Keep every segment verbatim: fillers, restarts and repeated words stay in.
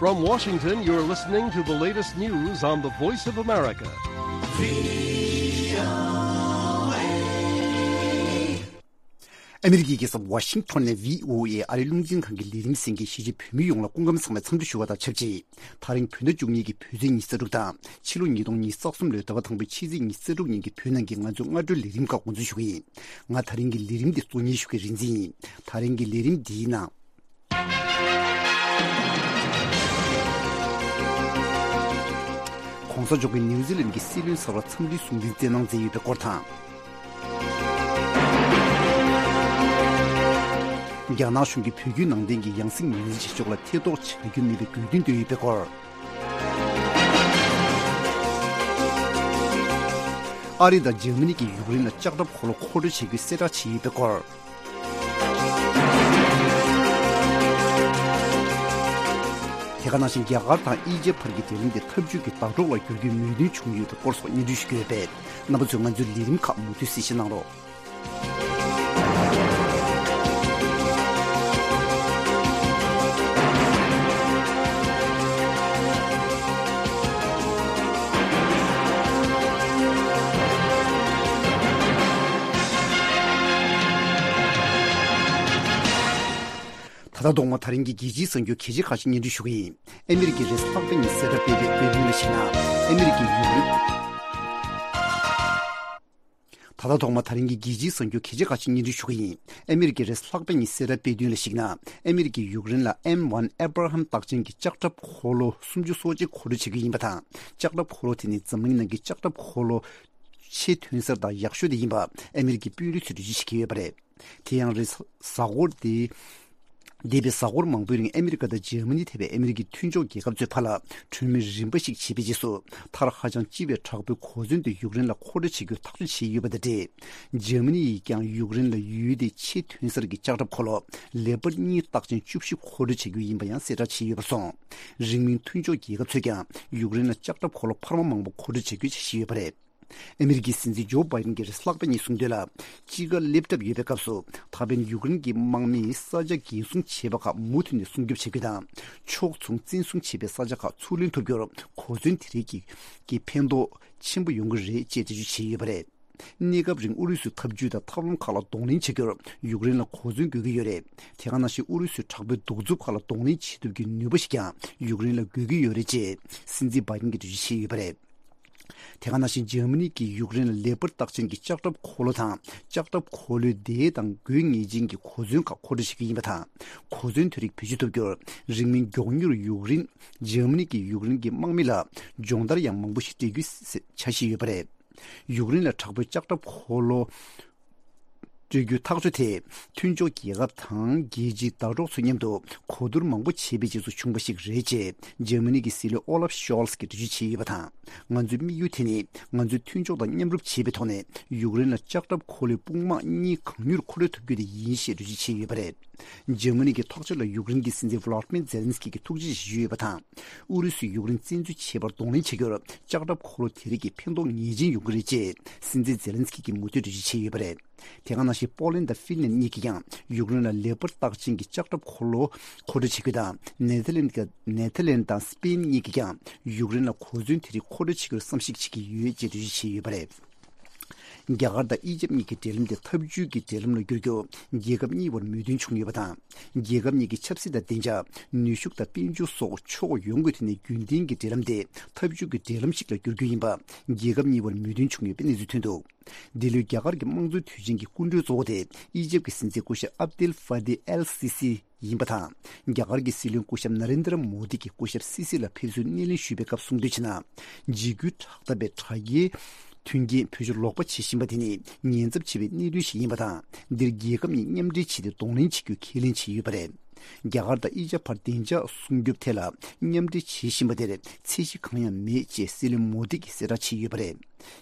From Washington, you're listening to the latest news on the Voice of America. ཨ་མི་རི་ཀའི་རྒྱལ་ས་ཝ་ཤིང་ཐོན་ནས་བྷི་ཨོ་ཨེ་ཨ་རིའི་རླུང་འཕྲིན་ཁང་གི་ལས་རིམ་གསན་མཁན་གཞིས་བྱེས་བོད་མི་ཡོངས་ལ་སྐུ་ཁམས་བཟང་བའི་འཚམས་འདྲི་ཞུ་བ་དང་ཆབས་ཅིག་ད་རིང་བོད་ཟླ་བཅུ་གཉིས་ཀྱི་བོད་ཚེས་ཉི་ཤུ་རྩ་དྲུག་དང་ཕྱི་ལོ་ཉིས་སྟོང་ཉི་ཤུ་རྩ་གསུམ་ལོའི་ཟླ་བ་དང་པོའི་ཕྱི་ཚེས་ཉི་ཤུ་རྩ་དྲུག་ཉིན་གྱི་བོད་ནང་གི་ང་ཚོའི་སྔ་དྲོའི་ལས་རིམ་ཁག་འགོ་འཛུགས་ཞུ་གི་ཡིན། ང་ད་རིང་གི་ལས་རིམ་འདི་གཙོ་གཉེར་ཞུ་མཁན་རིག་འཛིན་ཡིན། ད་རིང་གི་ལས་རིམ་འདིའི་ནང་། གོང་ས་མཆོག་གིས་ནིའུ་ཛི་ལན་གྱི་སྲིད་བློན་གསར་པར་འཚམས་འདྲིའི་གསུང་འཕྲིན་བསྩལ་གནང་མཛད་ཡོད་པའི་སྐོར་དང་། རྒྱ་ནག་གཞུང་གིས་བོད་བརྒྱུད་ནང་བསྟན་གྱི་ཡང་སྲིད་ངོས་འཛིན་བྱེད་ཕྱོགས་ལ་ཐེ་གཏོགས་བྱ་རྒྱུ་མེད་པའི་དགོས་འདུན་བཏོན་ཡོད་པའི་སྐོར། ཨ་རི་དང་འཇར་མ་ནི་གིས་ཡུཀ་རེན་ལ་ལྕགས་ཁྲབ་འཁོར་ལོ་མཁོ་སྤྲོད་བྱེད་རྒྱུའི་གསལ་བསྒྲགས་བྱས་ཡོད་པའི་སྐོར། དེ་ག་ནང་བཞིན་རྒྱ་གར་དང་ཨི་ཇེབ་བར་གྱི་འབྲེལ་ལམ་དེ་འཐབ་ཇུས་ཀྱི་ཟླ་གྲོགས་ལ་འགྱུར་རྒྱུའི་མོས་མཐུན་བྱུང་ཡོད་པའི་སྐོར་སོགས་སྙན་སྒྲོན་ཞུ་གི་ཡོད་པས། རྣམ་པ་ཚོས་ང་ཚོའི་ལས་རིམ་ཁག་མུ་མཐུད་གཟིགས་ཞིབ་གནང་རོགས། ད་ལྟ་ཐོག་མར་ད་རིང་གི་རྒྱལ་སྤྱིའི་གསར་འགྱུར་གལ་ཆེ་ཁག་ཅིག་སྙན་སྒྲོན་ཞུ་གི་ཡིན། ཨ་མི་རི་ཀའི་རེས་གཟའ་ལྷག་པའི་ཉིན་གསལ་བསྒྲགས་སྤེལ་བའི་དཔེ་སྟོན་ལ་གཞིགས་ན། ཨ་མི་རི་ཀའི་ཡུཀ་རེན། ད་ལྟ་ཐོག་མར་ད་རིང་གི་རྒྱལ་སྤྱིའི་གསར་འགྱུར་གལ་ཆེ་ཁག་ཅིག་སྙན་སྒྲོན་ཞུ་གི་ཡིན། ཨ་མི་རི་ཀའི་རེས་གཟའ་ལྷག་པའི་ཉིན་གསལ་བསྒྲགས་སྤེལ་དོན་ལ་གཞིགས་ན། ཨ་མི་རི་ཀས་ཡུཀ་རེན་ལ་ཨེམ་ཝན་ཨེབ་ར་ཧམ་རྟགས་ཅན་གྱི་ལྕགས་ཁྲབ་འཁོར་ལོ་སུམ་ཅུ་སོ་གཅིག་མཁོ་སྤྲོད་བྱེད་ཀྱི་ཡིན་པ་དང་། ལྕགས་ཁྲབ་འཁོར་ལོ་དེ་ནི་འཛམ་གླིང་ནང་གི་ལྕགས་ཁྲབ་འཁོར་ལོ་ཆེས་ཐོན་གསར་དང་ཡག་ཤོས་དེ་ཡིན་པ་ཨ་མི་རི་ཀའི་དཔོན་རིགས་ཚོས་འགྲེལ་བརྗོད་བྱེད་ཀྱི་ཡོད་པ་རེད། དེ་ཡང་རེས་གཟའ་འཁོར་དེ། འདས་པའི་གཟའ་འཁོར་མང་པོའི་རིང་ཨ་མི་རི་ཀ་དང་འཇར་མ་ནི་ཐེ་བའི་ཨ་མི་རི་ཀའི་མཐུན་ཕྱོགས་རྒྱལ་ཁབ་ཚོས་ཕར་ལ་གྲོས་མོལ་རིམ་པ་ཞིག་བྱས་པའི་རྗེས་སུ། མཐར་ཧ་ཅང་ལྕི་བའི་དྲག་པོའི་གོ་མཚོན་དེ་ཡུཀ་རེན་ལ་མཁོ་སྤྲོད་བྱེད་རྒྱུར་ཐག་གཅོད་བྱས་ཡོད་པ་དང་འབྲེལ། འཇར་མ་ནི་ཡིས་ཀྱང་ཡུཀ་རེན་ལ་ཡུལ་དེའི་ཆེས་ཐོན་གསར་གྱི་ལྕགས་ཁྲབ་འཁོར་ལོ་ལེ་པར་གཉིས་རྟགས་ཅན་བཅུ་བཞི་མཁོ་སྤྲོད་བྱ་རྒྱུ་ཡིན་པ་ཡང་གསལ་བསྒྲགས་བྱས་ཡོད་པར་སོང་། རིང་མིན་མཐུན་ཕྱོགས་རྒྱལ་ཁབ་ཚོས་ཀྱང་ཡུཀ་རེན་ལ་ལྕགས་ཁྲབ་འཁོར་ལོ་འཕར་མ་མང་པོ་མཁོ་སྤྲོད་བྱ་རྒྱུ་བྱེད་བཞིན་ཡོད་པ་རེད། ཨ་མི་རི་ཀའི་སྲིད་འཛིན་ཇོ་བྷའི་ཌེན་གྱིས་རེས་གཟའ་ལྷག་པའི་ཉིན་གསུངས་དོན་ལ། དཔྱིད་ཀ་སླེབས་གྲབས་ཡོད་པའི་སྐབས་སུ། ད་ཕན་ཡུཀ་རེན་གྱི་དམག་མིས་ས་ཆ་འགན་སྲུང་བྱས་པ་ཁག་མུ་མཐུད་ནས་སྲུང་སྐྱོབ་བྱེད་རྒྱུ་དང་། ཕྱོགས་མཚུངས་བཙན་བཟུང་བྱས་པའི་ས་ཆ་ཁག་ཚུར་ལེན་ཐུབ་རྒྱུར་གོ་མཚོན་དེ་རིགས་ཀྱི་ཀྱི་ཕན་ཐོགས་ཆེན་པོ་ཡོང་གི་རེད་ཅེས་འགྲེལ་བརྗོད་བྱས་ཡོད་པ་རེད། གནས་སྐབས་རིང་ཨུ་རུ་སུའི་འཐབ་ཇུས་དང་ཐབས་ལམ་ཁག་ལ་གདོང་ལེན་བྱ་རྒྱུར་ཡུཀ་རེན་ལ་གོ་མཚོན་དགོས་ཀྱི་ཡོད་རེད། དེ་ག་ནང་བཞིན་ཨུ་རུ་སུའི་དྲག་པོའི་གདུག་རྩུབ་ཁག་ལ་གདོང་ལེན་བྱེད་ཐུབ་རྒྱུའི་ནུས་པ་ཞིག་ཀྱང་ཡུཀ་རེན་ལ་དགོས་ཀྱི་ཡོད་རེད་ཅེས་སྲིད་འཛིན་བྷའི་ཌེན་གྱིས་འགྲེལ་བརྗོད་བྱས་ཡོད་པ་རེད། དེ་ག་ནང་བཞིན་འཇར་མ་ནི་གིས་ཡུཀ་རེན་ལ་ལེ་པར་རྟགས་ཅན་གྱི་ལྕགས་ཁྲབ་འཁོར་ལོ་དང་། ལྕགས་ཁྲབ་འཁོར་ལོའི་སྡེ་དང་དགོས་ངེས་ཅན་གྱི་གོ་མཚོན་ཁག་མཁོ་སྤྲོད་བྱེད་ཀྱི་ཡིན་པ་དང་། གོ་མཚོན་དེ་རིགས་བེད་སྤྱོད་ཐུབ་རྒྱུར་རིང་མིན་མགྱོགས་མྱུར་ཡུཀ་རེན། འཇར་མ་ནི་གིས་ཡུཀ་རེན་གྱི་དམག་མི་ལ་སྦྱོང་བརྡར་ཡང་མང་པོ་ཞིག་སྤྲད་རྒྱུའི་འཆར་གཞི་ཡོད་པ་རེད། ཡུཀ་རེན་ལ་དྲག་པོའི་ལྕགས་ཁྲབ་འཁོར་ལོ་སྤྲོད་རྒྱུའི་ཐག་གཅོད་དེ་མཐུན་ཕྱོགས་རྒྱལ་ཁབ་དང་རྒྱལ་སྤྱིའི་ཟླ་གྲོགས་ཚོ་མཉམ་དུ་གོ་བསྡུར་མང་པོ་བྱས་པའི་རྗེས་སུ་བྱུང་བ་ཞིག་རེད་ཅེས་འཇར་མ་ནི་གི་སྲིད་བློན་ཨོ་ལབ་ཤོལ་ཚ་གིས་འགྲེལ་བརྗོད་བྱས་ཡོད་པ་དང་། ང་ཚོའི་དམིགས་ཡུལ་དེ་ནི་ང་ཚོས་མཐུན་ཕྱོགས་དང་མཉམ་རུབ་བྱེད་པའི་ཐོག་ནས་ཡུཀ་རེན་ལ་ལྕགས་ཁྲབ་འཁོར་ལོའི་དཔུང་དམག་གཉིས་གང་མྱུར་མཁོ་སྤྲོད་ཐུབ་རྒྱུ་དེ་ཡིན་ཞེས་འགྲེལ་བརྗོད་བྱས་ཡོད་པ་རེད། འཇར་མ་ནི་གི་ཐག་གཅོད་ལ་ཡུཀ་རེན་གྱི་སྲིད་འཛིན་ཝི་ལོ་ཏི་མིར་ཛེ་ལན་སི་ཀི་གིས་ཐུགས་རྗེ་ཆེ་ཞུས་ཡོད་པ་དང་། ཨུ་རུ་སུས་ཡུཀ་རེན་བཙན་འཛུལ་བྱེད་པར་གདོང་ལེན་བྱ་རྒྱུར་ལྕགས་ཁྲབ་འཁོར་ལོ་དེ་རིགས་ཀྱི་ཕན་ཐོགས་ངེས་ཅན་ཡོང་གི་རེད་ཅེས་སྲིད་འཛིན་ཛེ་ལན་སི་ཀི་གིས་མུ་མཐུད་འགྲེལ་བརྗོད་བྱས་ཡོད་པ་རེད། དེ་ག་ནང་བཞིན་པོ་ལན་དང་ཧྥིན་ལན་གཉིས་ཀྱིས་ཀྱང་ཡུཀ་རེན་ལ་ལེ་པར་རྟགས་ཅན་གྱི་ལྕགས་ཁྲབ་འཁོར་ལོ་མཁོ་སྤྲོད་བྱེད་རྒྱུ་དང་། ནེ་ཐར་ལན་ནེ་ཐར་ལན་དང་སི་པེན་གཉིས་ཀྱིས་ཀྱང་ཡུཀ་རེན་ལ་གོ་མཚོན་དེ་རིགས་མཁོ་སྤྲོད་བྱེད་རྒྱུར་བསམ་གཞིག་བྱེད་ཀྱི་ཡོད་ཅེས་འགྲེལ་བརྗོད་བྱས་ཡོད་པ་རེད། རྒྱ་གར་དང་ཨི་ཇེབ་གཉིས་ཀྱི་འབྲེལ་ལམ་དེ་འཐབ་ཇུས་ཀྱི་འབྲེལ་ལམ་ལ་བསྒྱུར་རྒྱུར་རྒྱལ་ཁབ་གཉིས་བར་མོས་མཐུན་བྱུང་ཡོད་པ་དང་། རྒྱལ་ཁབ་གཉིས་ཀྱི་ཆབ་སྲིད་དང་བདེ་འཇགས། ནུས་ཤུགས་དང་དཔལ་འབྱོར་སོགས་ཕྱོགས་ཡོངས་ཀྱི་ཐད་ནས་རྒྱུན་ལྡན་གྱི་འབྲེལ་ལམ་དེ་འཐབ་ཇུས་ཀྱི་འབྲེལ་ལམ་ཞིག་ལ་བསྒྱུར་རྒྱུ་ཡིན་པ་རྒྱལ་ཁབ་གཉིས་བར་མོས་མཐུན་བྱུང་ཡོད་པའི་གནས་ཚུལ་ཐོན་འདུག་འདི་ལོའི་རྒྱ་གར་གྱི་དམངས་གཙོའི་དུས་ཆེན་གྱི་སྐུ་མགྲོན་གཙོ་བོ་དེ་ཨི་ཇེབ་ཀྱི་སྲིད་འཛིན་སྐུ་ཞབས་ཨབ་དེལ་ཧྥ་ཏེ་ཨེལ་སི་སི་ཡིན་པ་དང་། རྒྱ་གར་གྱི་སྲིད་བློན་སྐུ་ཞབས་ན་རེན་དྲ་མོ་དི་གིས་སྐུ་ཞབས་སི་སི་ལ་ཕེབས་བསུའི་སྣེ་ལེན་ཞུས་པའི་སྐབས་གསུངས་དོན་བྱས་ན། འཇིགས་སྐུལ་དྲག་འཐབ་པའི་དྲ་རྒྱའི་མཐུན་རྐྱེན་བེད་སྤྱོད་ལོག་པ་བྱེད་བཞིན་པ་དེ་ནི་ཉེན་ཚབས་ཆེ་བའི་གནད་དོན་ཞིག་ཡིན་པ་དང་། འདིར་རྒྱལ་ཁབ་གཉིས་མཉམ་འབྲེལ་བྱས་ཏེ་གདོང་ལེན་བྱེད་རྒྱུ་ཁས་ལེན་བྱས་ཡོད་པ་རེད། རྒྱ་གར་དང་ཨི་ཇེབ་བར་བདེ་འཇགས་སྲུང་སྐྱོབ་ཐད་ལ་མཉམ་འབྲེལ་བྱེད་བཞིན་པ་དེར་ཚད་གཞི་གང་ཡང་མེད་ཅེས་སྲིད་བློན་མོ་དི་གིས་གསལ་བསྒྲགས་བྱས་ཡོད་པ་རེད།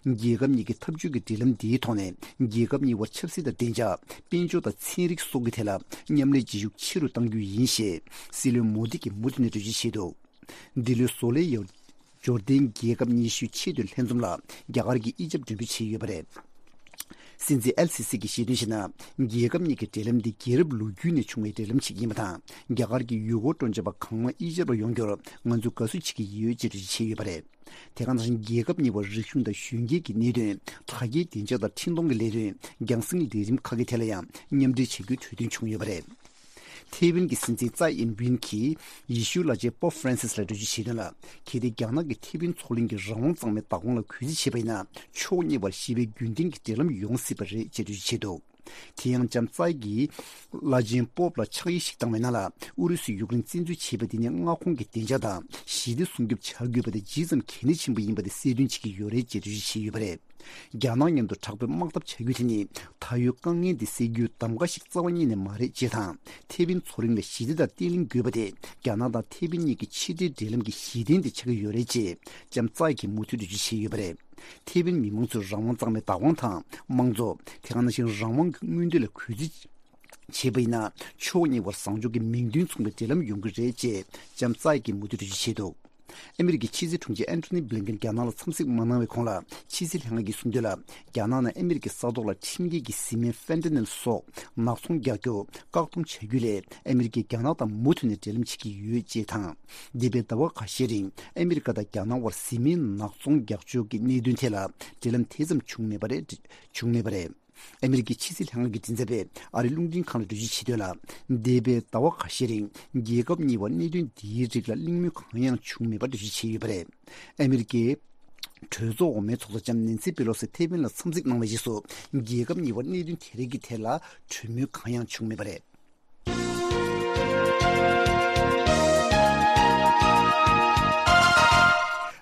རྒྱལ་ཁབ་གཉིས་ཀྱི་འཐབ་ཇུས་ཀྱི་འབྲེལ་ལམ་འདིའི་ཐོག་ནས་རྒྱལ་ཁབ་གཉིས་བར་ཆབ་སྲིད་དང་བདེ་འཇགས། དཔལ་འབྱོར་དང་ཚན་རིག་སོགས་ཀྱི་ཐད་ལ་མཉམ་ལས་བྱེད་ཤུགས་ཆེ་རུ་གཏང་རྒྱུ་ཡིན་ཞེས་སྲིད་བློན་མོ་དི་གིས་མུ་མཐུད་ནས་འགྲེལ་བརྗོད་བྱས་འདུག་འདི་ལོའི་བཟོ་ལས་ཡོ་འབྱོར་ལྡན་རྒྱལ་ཁབ་ཉི་ཤུའི་ཆེས་མཐོའི་ལྷན་འཛོམས་ལ་རྒྱ་གར་གྱི་ཨི་ཇེབ་མགྲོན་འབོད་བྱས་ཡོད་པ་རེད། སྲིད་འཛིན་ཨེལ་སི་སི་གིས་བཤད་དོན་བྱས་ན། རྒྱལ་ཁབ་གཉིས་ཀྱི་འབྲེལ་ལམ་འདི་རྒྱལ་རབས་ལོ་རྒྱུས་ནས་བྱུང་བའི་འབྲེལ་ལམ་ཞིག་ཡིན་པ་དང་། རྒྱ་གར་གྱི་ཡུལ་སྐོར་སྤྲོ་འཆམ་པ་གང་མང་དབྱེ་འབྱེད་པར་ཡོང་རྒྱུར་ང་ཚོས་དགའ་བསུ་བྱེད་ཀྱི་ཡོད་ཅེས་འགྲེལ་བརྗོད་བྱས་ཡོད་པ་རེད། དེ་ག་ནང་བཞིན་རྒྱལ་ཁབ་གཉིས་བར་རིག་གཞུང་དང་གཞོན་སྐྱེས་ཀྱི་གནད་དོན། དྲ་རྒྱའི་བདེ་འཇགས་དང་འཕྲིན་གཏོང་གི་ལས་དོན། རྒྱང་སྲིང་ལས་རིམ་ཁག་གི་ཐད་ལ་ཡང་མཉམ་འབྲེལ་བྱ་རྒྱུའི་གྲོས་མཐུན་བྱུང་ཡོད་པ་རེད། ཐེ་ཝན་གྱི་སྲིད་འཛིན་ཙའི་ཨིན་ཝིན་གྱིས་ཡེ་ཤུའི་བླ་ཆེན་པོབ་ཧྥ་རན་སིས་ལ་འགྲེལ་བརྗོད་བྱས་དོན་ལ། གལ་ཏེ་རྒྱ་ནག་གིས་ཐེ་ཝན་མཚོ་གླིང་གི་རང་དབང་གཙང་མའི་བདག་དབང་ལ་གུས་བརྩི་བྱས་པ་ཡིན་ན། ཕྱོགས་གཉིས་བར་ཞི་བའི་རྒྱུན་ལྡན་གྱི་འབྲེལ་ལམ་ཡོང་སྲིད་པ་རེད་ཅེས་འགྲེལ་བརྗོད་བྱས་འདུག་དེ་ཡང་ལྕམ་ཙའི་གིས་བླ་ཆེན་པོབ་ལ་ཕྱག་ཡིག་ཞིག་བཏང་བའི་ནང་ལ། ཨུ་རུ་སུས་ཡུཀ་རེན་བཙན་འཛུལ་བྱས་པ་དེ་ནི་མངའ་ཁོངས་ཀྱི་བདེ་འཇགས་དང་ཞི་བདེ་སྲུང་སྐྱོབ་བྱ་དགོས་པ་དེ་ཇི་ཙམ་གལ་གནད་ཆེན་པོ་ཡིན་པ་དེ་གསལ་སྟོན་བྱེད་ཀྱི་ཡོད་རེད་ཅེས་འགྲེལ་བརྗོད་བྱས་ཡོད་པ་རེད། རྒྱ་ནག་མཉམ་དུ་དྲག་པོའི་དམག་འཐབ་བྱ་རྒྱུ་དེ་ནི་ད་ཡོད་དཀའ་ངལ་འདི་སེལ་རྒྱུའི་གདམ་ག་ཞིག་རྩ་བ་ཉིད་ནས་མ་རེད་ཅེས་དང་། ཐེ་ཝན་མཚོ་གླིང་ལ་ཞི་བདེ་དང་བརྟན་ལྷིང་དགོས་པ་དེ་རྒྱ་ནག་དང་ཐེ་ཝན་གཉིས་ཀྱི་ཕྱི་འབྲེལ་འབྲེལ་ལམ་གྱི་གཞི་རྟེན་དེ་ཆགས་ཀྱི་ཡོད་རེད་ཅེས་ལྕམ་ཙའི་གིས་མུ་མཐུད་འགྲེལ་བརྗོད་བྱས་ཡོད་པ་རེད། ཐེ་ཝན་མི་མང་ཚོས་རང་དབང་གཙང་མའི་བདག་དབང་དང་དམངས་གཙོ། དེ་ག་ནང་བཞིན་རང་དབང་གི་མངོན་འདོད་ལ་གུས་བརྩི་བྱས་པ་ཡིན་ན། ཕྱོགས་གཉིས་བར་བཟང་ཕྱོགས་ཀྱི་མིང་དོན་མཚུངས་པའི་འབྲེལ་ལམ་ཡོང་གི་རེད་ཅེས་ལྕམ་ཙའི་གིས་མུ་མཐུད་འགྲེལ་བརྗོད་བྱས་འདུག་ཨ་མི་རི་ཀའི་ཕྱི་སྲིད་དྲུང་ཆེ་ཨན་ཐོ་ནི་བྷི་ལིན་ཀེན་རྒྱ་ནག་ལ་འཚམས་གཟིགས་མ་གནང་བའི་གོང་ལ། ཕྱི་སྲིད་ལྷན་ཁང་གིས་གསུངས་དོན་ལ། རྒྱ་ནག་ནས་ཨ་མི་རི་ཀའི་ས་ཐོག་ལ་ཁྲིམས་འགལ་གྱི་བཟི་སྨན་ཧྥེན་ཏ་ནིལ་སོགས་ནག་ཚོང་རྒྱག་རྒྱུ་བཀག་སྡོམ་བྱ་རྒྱུ་ལས། ཨ་མི་རི་ཀས་རྒྱ་ནག་དང་མུ་མཐུད་ནས་འབྲེལ་ལམ་བྱེད་ཀྱི་ཡོད་ཅེས་དང་། འདས་པའི་ཟླ་བ་ཁ་ཤས་རིང་ཨ་མི་རི་ཀ་དང་རྒྱ་ནག་དབར་བཟི་སྨན་ནག་ཚོང་རྒྱག་ཕྱོགས་ཀྱི་གནད་དོན་ཐད་ལ་འབྲེལ་ལམ་དེ་ཙམ་བྱུང་མེད་པ་རེད། བྱུང་མེད་པ་རེད། ཨ་མི་རི་ཀའི་ཕྱི་སྲིད་ལྷན་ཁང་གི་མགྲིན་ཚབ་པས་ཨ་རིའི་རླུང་འཕྲིན་ཁང་ལ་འགྲེལ་བརྗོད་བྱས་དོན་ལ། འདས་པའི་ཟླ་བ་ཁ་ཤས་རིང་རྒྱལ་ཁབ་གཉིས་བར་གནད་དོན་འདིའི་རིགས་ལ་གླེང་མོལ་གང་ཡང་བྱུང་མེད་པར་འགྲེལ་བརྗོད་བྱས་ཡོད་པ་རེད། ཨ་མི་རི་ཀའི་གྲོས་ཚོགས་འོག་མའི་ཚོགས་གཙོ་ལྕམ་ནེན་སི་པེ་ལོ་སི་ཐེ་ཝན་ལ་འཚམས་གཟིགས་གནང་བའི་རྗེས་སུ། རྒྱལ་ཁབ་གཉིས་བར་གནད་དོན་དེ་རིགས་ཀྱི་ཐད་ལ་གྲོས་མོལ་གང་ཡང་བྱུང་མེད་པ་རེད།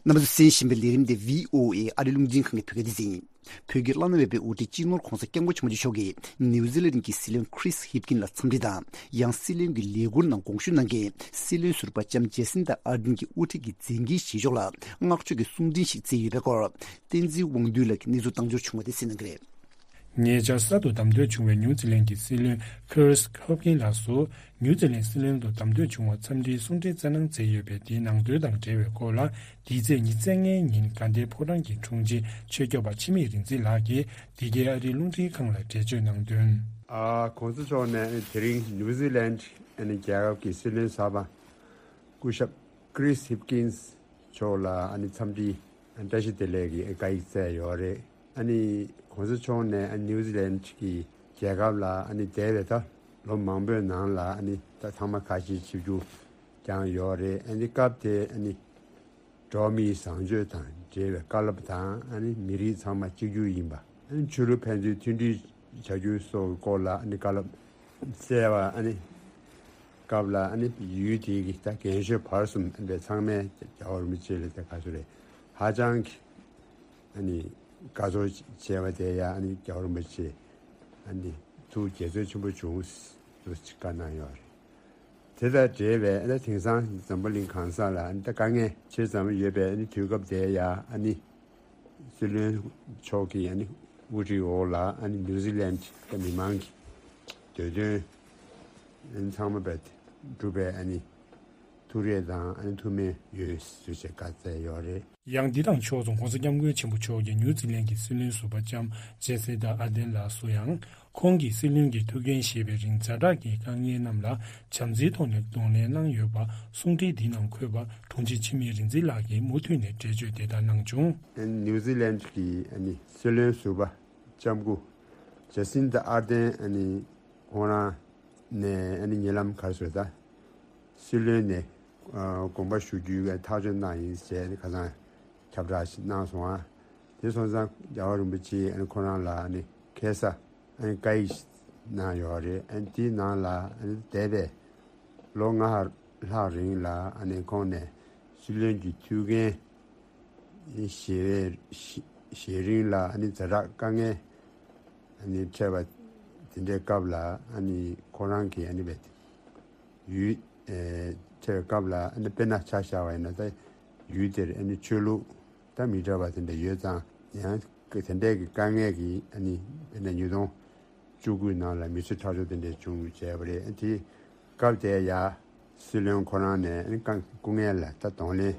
རྣམ་པ་ཚོས་གསན་བཞིན་པའི་ལས་རིམ་འདི་བྷི་ཨོ་ཨེ་ཨ་རིའི་རླུང་འཕྲིན་ཁང་གི་བོད་སྐད་སྡེ་ཚན་ཡིན། བོད་ཀྱི་བླ་ན་མེད་པའི་དབུ་ཁྲིད་སྤྱི་ནོར་༸གོང་ས་༸སྐྱབས་མགོན་ཆེན་པོ་མཆོག་གིས་ནིའུ་ཛི་ལན་གྱི་སྲིད་བློན་ཁྲིས་ཧིབ་ཀིན་ལ་འཚམས་འདྲི་དང་། ཡང་སྲིད་བློན་གྱི་ལས་ཁུར་ནང་དགོངས་ཞུ་གནང་མཁན་སྲིད་བློན་ཟུར་པ་ལྕམ་ཇེ་སིན་ཏ་ཨར་ཌིན་གྱི་དབུ་ཁྲིད་ཀྱི་མཛད་འགན་བཞེས་ཕྱོགས་ལ་བསྔགས་བརྗོད་ཀྱི་གསུང་འཕྲིན་ཞིག་བསྩལ་ཡོད་པའི་སྐོར། བསྟན་འཛིན་དབང་འདུས་ལགས་ཀྱིས་གནས་ཚུལ་བཏང་འབྱོར་བྱུང་བ་དེ་གསན་གནང་གི་རེད། ཉེ་ཆར་གསར་དུ་བདམས་ཐོན་བྱུང་བའི་ནིའུ་ཛི་ལན་གྱི་སྲིད་བློན་ཁྲིས་ཧིབ་ཀིན་ལགས་སུ། ནིའུ་ཛི་ལན་སྲིད་བློན་དུ་བདམས་ཐོན་བྱུང་བར་འཚམས་འདྲིའི་གསུང་འཕྲིན་བསྩལ་གནང་མཛད་ཡོད་པའི་དེའི་ནང་དོན་དང་འབྲེལ་བའི་སྐོར་ལ། འདས་ཚེས་ཉི་ཤུ་རྩ་ལྔའི་ཉིན་དགའ་ལྡན་ཕོ་བྲང་གི་དྲུང་ཆེ་ཆོས་སྐྱོབ་པ་འཆི་མེད་རིག་འཛིན་ལགས་ཀྱིས་འདི་གའི་ཨ་རིའི་རླུང་འཕྲིན་ཁང་ལ་འགྲེལ་བརྗོད་གནང་དོན། ཨ། ༸གོང་ས་མཆོག་ནས་དེ་རིང་ནིའུ་ཛི་ལན་ཨ་ནི་རྒྱལ་ཁབ་ཀྱི་སྲིད་བློན་གསར་པ་སྐུ་ཞབས་ཀྲིས་ཧིབ་ཀིན་མཆོག་ལ་ཨ་ནི་འཚམས་འདྲི་བཀྲ་ཤིས་བདེ་ལེགས་ཀྱི་བཀའ་ཡིག་བསྩལ་ཡོད་རེད། ཨ་ནི་༸གོང་ས་མཆོག་ནས་ཨ་ནི་ནིའུ་ཛི་ལན་གྱི་རྒྱལ་ཁབ་ལ་ཨ་ནི་འདས་པའི་ད་ལོ་མང་པོའི་ནང་ལ་ཨ་ནི་ད་ཚང་མ་ཁ་ཆེའི་ཆིབས་བསྒྱུར་བསྐྱངས་ཡོད་རེད། ཨ་ནི་སྐབས་དེ་ཨ་ནི་འགྲོ་བ་མིའི་བཟང་སྤྱོད་དང་འབྲེལ་བའི་བཀའ་སློབ་དང་། ཨ་ནི་མི་རིགས་ཚང་མ་གཅིག་གྱུར་ཡིན་པ། ཨ་ནི་ཆོས་ལུགས་ཕན་ཚུན་མཐུན་སྒྲིལ་བྱ་རྒྱུ་སོགས་ཀྱི་སྐོར་ལ་ཨ་ནི་བཀའ་སློབ་བསྩལ་བ། ཨ་ནི་སྐབས་ལ་ཨ་ནི་ཡུལ་དེའི་གི་ད་རྒན་གཞོན་བར་གསུམ་ཨ་ནི་ཚང་མས་རྒྱལ་བ་རིན་པོ་ཆེ་ལ་ད་ག་ཚོད་རེད། ཧ་ཅང་གི་ཨ་ནི་དགའ་ཚོར་བྱས་པ་དེ་ཡང་ཨ་ནི་རྒྱལ་བ་རིན་པོ་ཆེ་ཨ་ནི་ཐུགས་དགྱེས་ཚོར་ཆེན་པོ་བྱུང་ཟེར་བཀའ་གནང་ཡོད་རེད། དེ་དང་འབྲེལ་བའི་ཨ་ནི་དེང་སང་འཛམ་བུ་གླིང་གང་ས་ལ་ཨ་ནི་ད་དཀའ་ངལ་ཆེ་ཙམ་ཡོད་པའི་ཨ་ནི་དུས་སྐབས་དེ་ཡང་ཨ་ནི་སྲིད་བློན་མཆོག་གིས་ཨ་ནི་དབུ་ཁྲིད་འོག་ལ་ཨ་ནི་ནིའུ་ཛི་ལན་གྱི་མི་མང་གི་འདོད་དོན་ཨ་ནི་ཚང་མ་བས་སྒྲུབ་པའི་ཨ་ནི་ཐུགས་རེ་དང་ཨ་ནི་ཐུགས་སྨོན་ཡོད་ཟེར་བྱས་བཀའ་སྩལ་ཡོད་རེད། ཡང་འདི་དང་ཕྱོགས་སུ་༸གོང་ས་༸སྐྱབས་མགོན་ཆེན་པོ་མཆོག་གིས་ནིའུ་ཛི་ལན་གྱི་སྲིད་བློན་ཟུར་པ་ལྕམ་ཇེ་སི་ཏ་ཨར་ཌེན་ལགས་སུ་ཡང་། ཁོང་གིས་སྲིད་བློན་གྱི་ཐུགས་འགན་བཞེས་པའི་རིང་ཛ་དྲག་གི་དཀའ་ངལ་རྣམས་ལ་བྱམས་བརྩེའི་ཐོག་ནས་གདོང་ལེན་གནང་ཡོད་པ་གསུང་འཕྲིན་འདིའི་ནང་འཁོད་པ་དྲུང་ཆེ་འཆི་མེད་རིག་འཛིན་ལགས་ཀྱིས་མུ་མཐུད་ནས་འགྲེལ་བརྗོད་དེ་ལྟར་གནང་བྱུང་། ནིའུ་ཛི་ལན་གྱི་ཨ་ནི་སྲིད་བློན་ཟུར་པ་ལྕམ་སྐུ་ཇ་སིན་ཏ་ཨར་ཏན་ཨ་ནི་ཁོང་རང་ནས་ཨ་ནི་ཉེ་ལམ་ག་རེ་ཟེར་ད། སྲིད་བློན་ནས་ཨ་དགོངས་པ་ཞུ་རྒྱུའི་ཐག་གཅོད་གནང་ཡིན་ཟེར་ཨ་ནི་ཁ་སང་ཁྱབ་བསྒྲགས་ཤིག་གནང་སོང་ཨ། དེ་སོང་ཙང་རྒྱལ་བ་རིན་པོ་ཆེས་ཨ་ནི་ཁོ་རང་ལ་ཨ་ནི་ཁ་སང་ཨ་ནི་བཀའ་ཡིག་གནང་ཡོད་རེད། ཨ་ནི་དེའི་ནང་ལ་ཨ་ནི་འདས་པའི་ལོ་ལྔ་ལྷག་རིང་ལ་ཨ་ནི་ཁོང་ནས་སྲིད་བློན་གྱི་ཐུགས་འགན་བཞེས་པའི་བཞེས་རིང་ལ་ཨ་ནི་ཛ་དྲག་དཀའ་ངལ་ཨ་ནི་འཕྲད་པ་དེ་འདྲའི་སྐབས་ལ་ཨ་ནི་ཁོ་རང་གིས་ཨ་ནི་བས་ཡུལ་ཨེ་འཕྲད་པའི་སྐབས་ལ་ཨ་ནི་དཔེར་ན་ཆ་བཞག་པ་ཡིན་ན་ད་ཡུལ་དེར་ཨ་ནི་ཆོས་ལུགས་ད་མི་འདྲ་བ་དེ་འདྲ་ཡོད་ཙང་ཡང་དེ་འདྲའི་གི་དཀའ་ངལ་གྱིས་ཨ་ནི་དཔེར་ན་ཉིས་སྟོང་བཅུ་དགུའི་ནང་ལ་མི་གསོད་ཁྲག་སྦྱོར་དེ་འདྲ་བྱུང་བྱས་པ་རེད། དེ་སྐབས་དེ་ཡ་སྲིད་བློན་ཁོ་རང་ནས་ཨ་ནི་དཀའ་སྐུ་ངལ་ལ་ད་གདོང་ལེན་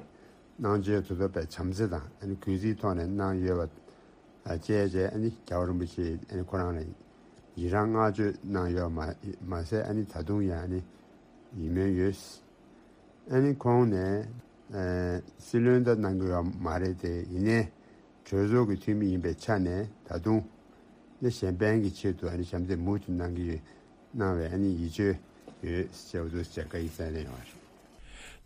གནང་བྱས་དུ་ཐོབ་པའི་བྱམས་བརྩེ་དང་ཨ་ནི་གུས་བརྩིའི་ཐོག་ནས་གནང་ཡོད་པ། བཅས་བྱས་ཨ་ནི་རྒྱལ་བ་རིན་པོ་ཆེ་ཨ་ནི་ཁོ་རང་ལ་ཡི་རང་བསྔགས་བརྗོད་གནང་ཡོད་མ་མ་ཟད། ཨ་ནི་ད་དུང་ཡང་ཨ་ནི་ཡིད་སྨོན་ཡོད། ཨ་ནི་ཁོང་ནས་ཨ་སྲིད་བློན་ད་གནང་གི་ཡོད་མ་རེད་དེ། ཡིན་ནའི་གྲོས་ཚོགས་ཀྱི་འཐུས་མི་ཡིན་པའི་ཆ་ནས་ད་དུང་ནི་གཞན་ཕན་གྱི་ཆེད་དུ་ཨ་ནི་ཞབས་འདེགས་མུ་མཐུད་གནང་གི་ཡོད། གནང་བའི་ཨ་ནི་ཡིད་ཆེས་ཡོད་ཟེར་བ་འདུག་ཟེར་བཀའ་ཡིག་གསན་གནང་ཡོད་པ་རེད།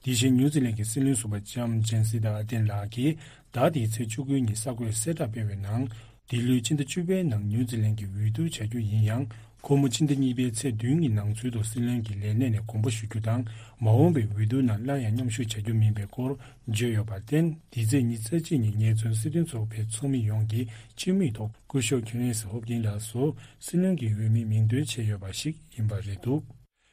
དེ་བཞིན་ཉིའུ་ཛི་ལན་གྱི་སྲིད་བློན་ཟུར་པ་ལྕམ་ཇན་སི་ཏཱ་ཨར་ཏན་ལགས་ཀྱིས་ཟླ་འདིའི་ཚེས་བཅུ་དགུ་ཉིན་གསར་འགོད་གསལ་བསྒྲགས་སྤེལ་བའི་ནང་། འདི་ལོའི་སྤྱི་ཟླ་བཅུ་པའི་ནང་ཉིའུ་ཛི་ལན་གྱི་འོས་བསྡུ་བྱ་རྒྱུ་ཡིན་ཡང་། ཁོ་མོ་ཕྱི་ཟླ་གཉིས་པའི་ཚེས་བདུན་གྱི་ནང་ཚུད་དུ་སྲིད་བློན་གྱི་ལས་གནས་ནས་དགོངས་པ་ཞུ་རྒྱུ་དང་། མ་འོངས་པའི་འོས་བསྡུ་ནང་སླར་ཡང་མཉམ་ཞུགས་བྱ་རྒྱུ་མིན་པའི་སྐོར་བརྗོད་ཡོད་པར་བརྟེན། འདི་ཚེས་ཉི་ཤུ་རྩ་གཅིག་ཉིན་ངེད་ཚོའི་སྲིད་དོན་ཚོགས་པའི་ཚོགས་མི་ཡོངས་ཀྱིས་སྤྱི་མོས་ཐོག་སྐུ་ཞབས་ཁེ་རེན་སི་ཧོབ་ཀིན་ལགས་སུ་སྲིད་བློན་གྱི་འོས་མི་མིང་འདོན་བྱས་ཡོད་པ་ཞིག་ཡིན་པ་རེད་འདུག་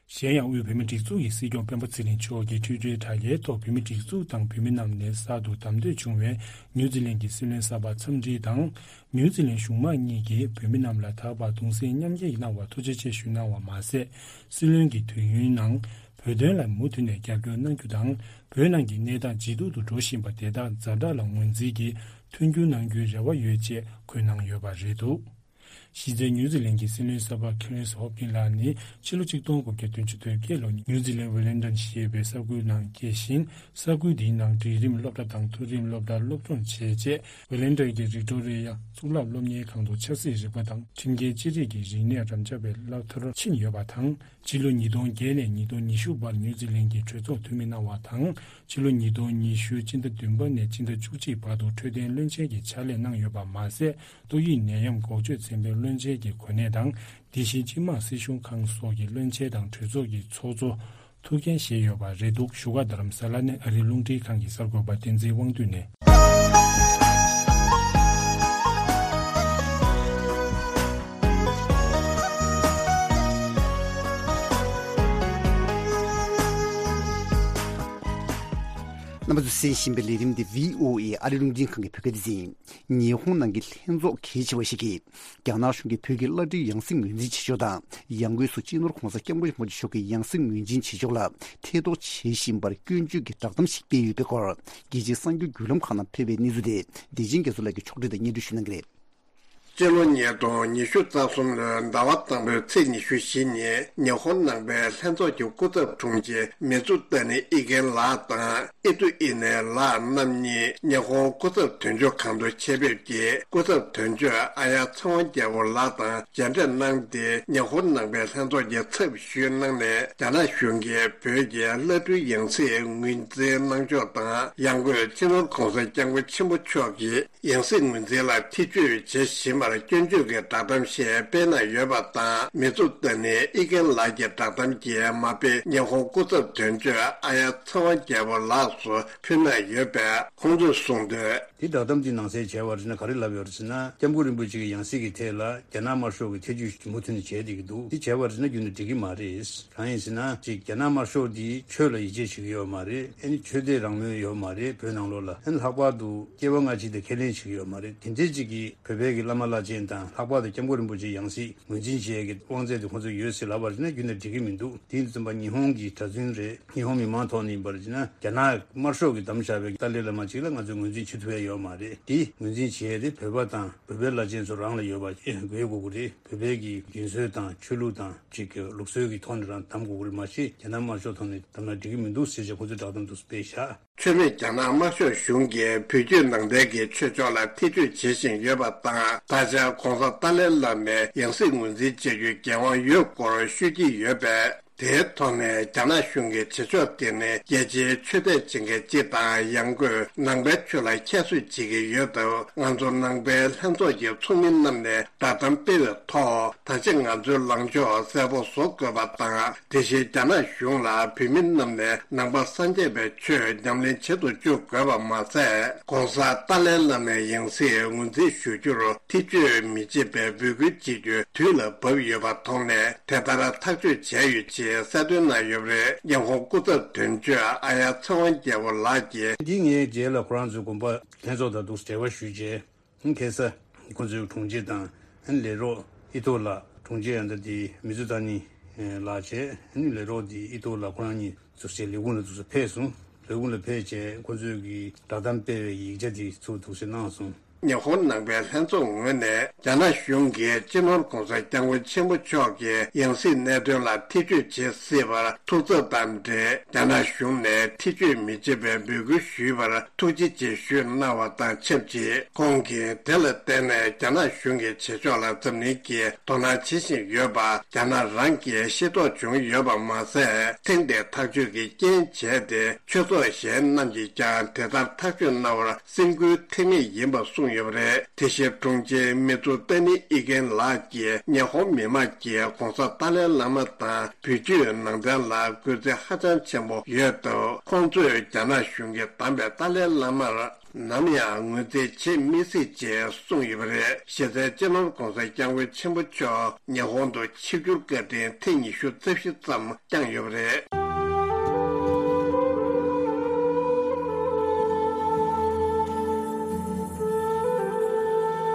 གཞན་ཡང་། དབུས་བོད་མིའི་སྒྲིག་འཛུགས་ཀྱི་སྲིད་སྐྱོང་སྤེན་པ་ཚེ་རིང་མཆོག་གིས་ཊི་ཝི་ཊར་དྲ་རྒྱའི་ཐོག་བོད་མིའི་སྒྲིག་འཛུགས་དང་བོད་མི་རྣམས་ནས་གསར་དུ་བདམས་ཐོན་བྱུང་བའི་ཉིའུ་ཛི་ལན་གྱི་སྲིད་བློན་གསར་པར་འཚམས་འདྲི་དང་། ཉིའུ་ཛི་ལན་གཞུང་མང་གཉིས་ཀྱིས་བོད་མི་རྣམས་ལ་ད་བར་གདུང་སེམས་མཉམ་སྐྱེད་གནང་བར་ཐུགས་རྗེ་ཆེ་ཞུ་གནང་བ་མ་ཟད། སྲིད་བློན་གྱི་དུས་ཡུན་ནང་བོད་དོན་ལ་མུ་མཐུད་ནས་རྒྱབ་སྐྱོར་གནང་རྒྱུ་དང་། བོད་ནང་གི་གནས་སྟངས་ཇེ་སྡུག་ཏུ་འགྲོ་བཞིན་པ་དེ་དག་ཛ་དྲག་ལ་ངོས་འཛིན་གྱིས་མཐུན་འགྱུར་གནང་རྒྱུའི་རེ་བ་ཡོད་ཅེས་འཁོད་གནང་ཡོད་པ་རེད་འདུག་གཞི་རྩའི་ཉིའུ་ཛི་ལན་གྱི་སྲིད་བློན་གསར་པ་ཁེ་རེན་སི་ཧོབ་ཀིན་ལགས་ནི་ཕྱི་ལོ་ཆིག་སྟོང་དགུ་བརྒྱ་བདུན་ཅུ་དོན་བརྒྱད་ལོར་ཉིའུ་ཛི་ལན་ཝེ་ལིང་ཊོན་ཞེས་པའི་ས་ཁུལ་ནང་སྐྱེས་ཤིང་། ས་ཁུལ་འདིའི་ནང་འབྲིང་རིམ་སློབ་གྲྭ་དང་མཐོ་རིམ་སློབ་གྲྭར་སློབ་སྦྱོང་བྱས་རྗེས། ཝེ་ལིང་ཊོན་གྱི་བིག་ཊོ་རི་ཡ་གཙུག་ལག་སློབ་གཉེར་ཁང་དུ་ཆབ་སྲིད་རིག་པ་དང་ཁྲིམས་འགལ་ཅི་རིགས་ཀྱི་རིག་གནས་རམ་འབྱམས་པའི་བསླབ་མཐར་ཕྱིན་ཡོད་པ་དང་། ཕྱི་ལོ་ཉིས་སྟོང་བརྒྱད་ནས་ཉིས་སྟོང་ཉི་ཤུ་བར་ཉིའུ་ཛི་ལན་གྱི་གྲོས་ཚོགས་འཐུས་མི་གནང་བ་དང་། ཕྱི་ལོ་ཉིས་སྟོང་ཉི་ཤུ་སྤྱི་ཟླ་བདུན་པ་ནས་སྤྱི་ཟླ་བཅུ་གཅིག་བར་དུ་འཕྲོད་བསྟེན་བློན་ཆེན་གྱི་ཕྱག་ལས་གནང་ཡོད་པ་མ་ཟད། ཏོག་དབྱིབས་ནད་ཡམས་འགོག་བཅོས་ཚན་པའི་བློན་ཆེན་གྱི་གོ་གནས་དང་། དེ་བཞིན་སྤྱི་དམངས་སྲིད་གཞུང་ཁང་སོགས་ཀྱི་བློན་ཆེན་དང་གྲོས་ཚོགས་ཀྱི་ཚོགས་གཙོ་ཐུགས་འགན་བཞེས་ཡོད་པ་རེད་འདུག་བཞུགས་སྒར་རྡ་རམ་ས་ལ་ནས་ཨ་རིའི་རླུང་འཕྲིན་ཁང་གི་གསར་འགོད་པ་བསྟན་འཛིན་དབང་འདུས་ནས། རྣམ་པ་ཚོས་གསན་བཞིན་པའི་ལས་རིམ་འདི་བྷི་ཨོ་ཨེ་ཨ་རིའི་རླུང་འཕྲིན་ཁང་གི་བོད་སྐད་སྡེ་ཚན་ཡིན། ཉི་ཧོང་ནང་གི་ལྷན་ཚོགས་གལ་ཆེ་བ་ཞིག་གིས། རྒྱ་ནག་གཞུང་གིས་བོད་ཀྱི་བླ་སྤྲུལ་ཡང་སྲིད་ངོས་འཛིན་བྱེད་ཕྱོགས་དང་། ཡང་སྒོས་སུ་སྤྱི་ནོར་༧གོང་ས་༧སྐྱབས་མགོན་ཆེན་པོ་མཆོག་གི་ཡང་སྲིད་ངོས་འཛིན་བྱེད་ཕྱོགས་ལ་ཐེ་གཏོགས་བྱེད་བཞིན་པར་སྐྱོན་བརྗོད་ཀྱི་བསྒྲགས་གཏམ་ཞིག་སྤེལ་ཡོད་པའི་སྐོར། རྒྱལ་སྤྱིའི་གསར་འགྱུར་བརྒྱུད་ལམ་ཁག་ནང་ཕེབས་པའི་གནས་ཚུལ་དེ། བདེ་ཆེན་རྒྱ་མཚོ་ལགས་ཀྱིས་ཕྱོགས་སྒྲིག་དང་སྙན་སྒྲོན་ཞུ་གནང་གི་རེད། སྤྱི་ལོ་ཉིས་སྟོང་ཉི་ཤུ་རྩ་གསུམ་ལོའི་ཟླ་བ་དང་པོའི་ཚེས་ཉི་ཤུ་བཞི་ཉིན་ཉི་ཧོང་ནང་པའི་ལྷན་ཚོགས་ཀྱི་སྐུ་ཚབ་དྲུང་ཆེ་མི་ཙུ་ཏ་ནི་ཨི་ཀེན་ལགས་དང་། ཨི་ཏུ་ཨི་ནེ་ལགས་རྣམ་གཉིས་ཉི་ཧོང་སྐུ་ཚབ་དོན་གཅོད་ཁང་དུ་ཆེད་ཕེབས་ཀྱིས། སྐུ་ཚབ་དོན་གཅོད་ཨ་ཡ་ཚེ་དབང་རྒྱལ་པོ་ལགས་དང་མཇལ་འཕྲད་གནང་སྟེ། ཉི་ཧོང་ནང་པའི་ལྷན་ཚོགས་ཀྱི་ཚབ་ཞུས་གནང་ནས། རྒྱ་ནག་གཞུང་གིས་བོད་ཀྱི་བླ་སྤྲུལ་ཡང་སྲིད་ངོས་འཛིན་གནང་ཕྱོགས་དང་། ཡང་སྒོས་སྤྱི་ནོར་༧གོང་ས་༧སྐྱབས་མགོན་ཆེན་པོ་མཆོག་གི་ཡང་སྲིད་ངོས་འཛིན་ལ་ཐེ་བྱུས་བྱེད་བཞིན་པར་སྐྱོན་བརྗོད་ཀྱི་བསྒྲགས་གཏམ་ཞིག་སྤེལ་གནང་ཡོད་པ་དང་། མི་ཙུ་ཏ་ནི་ཨི་ཀེན་ལགས་ཀྱི་བསྒྲགས་གཏམ་གྱི་མ་དཔེ་ཉི་ཧོང་སྐུ་ཚབ་དོན་གཅོད་ཨ་ཡ་ཚེ་དབང་རྒྱལ་པོ་ལགས་སུ་ཕུལ་གནང་ཡོད་པས། ཁོང་ཚོས་གསུངས་དོན། དེ་བསྒྲགས་གཏམ་དེ་ནང་གསལ་བྱས་པ་རེད་ན། ག་རེ་ལབ་ཡོད་རེད་ཟེར་ན། སྐྱབས་མགོན་རིན་པོ་ཆེ་གི་ཡང་སྲིད་ཀྱི་ཐད་ལ་རྒྱ་ནག་དམར་ཤོག་གི་ཐེ་བྱུས་མུ་མཐུད་ནས་བྱས་བསྡད་ཀྱི་འདུག་དེ་བྱས་པ་རེད་ན་རྒྱུན་དུ་འགྲིག་གི་མ་རེད། གང་ཡིན་ཟེར་ན། ཅིག་རྒྱ་ནག་དམར་ཤོག་འདིས་ཆོས་ལ་ཡིད་ཆེས་བྱེད་ཀྱི་ཡོད་མ་རེད། ཨ་ནི་ཆོས་དད་རང་མོས་ཡོད་མ་རེད། བོད་ནང་ལོགས་ལ། ཨ་ནི་ལྷག་པར་དུ་སྐྱེ་བ་སྔ་ཕྱི་དེ་ཁས་ལེན་བྱེད་ཀྱི་ཡོད་མ་རེད། དེ་འདྲའི་ཅིག་གིས་བོད་པའི་གི་བླ་མ་བླ་ཆེན་དང་། ལྷག་པར་དུ་སྐྱབས་མགོན་རིན་པོ་ཆེའི་ཡང་སྲིད་ངོས་འཛིན་བྱེད་ཡས་ཀྱི་དབང་ཚད་དེ་ཁོང་ཚོ་ཡོད་ཟེར་ལབ་པ་རེད་ན་རྒྱུན་ནས་འགྲིག་གི་མི་འདུག་དེ་ཡིན་དུས་ཙམ་པ་ཉི་ཧོང་གི་གྲྭ་བཙུན་རེད། ཉི་ཧོང་མི་མང་ཐོག་ནས་ཡིན་པ་རེད་ན། རྒྱ་ནག་དམར་ཤོག་གིས་བདམས་བཞག་པའི་ཏཱ་ལའི་བླ་མ་ཅིག་ལ་ང་ཚོས་ངོས་འཛིན་བྱེད་ཐུབ་ཡ་ཡོད་མ་རེད། དེ་ངོས་འཛིན་བྱེད་ཡ་དེ་བོད་པ་དང་བོད་པའི་བླ་ཆེན་ཚོ་རང་ལ་ཡོད་པ་དགོས་དགོས་ཀྱི་རེད། བོད་པའི་གི་རྒྱུན་སྲོལ་དང་ཆོས་ལུགས་དང་ཅིག་གི་ལུགས་སྲོལ་གྱི་ཐོག་ནས་རང་བདམས་དགོས་ཀྱི་རེད། མ་གཞི་རྒྱ་ནག་དམར་ཤོག་ཐོག་ནས་བདམས་ན་འགྲིག་གི་མི་འདུག་ཟེར་བྱས་ཁོ་ཚོས་བསྒྲགས་གཏམ་འདུག་སྤེལ་བཞག་ཆོས་མེད་རྒྱ་ནག་དམར་ཤོག་གཞུང་གིས་བོད་བརྒྱུད་ནང་བསྟན་གྱི་ཆོས་ཕྱོགས་ལ་ཐེ་བྱུས་བྱེད་བཞིན་ཡོད་པ་དང་། ད་ཆ་༧གོང་ས་ཏཱ་ལའི་བླ་མའི་ཡང་སྲིད་ངོས་འཛིན་བྱ་རྒྱུའི་འགན་དབང་ཡོད་སྐོར་ཤོད་ཀྱི་ཡོད་པས། དེའི་ཐོག་ནས་རྒྱ་ནག་གཞུང་གི་བྱེད་ཕྱོགས་དེ་ནི་རྒྱལ་སྤྱིའི་ཆོས་དད་བྱེད་མཁན་སྤྱི་དང་། ཡང་སྒོས་ནང་པའི་ཆོས་ལ་ཁྱད་གསོད་བྱེད་ཀྱི་ཡོད་སྟབས། ང་ཚོ་ནང་པའི་ལྷན་ཚོགས་ཀྱི་ཚོགས་མི་རྣམས་ནས་བསྒྲགས་གཏམ་སྤེལ་བའི་ཐོག་ད་ཆ་ང་ཚོའི་ལངས་ཕྱོགས་གསལ་པོ་བཟོ་དགོས་པ་དང་། དེ་བཞིན་རྒྱ་ནག་གཞུང་ལ་བོད་མི་རྣམས་ནས་ནང་པ་སངས་རྒྱས་པའི་ཆོས་ཉམས་ལེན་བྱེད་དུ་བཅུག་དགོས་པ་མ་ཟད། ༧གོང་ས་ཏཱ་ལའི་བླ་མའི་ཡང་སྲིད་ངོས་འཛིན་ཞུ་རྒྱུར་ཐེ་བྱུས་མི་བྱེད་པའི་འབོད་སྐུལ་བྱེད་རྒྱུ་དུས་ལ་བབ་ཡོད་པ་མཐོང་ནས། དེ་ལྟར་ཐག་གཅོད་བྱས་ཡོད་ཅེས་གསལ་སྟོན་གནང་ཡོད་པ་རེད། ཉི་ཧོང་སྐུ་ཚབ་དོན་གཅོད་ཨ་ཡ་ཚེ་དབང་རྒྱལ་པོ་ལགས་ཀྱིས། འདི་ངའི་རྗེས་ལ་ཁོ་རང་ཚོའི་དགོན་པ་ལྷན་ཚོགས་དང་འདུག་འབྲེལ་བ་ཞུས་རྗེས། ཁ་སང་ཁོ་ཚོའི་དྲུང་ཆེ་དང་ལས་རོགས་ཨི་ཐོག་ལགས། དྲུང་ཆེ་ཡང་ད་དེ་མི་ཙུ་ཏ་ནི་ལགས་བྱས། ལས་རོགས་དེ་ཨི་ཐོག་ལགས། ཁོ་རང་གཉིས་འདུག་སེ་ལས་ཁུངས་ལ་འདུག་སེ་ཕེབས་སོང་། ལས་ཁུངས་ལ་ཕེབས་བྱས་ཁོ་ཚོས་ཀྱི་བསྒྲགས་གཏམ་སྤེལ་བའི་ཡིག་ཆ་དེ་ཚུར་འདུག་སེ་གནང་སོང་། ཉི་ཧོང་ནང་པའི་ལྷན་ཚོགས་ངོས་ནས་རྒྱ་ནག་གཞུང་གིས་སྤྱི་ནོར་༧གོང་ས་༧སྐྱབས་མགོན་ཆེན་པོ་མཆོག་གི་ཡང་སྲིད་གནད་དོན་ལ་ཐེ་བྱུས་བྱེད་སྲིད་པར་ཐུགས་འཚབ་དང་འབྲེལ། རྒྱ་ནག་གཞུང་ནས་ཐེ་བྱུས་མི་བྱེད་པའི་འབོད་སྐུལ་ཞུས་པར་ཐུགས་རྗེ་ཆེ་ཞུས་གནང་བ་དང་ཆབས་ཅིག་ཁོང་གིས་དེ་ལ་བརྟེན་ནས་རྒྱ་ནག་གཞུང་གི་བྱེད་ཕྱོགས་ལ་འཛམ་གླིང་གིས་དོ་སྣང་བྱེད་བཞིན་ཡོད་པ་རྒྱ་ནག་རང་གིས་ཤེས་རྟོགས་བྱུང་ཡོད་པ་མ་ཟད། ཐེངས་འདིའི་ཐག་གཅོད་ཀྱི་རྐྱེན་བྱས་ཏེ། ཆོས་ཚོགས་གཞན་རྣམས་ཀྱིས་ཀྱང་དེ་ལྟར་ཐག་གཅོད་གནང་བར་སེམས་འགུལ་ཐེབས་ངེས་ཡིན་པ་གསུངས་ཡོད་པ་རེད། དེ་བཞིན་དྲུང་ཆེ་མི་ཚུ་ཏ་ནི་ཨི་ཀེན་ལགས་ཀྱིས་ཉི་ཧོང་མི་དམངས་ཀྱིས་༧གོང་ས་ཏཱ་ལའི་བླ་མ་དང་བོད་བརྒྱུད་ནང་བསྟན་ལ་གུས་བརྩི་ཧ་ཅང་ཆེན་པོ་ཡོད་སྟབས། ཁོང་ཚོས་རྒྱ་ནག་གཞུང་གིས་བདམས་པའི་ཏཱ་ལའི་བླ་མར་ནམ་ཡང་ངོས་འཛིན་བྱེད་མི་སྲིད་ཅེས་གསུངས་ཡོད་པ་རེད། གཞི་རྩའི་སྤྱི་ནོར་༧གོང་ས་༧སྐྱབས་མགོན་ཆེན་པོ་མཆོག་ཉི་ཧོང་དུ་ཆིབས་བསྒྱུར་བཀའ་དྲིན་ཐེངས་ཉི་ཤུ་རྩ་བཞི་ཙམ་བསྐྱངས་ཡོད་པ་རེད།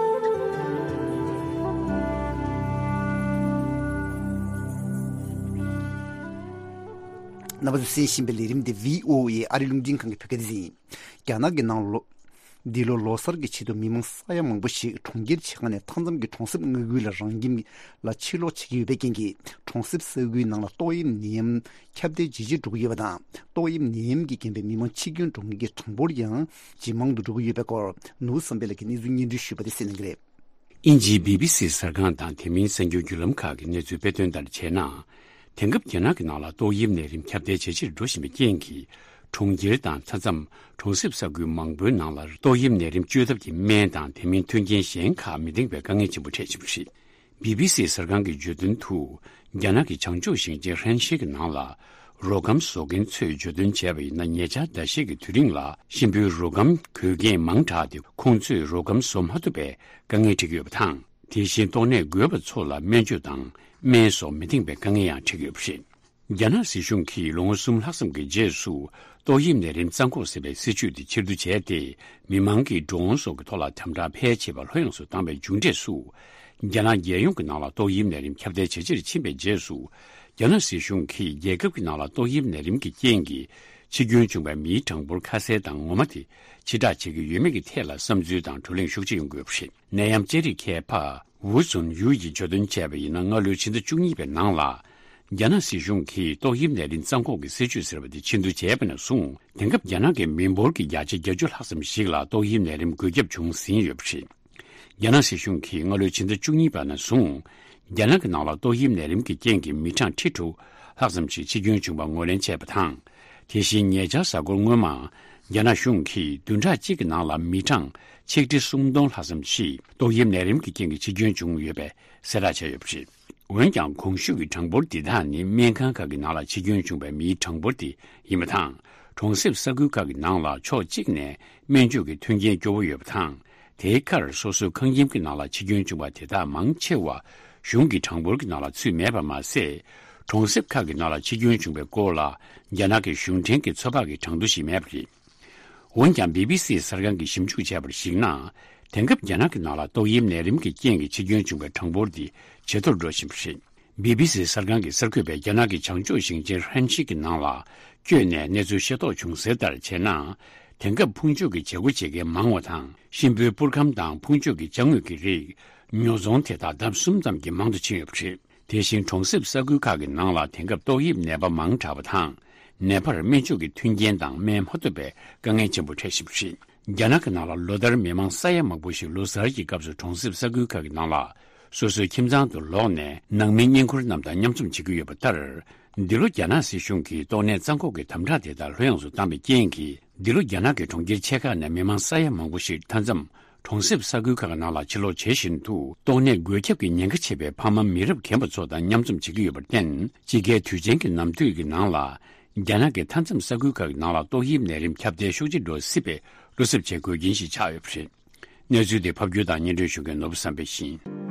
རྣམ་པ་ཚོས་གསན་བཞིན་པའི་ལས་རིམ་འདི་བྷི་ཨོ་ཨེ་ཨ་རི་རླུང་འཕྲིན་ཁང་གི་བོད་སྐད་སྡེ་ཚན་ཡིན། རྒྱ་ནག་གི་ནང་ལོ། འདི་ལོ་ལོ་གསར་གྱི་ཆེད་དུ་མི་མང་ས་ཡ་མང་པོ་ཞིག་གྲོང་ཁྱེར་ཆེ་ཁག་ནས་མཐའ་མཚམས་ཀྱི་གྲོང་གསེབ་མངའ་ཁུལ་ལ་རང་ཁྱིམ་ལ་ཕྱིར་ལོག་བྱེད་ཀྱི་ཡོད་པའི་རྐྱེན་གྱིས། གྲོང་གསེབ་ས་ཁུལ་ནང་ལ་ཏོག་དབྱིབས་ནད་ཡམས་ཁྱབ་གདལ་ཇེ་ཆེར་འགྲོ་གི་ཡོད་པ་དང་། ཏོག་དབྱིབས་ནད་ཡམས་ཀྱི་རྐྱེན་པས་མི་མང་འཆི་སྐྱོན་འགྲོ་མཁན་གྱི་གྲངས་འབོར་ཡང་ཇེ་མང་དུ་འགྲོ་གི་ཡོད་པའི་སྐོར། ནོར་བུ་བསམ་འཕེལ་ལགས་ཀྱིས་གནས་ཚུལ་སྙན་སྒྲོན་ཞུས་པ་དེ་གསན་གནང་གི་རེད། དབྱིན་ཇིའི་བྷི་བྷི་སི་གསར་ཁང་དང་དེ་མིན་གསར་འགྱུར་བརྒྱུད་ལམ་ཁག་གིས་གནས་ཚུལ་སྤེལ་དོན་ལྟར་བྱས་ན། དེང་སྐབས་རྒྱ་ནག་གི་ནང་ལ་ཏོག་དབྱིབས་ནད་རིམས་ཁྱབ་གདལ་ཇེ་ཆེར་འགྲོ་བཞིན་པའི་རྐྱེན་གྱིས། གྲོང་ཁྱེར་དང་མཐའ་མཚམས་གྲོང་གསེབ་ས་ཁུལ་མང་པོའི་ནང་ལ་ཏོག་དབྱིབས་ནད་རིམས་བཅོས་ཐབས་ཀྱི་སྨན་དང་དེ་མིན་མཐུན་རྐྱེན་གཞན་ཁག་མི་འདང་བའི་དཀའ་ངལ་ཆེན་པོ་འཕྲད་བཞིན་པ་རེད། བྷི་བྷི་སི་གསར་ཁང་གིས་བརྗོད་དོན་དུ། རྒྱ་ནག་གི་བྱང་ཕྱོགས་ཞིང་ཆེན་ཧྲན་ཤི་གི་ནང་ལ། རོ་སྒམ་བཟོ་མཁན་ཚོས་བརྗོད་དོན་བྱས་པ་ཡིན་ན། ཉེ་ཆར་ཟླ་ཤས་ཀྱི་དུས་རིང་ལ་གཤིན་པོའི་རོ་སྒམ་གོས་རྒྱན་མང་དྲགས་ཏེ། ཁོང་ཚོས་རོ་སྒམ་བཟོ་མ་ཐུབ་པའི་དཀའ་ངལ་འཕྲད་ཀྱི་ཡོད་པ་དང་། དེ་བཞིན་ཏོག་ནད་འགོས་པ་ཚོ་ལ་སྨན་བཅོས་དང་སྨན་སོགས་མི་འདང་བའི་དཀའ་ངལ་ཡང་འཕྲད་ཀྱི་ཡོད་པ་རེད། རྒྱ་ནག་སྲིད་གཞུང་གིས་ལོ་ངོ་གསུམ་ལྷག་ཙམ་གྱི་རྗེས་སུ། ཏོག་དབྱིབས་ནད་རིམས་བཙག་འགོག་ཟེར་བའི་སྲིད་ཇུས་དེ་ཕྱིར་བསྡུ་བྱས་ཏེ། མི་མང་གིས་ཌོ་རོན་སོགས་ཀྱི་ཐོག་ལ་དམ་དྲག་ཕལ་ཆེ་བ་ལྷོད་ཡངས་སུ་བཏང་བའི་མཇུག་འབྲས་སུ། རྒྱ་ནག་རྒྱལ་ཡོངས་ཀྱི་ནང་ལ་ཏོག་དབྱིབས་ནད་རིམས་ཁྱབ་གདལ་ཇེ་ཆེར་ཕྱིན་པའི་རྗེས་སུ། རྒྱ་ནག་སྲིད་གཞུང་གིས་རྒྱལ་ཁབ་ཀྱི་ནང་ལ་ཏོག་དབྱིབས་ནད་རིམས་ཀྱི་རྐྱེན་གྱིས་འཆི་སྐྱོན་བྱུང་བའི་མིའི་གྲངས་འབོར་ཁ་གསལ་དང་ངོ་མ་དེ་ཕྱིར་བསྒྲགས་བྱེད་ཀྱི་ཡོད་མེད་ཀྱི་ཐད་ལ་བསམ་ཚུལ་དང་བགྲོ་གླེང་ཤུགས་ཆེ་ཡོང་གི་ཡོད་པ་རེད། ནད་ཡམས་ཅན་རིགས་མཁས་པ་ཝུ་ཙུན་ཡུའུ་ཡིས་བརྗོད་དོན་བྱས་པ་ཡིན་ན། སྔ་ལོའི་ཕྱི་ཟླ་བཅུ་གཉིས་པའི་ནང་ལ། རྒྱ་ནག་སྲིད་གཞུང་གིས་ཏོག་དབྱིབས་ནད་རིམས་བཙག་འགོག་གི་སྲིད་ཇུས་ཟེར་བ་དེ་ཕྱིར་བསྡུ་བྱས་པ་ནས་བཟུང་། དེང་སྐབས་རྒྱ་ནག་གི་མི་འབོར་གྱི་བརྒྱ་ཆ་བརྒྱད་ཅུ་ལྷག་ཙམ་ཞིག་ལ་ཏོག་དབྱིབས་ནད་རིམས་འགོས་ཁྱབ་བྱུང་ཟིན་ཡོད་པ་རེད། རྒྱ་ནག་སྲིད་གཞུང་གིས་སྔ་ལོའི་ཕྱི་ཟླ་བཅུ་གཉིས་པ་ནས་བཟུང་། རྒྱ་ནག་གི་ནང་ལ་ཏོག་དབྱིབས་ནད་རིམས་ཀྱི་རྐྱེན་གྱིས་མི་གྲངས་ཁྲི་དྲུག་ལྷག་ཙམ་ཞིག་འཆི་སྐྱོན་བྱུང་བ་ངོས་ལེན་བྱས་པ་དང་། དེ་བཞིན་ཉེ་ཆར་གཟའ་འཁོར་སྔོན་མ། རྒྱ་ནག་གཞུང་གིས་བདུན་ཕྲག་གཅིག་གི་ནང་ལ་མི་གྲངས་ཆིག་ཁྲི་སུམ་སྟོང་ལྷག་ཙམ་ཞིག་ཏོག་དབྱིབས་ནད་རིམས་ཀྱི་རྐྱེན་གྱིས་འཆི་སྐྱོན་བྱུང་ཡོད་པའི་གསལ་བསྒྲགས་བྱས་ཡོད་པ་རེད། འོན་ཀྱང་། གོང་ཞུས་ཀྱི་གྲངས་འབོར་འདི་དག་ནི་སྨན་ཁང་ཁག་གི་ནང་ལ་འཆི་སྐྱོན་བྱུང་བའི་མིའི་གྲངས་འབོར་དེ་ཡིན་པ་དང་། གྲོང་གསེབ་ས་ཁུལ་ཁག་གི་ནང་ལ་ཕྱོགས་གཅིག་ནས་སྨན་བཅོས་ཀྱི་མཐུན་རྐྱེན་སྐྱོ་བོ་ཡོད་པ་དང་། དེའི་ཁར་སོ་སོའི་ཁང་ཁྱིམ་གྱི་ནང་ལ་འཆི་སྐྱོན་བྱུང་བ་དེ་དག་མང་ཆེ་བ་གཞུང་གི་གྲངས་འབོར་གྱི་ནང་ལ་ཚུད་མེད་པ་མ་ཟད། གྲོང་གསེབ་ཁག་གི་ནང་ལ་འཆི་སྐྱོན་བྱུང་བའི་སྐོར་ལ་རྒྱ་ནག་གི་གཞུང་འབྲེལ་གྱི་ཚོད་དཔག་གི་གྲངས་ཐོ་ཞིག་མེད་པ་རེད། འོན་ཀྱང་། བྷི་བྷི་སི་གསར་ཁང་གིས་ཞིབ་འཇུག་བྱས་པར་གཞིགས་ན། དེང་སྐབས་རྒྱ་ནག་གི་ནང་ལ་ཏོག་དབྱིབས་ནད་རིམས་ཀྱི་རྐྱེན་གྱིས་འཆི་སྐྱོན་བྱུང་བའི་གྲངས་འབོར་འདི་ཇེ་མཐོར་འགྲོ་བཞིན་པ་རེད། བྷི་བྷི་སི་གསར་ཁང་གི་གསར་འགོད་པས་རྒྱ་ནག་གི་བྱང་ཕྱོགས་ཞིང་ཆེན་ཧྲན་ཤི་གི་ནང་ལ་བསྐྱོད་ནས་གནས་ཚུལ་ཤེས་རྟོགས་བྱུང་གསལ་ལྟར་བྱས་ན། དེང་སྐབས་ཕུང་མཆོད་ཀྱི་བྱེད་སྒོ་བྱེད་མཁན་མང་བ་དང་། གཤིན་པོའི་པུར་ཁམ་དང་ཕུང་མཆོད་ཀྱི་ཅ་དངོས་ཀྱི་རིགས་ཉོ་ཚོང་དེ་དག་ལྡབ་གསུམ་ཙམ་གྱིས་མང་དུ་ཕྱིན་ཡོད་པ་རེད། དེ་བཞིན་གྲོང་གསེབ་ས་ཁུལ་ཁག་གི་ནང་ལ་དེང་སྐབས་ཏོག་དབྱིབས་ནད་པ་མང་དྲགས་པ་དང་། ནད་པར་སྨན་བཅོས་ཀྱི་མཐུན་རྐྱེན་དང་སྨན་མ་ཐོབ་པའི་དཀའ་ངལ་ཆེན་པོ་འཕྲད་བཞིན་པ་རེད། རྒྱ་ནག་གི་ནང་ལ་ལོ་ལྟར་མི་མང་ས་ཡ་མང་པོ་ཞིག་ལོ་གསར་གྱི་སྐབས་སུ་གྲོང་གསེབ་ས་ཁུལ་ཁག་གི་ནང་ལ་སོ་སོའི་ཁྱིམ་ཚང་དུ་ལོག་ནས་ནང་མི་བསྙེན་བཀུར་རྣམས་དང་མཉམ་འཛོམས་བྱེད་ཀྱི་ཡོད་པ་ལྟར། འདི་ལོ་རྒྱ་ནག་སྲིད་གཞུང་གིས་ཏོག་ནད་བཙག་འགོག་གི་དམ་དྲག་དེ་དག་ལྷོད་ཡངས་སུ་བཏང་བའི་རྐྱེན་གྱིས། འདི་ལོ་རྒྱ་ནག་གི་གྲོང་ཁྱེར་ཆེ་ཁག་ནས་མི་མང་ས་ཡ་མང་པོ་ཞིག་མཐའ་མཚམས་གྲོང་གསེབ་ས་ཁུལ་ཁག་ནང་ལ་ཕྱིར་ལོག་བྱེད་བཞིན་དུ། ཏོག་ནད་འགོས་ཁྱབ་ཀྱི་ཉེན་ཁ་ཆེ་བའི་ཕ་མ་མི་རབས་རྒན་པ་ཚོ་དང་མཉམ་འཛོམས་བྱེད་ཀྱི་ཡོད་པར་བརྟེན། དཔྱིད་ཀའི་དུས་ཆེན་གྱི་ནམ་དུས་ཀྱི་ནང་ལ། རྒྱ་ནག་གི་མཐའ་མཚམས་ས་ཁུལ་ཁག་གི་ནང་ལ་ཏོག་དབྱིབས་ནད་རིམས་ཁྱབ་གདལ་ཤུགས་ཆེ་འགྲོ་སྲིད་པའི་བློ་འཚབ་བྱེད་དགོས་རྐྱེན་ཞིག་ཆགས་ཡོད་པ་རེད། གནས་ཚུལ་དེ་ཕབ་སྒྱུར་དང་སྙན་སྒྲོན་ཞུ་མཁན་ནོར་བུ་བསམ་འཕེལ་ཡིན།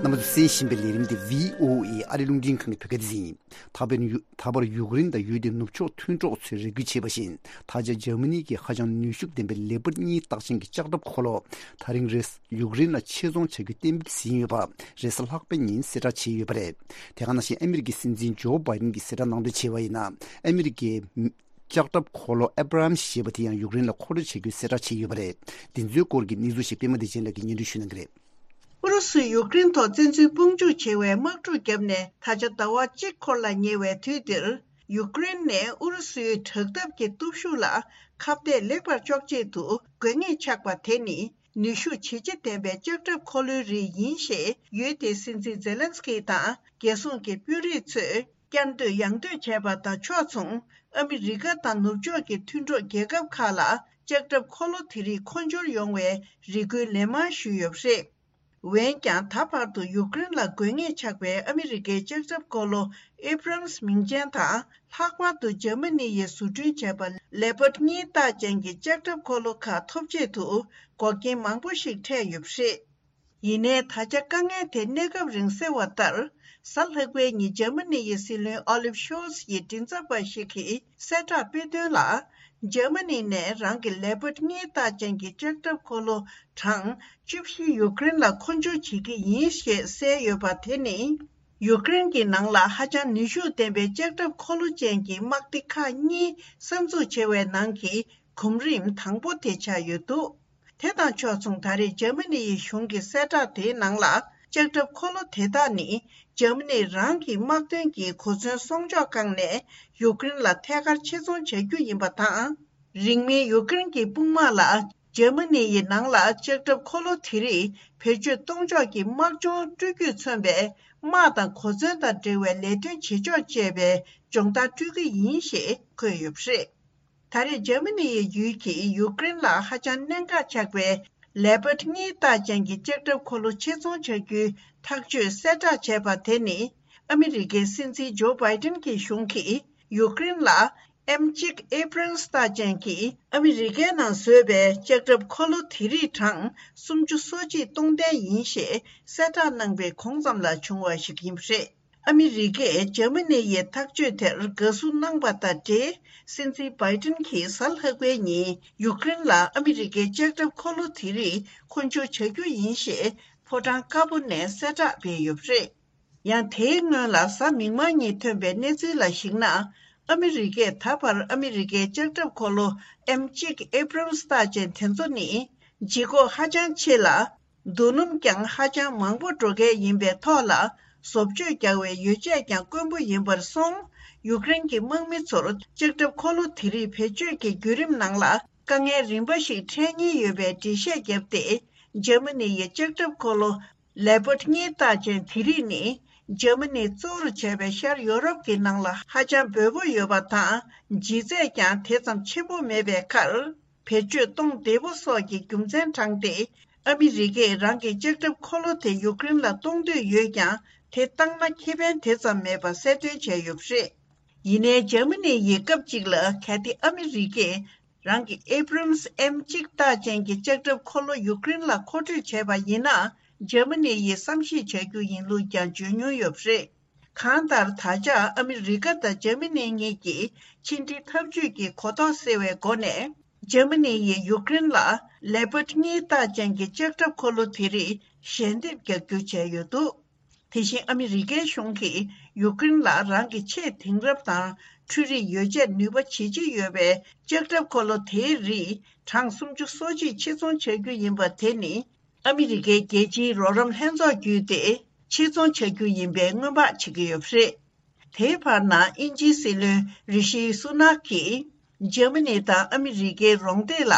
རྣམ་པ་ཚོས་གསན་བཞིན་པའི་ལས་རིམ་དེ་བྷི་ཨོ་ཨེ་ཨ་རིའི་རླུང་འཕྲིན་ཁང་གི་བོད་སྐད་སྡེ་ཚན་ཡིན། ད་བར་ཡུ- ད་བར་ཡུཀ་རེན་དང་ཡུལ་དེའི་ནུབ་ཕྱོགས་མཐུན་གྲོགས་ཚོས་རེ་སྐུལ་བྱས་པ་བཞིན། ད་ཆ་འཇར་མ་ནི་གིས་ཧ་ཅང་ནུས་ཤུགས་ལྡན་པའི་ལེ་པར་གཉིས་རྟགས་ཅན་གྱི་ལྕགས་ཁྲབ་འཁོར་ལོ་དེ་རིང་རེས་ཡུཀ་རེན་ལ་ཆེད་རྫོང་བྱ་རྒྱུའི་གཏན་འབེབས་ཟིན་ཡོད་པ་རེས་གཟའ་ལྷག་པའི་ཉིན་གསལ་བསྒྲགས་བྱས་ཡོད་པ་རེད། དེ་ག་ནང་བཞིན་ཨ་མི་རི་ཀའི་སྲིད་འཛིན་ཇོ་བྷའི་ཌེན་གྱིས་གསལ་བསྒྲགས་གནང་དོན་བྱས་པ་ཡིན་ན། ཨ་མི་རི་ཀའི་ལྕགས་ཁྲབ་འཁོར་ལོ་ཨེབ་རམ་ཞེས་པ་དེ་ཡང་ཡུཀ་རེན་ལ་མཁོ་སྤྲོད་བྱ་རྒྱུའི་གསལ་བསྒྲགས་བྱས་ཡོད་པ་རེད། འདི་ཚོའི་སྐོར་གྱི་གནས་ཚུལ་ཞིག་པད་མ་བདེ་ཆེན་ལགས་ཀྱིས་སྙན་སྒྲོན་ཞུ་གནང་གི་རེད། ཨུ་རུ་སུས་ཡུཀ་རེན་ཐོག་བཙན་འཛུལ་དཔུང་འཇུག་བྱེད་པའི་དམག་འཁྲུག་བརྒྱབ་ནས་ད་ཆ་ཟླ་བ་གཅིག་འཁོར་ལ་ཉེ་བའི་དུས་འདིར། ཡུཀ་རེན་ནས་ཨུ་རུ་སུའི་དྲག་འཐབ་ཀྱི་སྟོབས་ཤུགས་ལ་ཁ་གཏད་ལེགས་པར་གཅོག་ཆེད་དུ་དགོས་ངེས་ཆགས་པ་དེ་ནི་ནུས་ཤུགས་ཇེ་ཆེ་ལྡན་པའི་ལྕགས་ཁྲབ་འཁོར་ལོའི་རིགས་ཡིན་ཞེས་ཡུལ་དེའི་སྲིད་འཛིན་ཛེ་ལན་སི་ཀི་དང་རྒྱལ་སྲུང་གི་དཔོན་རིགས་ཚོས་བསྐྱར་ཟློས་ཡང་ཟློས་བྱས་པ་དང་ཕྱོགས་མཚུངས། ཨ་མི་རི་ཀ་དང་ནུབ་ཕྱོགས་ཀྱི་མཐུན་གྲོགས་རྒྱལ་ཁབ་ཁག་ལ་ལྕགས་ཁྲབ་འཁོར་ལོ་དེ་རིགས་མཁོ་སྦྱོར་ཡོང་བའི་རེ་སྐུལ་ལན་མང་ཞུས་ཡོད་པ་རེད། འོན་ཀྱང་། ད་བར་དུ་ཡུཀ་རེན་ལ་དགོས་ངེས་ཆགས་པའི་ཨ་མི་རི་ཀའི་ལྕགས་ཁྲབ་འཁོར་ལོ་ཨེབ་རམ་སི་མིང་ཅན་དང་། ལྷག་པར་དུ་འཇར་མ་ནི་ཡིས་བཟོ་སྐྲུན་བྱས་པ་ལེ་པར་གཉིས་རྟགས་ཅན་གྱི་ལྕགས་ཁྲབ་འཁོར་ལོ་ཁག་ཐོབ་ཆེད་དུ་འགོག་རྐྱེན་མང་པོ་ཞིག་འཕྲད་ཡོད་པ་རེད། ཡིན་ནའི་ད་ཆ་དཀའ་ངལ་དེ་གནས་སྐབས་རིང་སེལ་བ་ལྟར། གཟའ་ལྷག་པའི་ཉིན་འཇར་མ་ནི་ཡི་སྲིད་བློན་ཨོ་ལིབ་ཤོལ་ཚ་ཡི་མགྲིན་ཚབ་པ་ཞིག་གིས་གསལ་བསྒྲགས་སྤེལ་དོན་ལ། འཇར་མ་ནི་ནས་རང་གི་ལེ་པར་གཉིས་རྟགས་ཅན་གྱི་ལྕགས་ཁྲབ་འཁོར་ལོ་གྲངས་བཅུ་བཞི་ཡུཀ་རེན་ལ་མཁོ་སྦྱོར་བྱེད་ཀྱི་ཡིན་ཞེས་གསལ་ཡོད་པ་དེ་ནི། ཡུཀ་རེན་གྱི་ནང་ལ་ཧ་ཅང་ནུས་ཤུགས་ལྡན་པའི་ལྕགས་ཁྲབ་འཁོར་ལོ་ཅན་གྱི་དམག་སྡེ་ཁག་གཉིས་གསར་འཛུགས་བྱས་པའི་ནང་གི་གོམ་རིམ་དང་པོ་དེ་ཆགས་ཡོད་འདུག་དེ་དང་ཕྱོགས་མཚུངས། ད་རེས་འཇར་མ་ནི་ཡི་གཞུང་གི་གསལ་བསྒྲགས་དེའི་ནང་ལ། ལྕགས་ཁྲབ་འཁོར་ལོ་དེ་དག་ནི་འཇར་མ་ནི་རང་གི་དམག་དོན་གྱི་གོ་མཚོན་སྲུང་སྐྱོབ་ཁང་ནས་ཡུཀ་རེན་ལ་ཐད་ཀར་ཆེད་རྫོང་བྱ་རྒྱུ་ཡིན་པ་དང་། རིང་མིན་ཡུཀ་རེན་གྱི་དཔུང་དམག་ལ་འཇར་མ་ནི་ཡི་ནང་ལ་ལྕགས་ཁྲབ་འཁོར་ལོ་དེ་རིགས་བེད་སྤྱོད་གཏོང་ཕྱོགས་ཀྱི་དམག་སྦྱོང་སྤྲོད་རྒྱུས་མཚོན་པའི་དམག་དང་གོ་མཚོན་དང་འབྲེལ་བའི་ལས་དོན་བྱེད་ཕྱོགས་བཅས་པའི་སྦྱོང་བརྡར་སྤྲོད་ཀྱི་ཡིན་ཞེས་འཁོད་ཡོད་པ་རེད། ད་རེས་འཇར་མ་ནི་ཡི་ཡུལ་གྱིས་ཡུཀ་རེན་ལ་ཧ་ཅང་གནད་འགག་ཆགས་པའི་ལེ་པར་གཉིས་རྟགས་ཅན་གྱི་ལྕགས་ཁྲབ་འཁོར་ལོ་ཆེད་རྫོང་བྱ་རྒྱུའི་ཐག་གཅོད་གསལ་བསྒྲགས་བྱས་པ་དེ་ནི། ཨ་མི་རི་ཀའི་སྲིད་འཛིན་ཇོ་བྷའི་ཏིན་གྱི་གཞུང་གིས་ཡུཀ་རེན་ལ་ཨེམ་གཅིག་ཨེབ་རམ་སི་རྟགས་ཅན་གྱི་ཨ་མི་རི་ཀའི་ནང་བཟོས་པའི་ལྕགས་ཁྲབ་འཁོར་ལོ་དེ་རིགས་གྲངས་སུམ་ཅུ་སོ་གཅིག་གཏོང་གཏན་ཡིན་ཞེས་གསལ་བསྒྲགས་གནང་པའི་གོང་ཙམ་ལ་བྱུང་བ་ཞིག་ཡིན་པ་རེད། ཨ་མི་རི་ཀས་འཇར་མ་ནི་ཡི་ཐག་གཅོད་དེར་དགའ་བསུ་གནང་པ་དང་འབྲེལ། སྲིད་འཛིན་བྷའི་ཏིན་གྱིས་གཟའ་ལྷག་པའི་ཉིན་ཡུཀ་རེན་ལ་ཨ་མི་རི་ཀའི་ལྕགས་ཁྲབ་འཁོར་ལོ་དེ་རིགས་མཁོ་སྦྱོར་བྱ་རྒྱུ་ཡིན་ཞེས་ཕོ་བྲང་དཀར་པོ་ནས་གསལ་བསྒྲགས་སྤེལ་ཡོད་པ་རེད། ཡང་དེའི་སྔོན་ལ་གཟའ་མིག་དམར་ཉིན་ཐོན་པའི་གནས་ཚུལ་ལ་གཞིགས་ན། ཨ་མི་རི་ཀས་ད་བར་ཨ་མི་རི་ཀའི་ལྕགས་ཁྲབ་འཁོར་ལོ་ཨེམ་གཅིག་ཨེབ་རམ་སི་རྟགས་ཅན་དེ་ཚོ་ནི་ལྗིད་ཁོག་ཧ་ཅང་ཆེ་ལ། བསྡུ་སྣུམ་ཀྱང་ཧ་ཅང་མང་པོ་འགྲོ་མཁན་ཡིན་པའི་ཐོག་ལ། བཟོ་བཅོས་རྒྱག་པའི་ཡོ་བྱད་ཀྱང་དཀོན་པོ་ཡིན་པར་སོང་། ཡུཀ་རེན་གྱི་དམག་མི་ཚོར་ལྕགས་ཁྲབ་འཁོར་ལོ་དེ་རིགས་བེད་སྤྱོད་ཀྱི་བརྒྱུད་རིམ་ནང་ལ་དཀའ་ངལ་རིམ་པ་ཞིག་འཕྲད་ཉེན་ཡོད་པའི་འགྲེལ་བཤད་བརྒྱབ་སྟེ། འཇར་མ་ནི་ཡི་ལྕགས་ཁྲབ་འཁོར་ལོ་ལེ་པར་གཉིས་རྟགས་ཅན་དེ་རིགས་ནི། འཇར་མ་ནི་གཙོ་བོར་བྱས་པའི་ཤར་ཡོ་རོབ་ཀྱི་ནང་ལ་ཧ་ཅང་འབོལ་པོ་ཡོད་པ་དང་། ལྗིད་ཚད་ཀྱང་དེ་ཙམ་ཆེན་པོ་མེད་པའི་ཁར། བེད་སྤྱོད་གཏོང་བདེ་པོ་སོགས་ཀྱི་རྒྱུ་མཚན་དྲངས་ཏེ། ཨ་མི་རི་ཀས་རང་གི་ལྕགས་ཁྲབ་འཁོར་ལོ་དེ་ཡུཀ་རེན་ལ་གཏོང་འདོད་ཡོད་ཀྱང་། དེ་བཏང་ན་ཁེ་ཕན་དེ་ཙམ་མེད་པ་གསལ་སྟོན་བྱས་ཡོད་པ་རེད། ཡིན་ནའི་འཇར་མ་ནི་ཡིས་སྐབས་གཅིག་ལ་གལ་ཏེ་ཨ་མི་རི་ཀས་རང་གི་ཨེབ་རམ་སི་ཨེམ་གཅིག་རྟགས་ཅན་གྱི་ལྕགས་ཁྲབ་འཁོར་ལོ་ཡུཀ་རེན་ལ་མཁོ་སྤྲོད་བྱས་པ་ཡིན་ན། འཇར་མ་ནི་ཡིས་བསམ་ཤེས་བྱ་རྒྱུ་ཡིན་ལུགས་ཀྱང་བརྗོད་མྱོང་ཡོད་པ་རེད། གང་ལྟར། ད་ཆ་ཨ་མི་རི་ཀ་དང་འཇར་མ་ནི་གཉིས་ཀྱིས་ཕྱི་འབྲེལ་འཐབ་ཇུས་ཀྱི་གོ་རྟོགས་སེལ་བའི་སྒོ་ནས། འཇར་མ་ནི་ཡིས་ཡུཀ་རེན་ལ་ལེ་པར་གཉིས་རྟགས་ཅན་གྱི་ལྕགས་ཁྲབ་འཁོར་ལོ་དེ་རིགས་ཞལ་འདེབས་རྒྱག་རྒྱུ་བྱས་ཡོད་འདུག་དེ་བཞིན་ཨ་མི་རི་ཀའི་གཞུང་གིས་ཡུཀ་རེན་ལ་རང་གི་ཆེས་དེང་རབས་དང་འཕྲུལ་རིག་ཡོ་བྱད་ནུས་པ་ཇེ་ཆེ་ཡོད་པའི་ལྕགས་ཁྲབ་འཁོར་ལོ་དེའི་རིགས་གྲངས་སུམ་ཅུ་སོ་གཅིག་ཆེད་རྫོང་བྱ་རྒྱུ་ཡིན་པ་དེ་ནི། ཨ་མི་རི་ཀའི་རྒྱལ་སྤྱིའི་རོགས་རམ་ལྷན་ཚོགས་བརྒྱུད་དེ་ཆེད་རྫོང་བྱ་རྒྱུ་ཡིན་པའི་སྔོན་དཔག་བྱེད་ཀྱི་ཡོད་པ་རེད། དེའི་བར་ན་དབྱིན་ཇིའི་སྲིད་བློན་རི་ཤི་སུ་ནག་གིས་འཇར་མ་ནི་དང་ཨ་མི་རི་ཀའི་རོགས་འདེགས་ལ་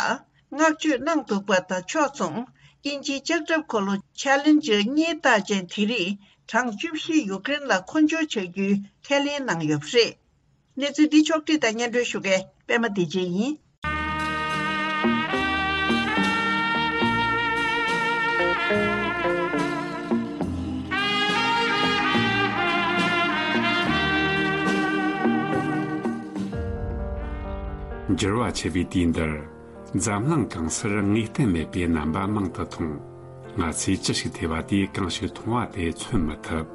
བསྔགས་བརྗོད་གནང་འདུག་པ་དང་ཕྱོགས་མཚུངས། དབྱིན་ཇིའི་ལྕགས་ཁྲབ་འཁོར་ལོ་ཆེ་ལེན་ཇར་གཉིས་རྟགས་ཅན་དེ་རིགས་གྲངས་བཅུ་བཞི་ཡུཀ་རེན་ལ་མཁོ་སྦྱོར་བྱ་རྒྱུའི་ཁས་ལེན་གནང་ཡོད་པ་རེད། གནས་ཚུལ་འདི་ཕྱོགས་བསྒྲིགས་དང་སྙན་སྒྲོན་ཞུ་མཁན་པད་མ་བདེ་ཆེན་ཡིན། འགྱུར་བ་ཆེ་བའི་དུས་འདིར། འཛམ་གླིང་གང་སར་ངེས་གཏན་མེད་པའི་རྣམ་པ་མང་དུ་མཐོང་། ང་ཚོས་ཅི་ཞིག་ཐོས་པ་དེས་གང་ཞིག་མཐོང་བ་དེ་མཚོན་མི་ཐུབ།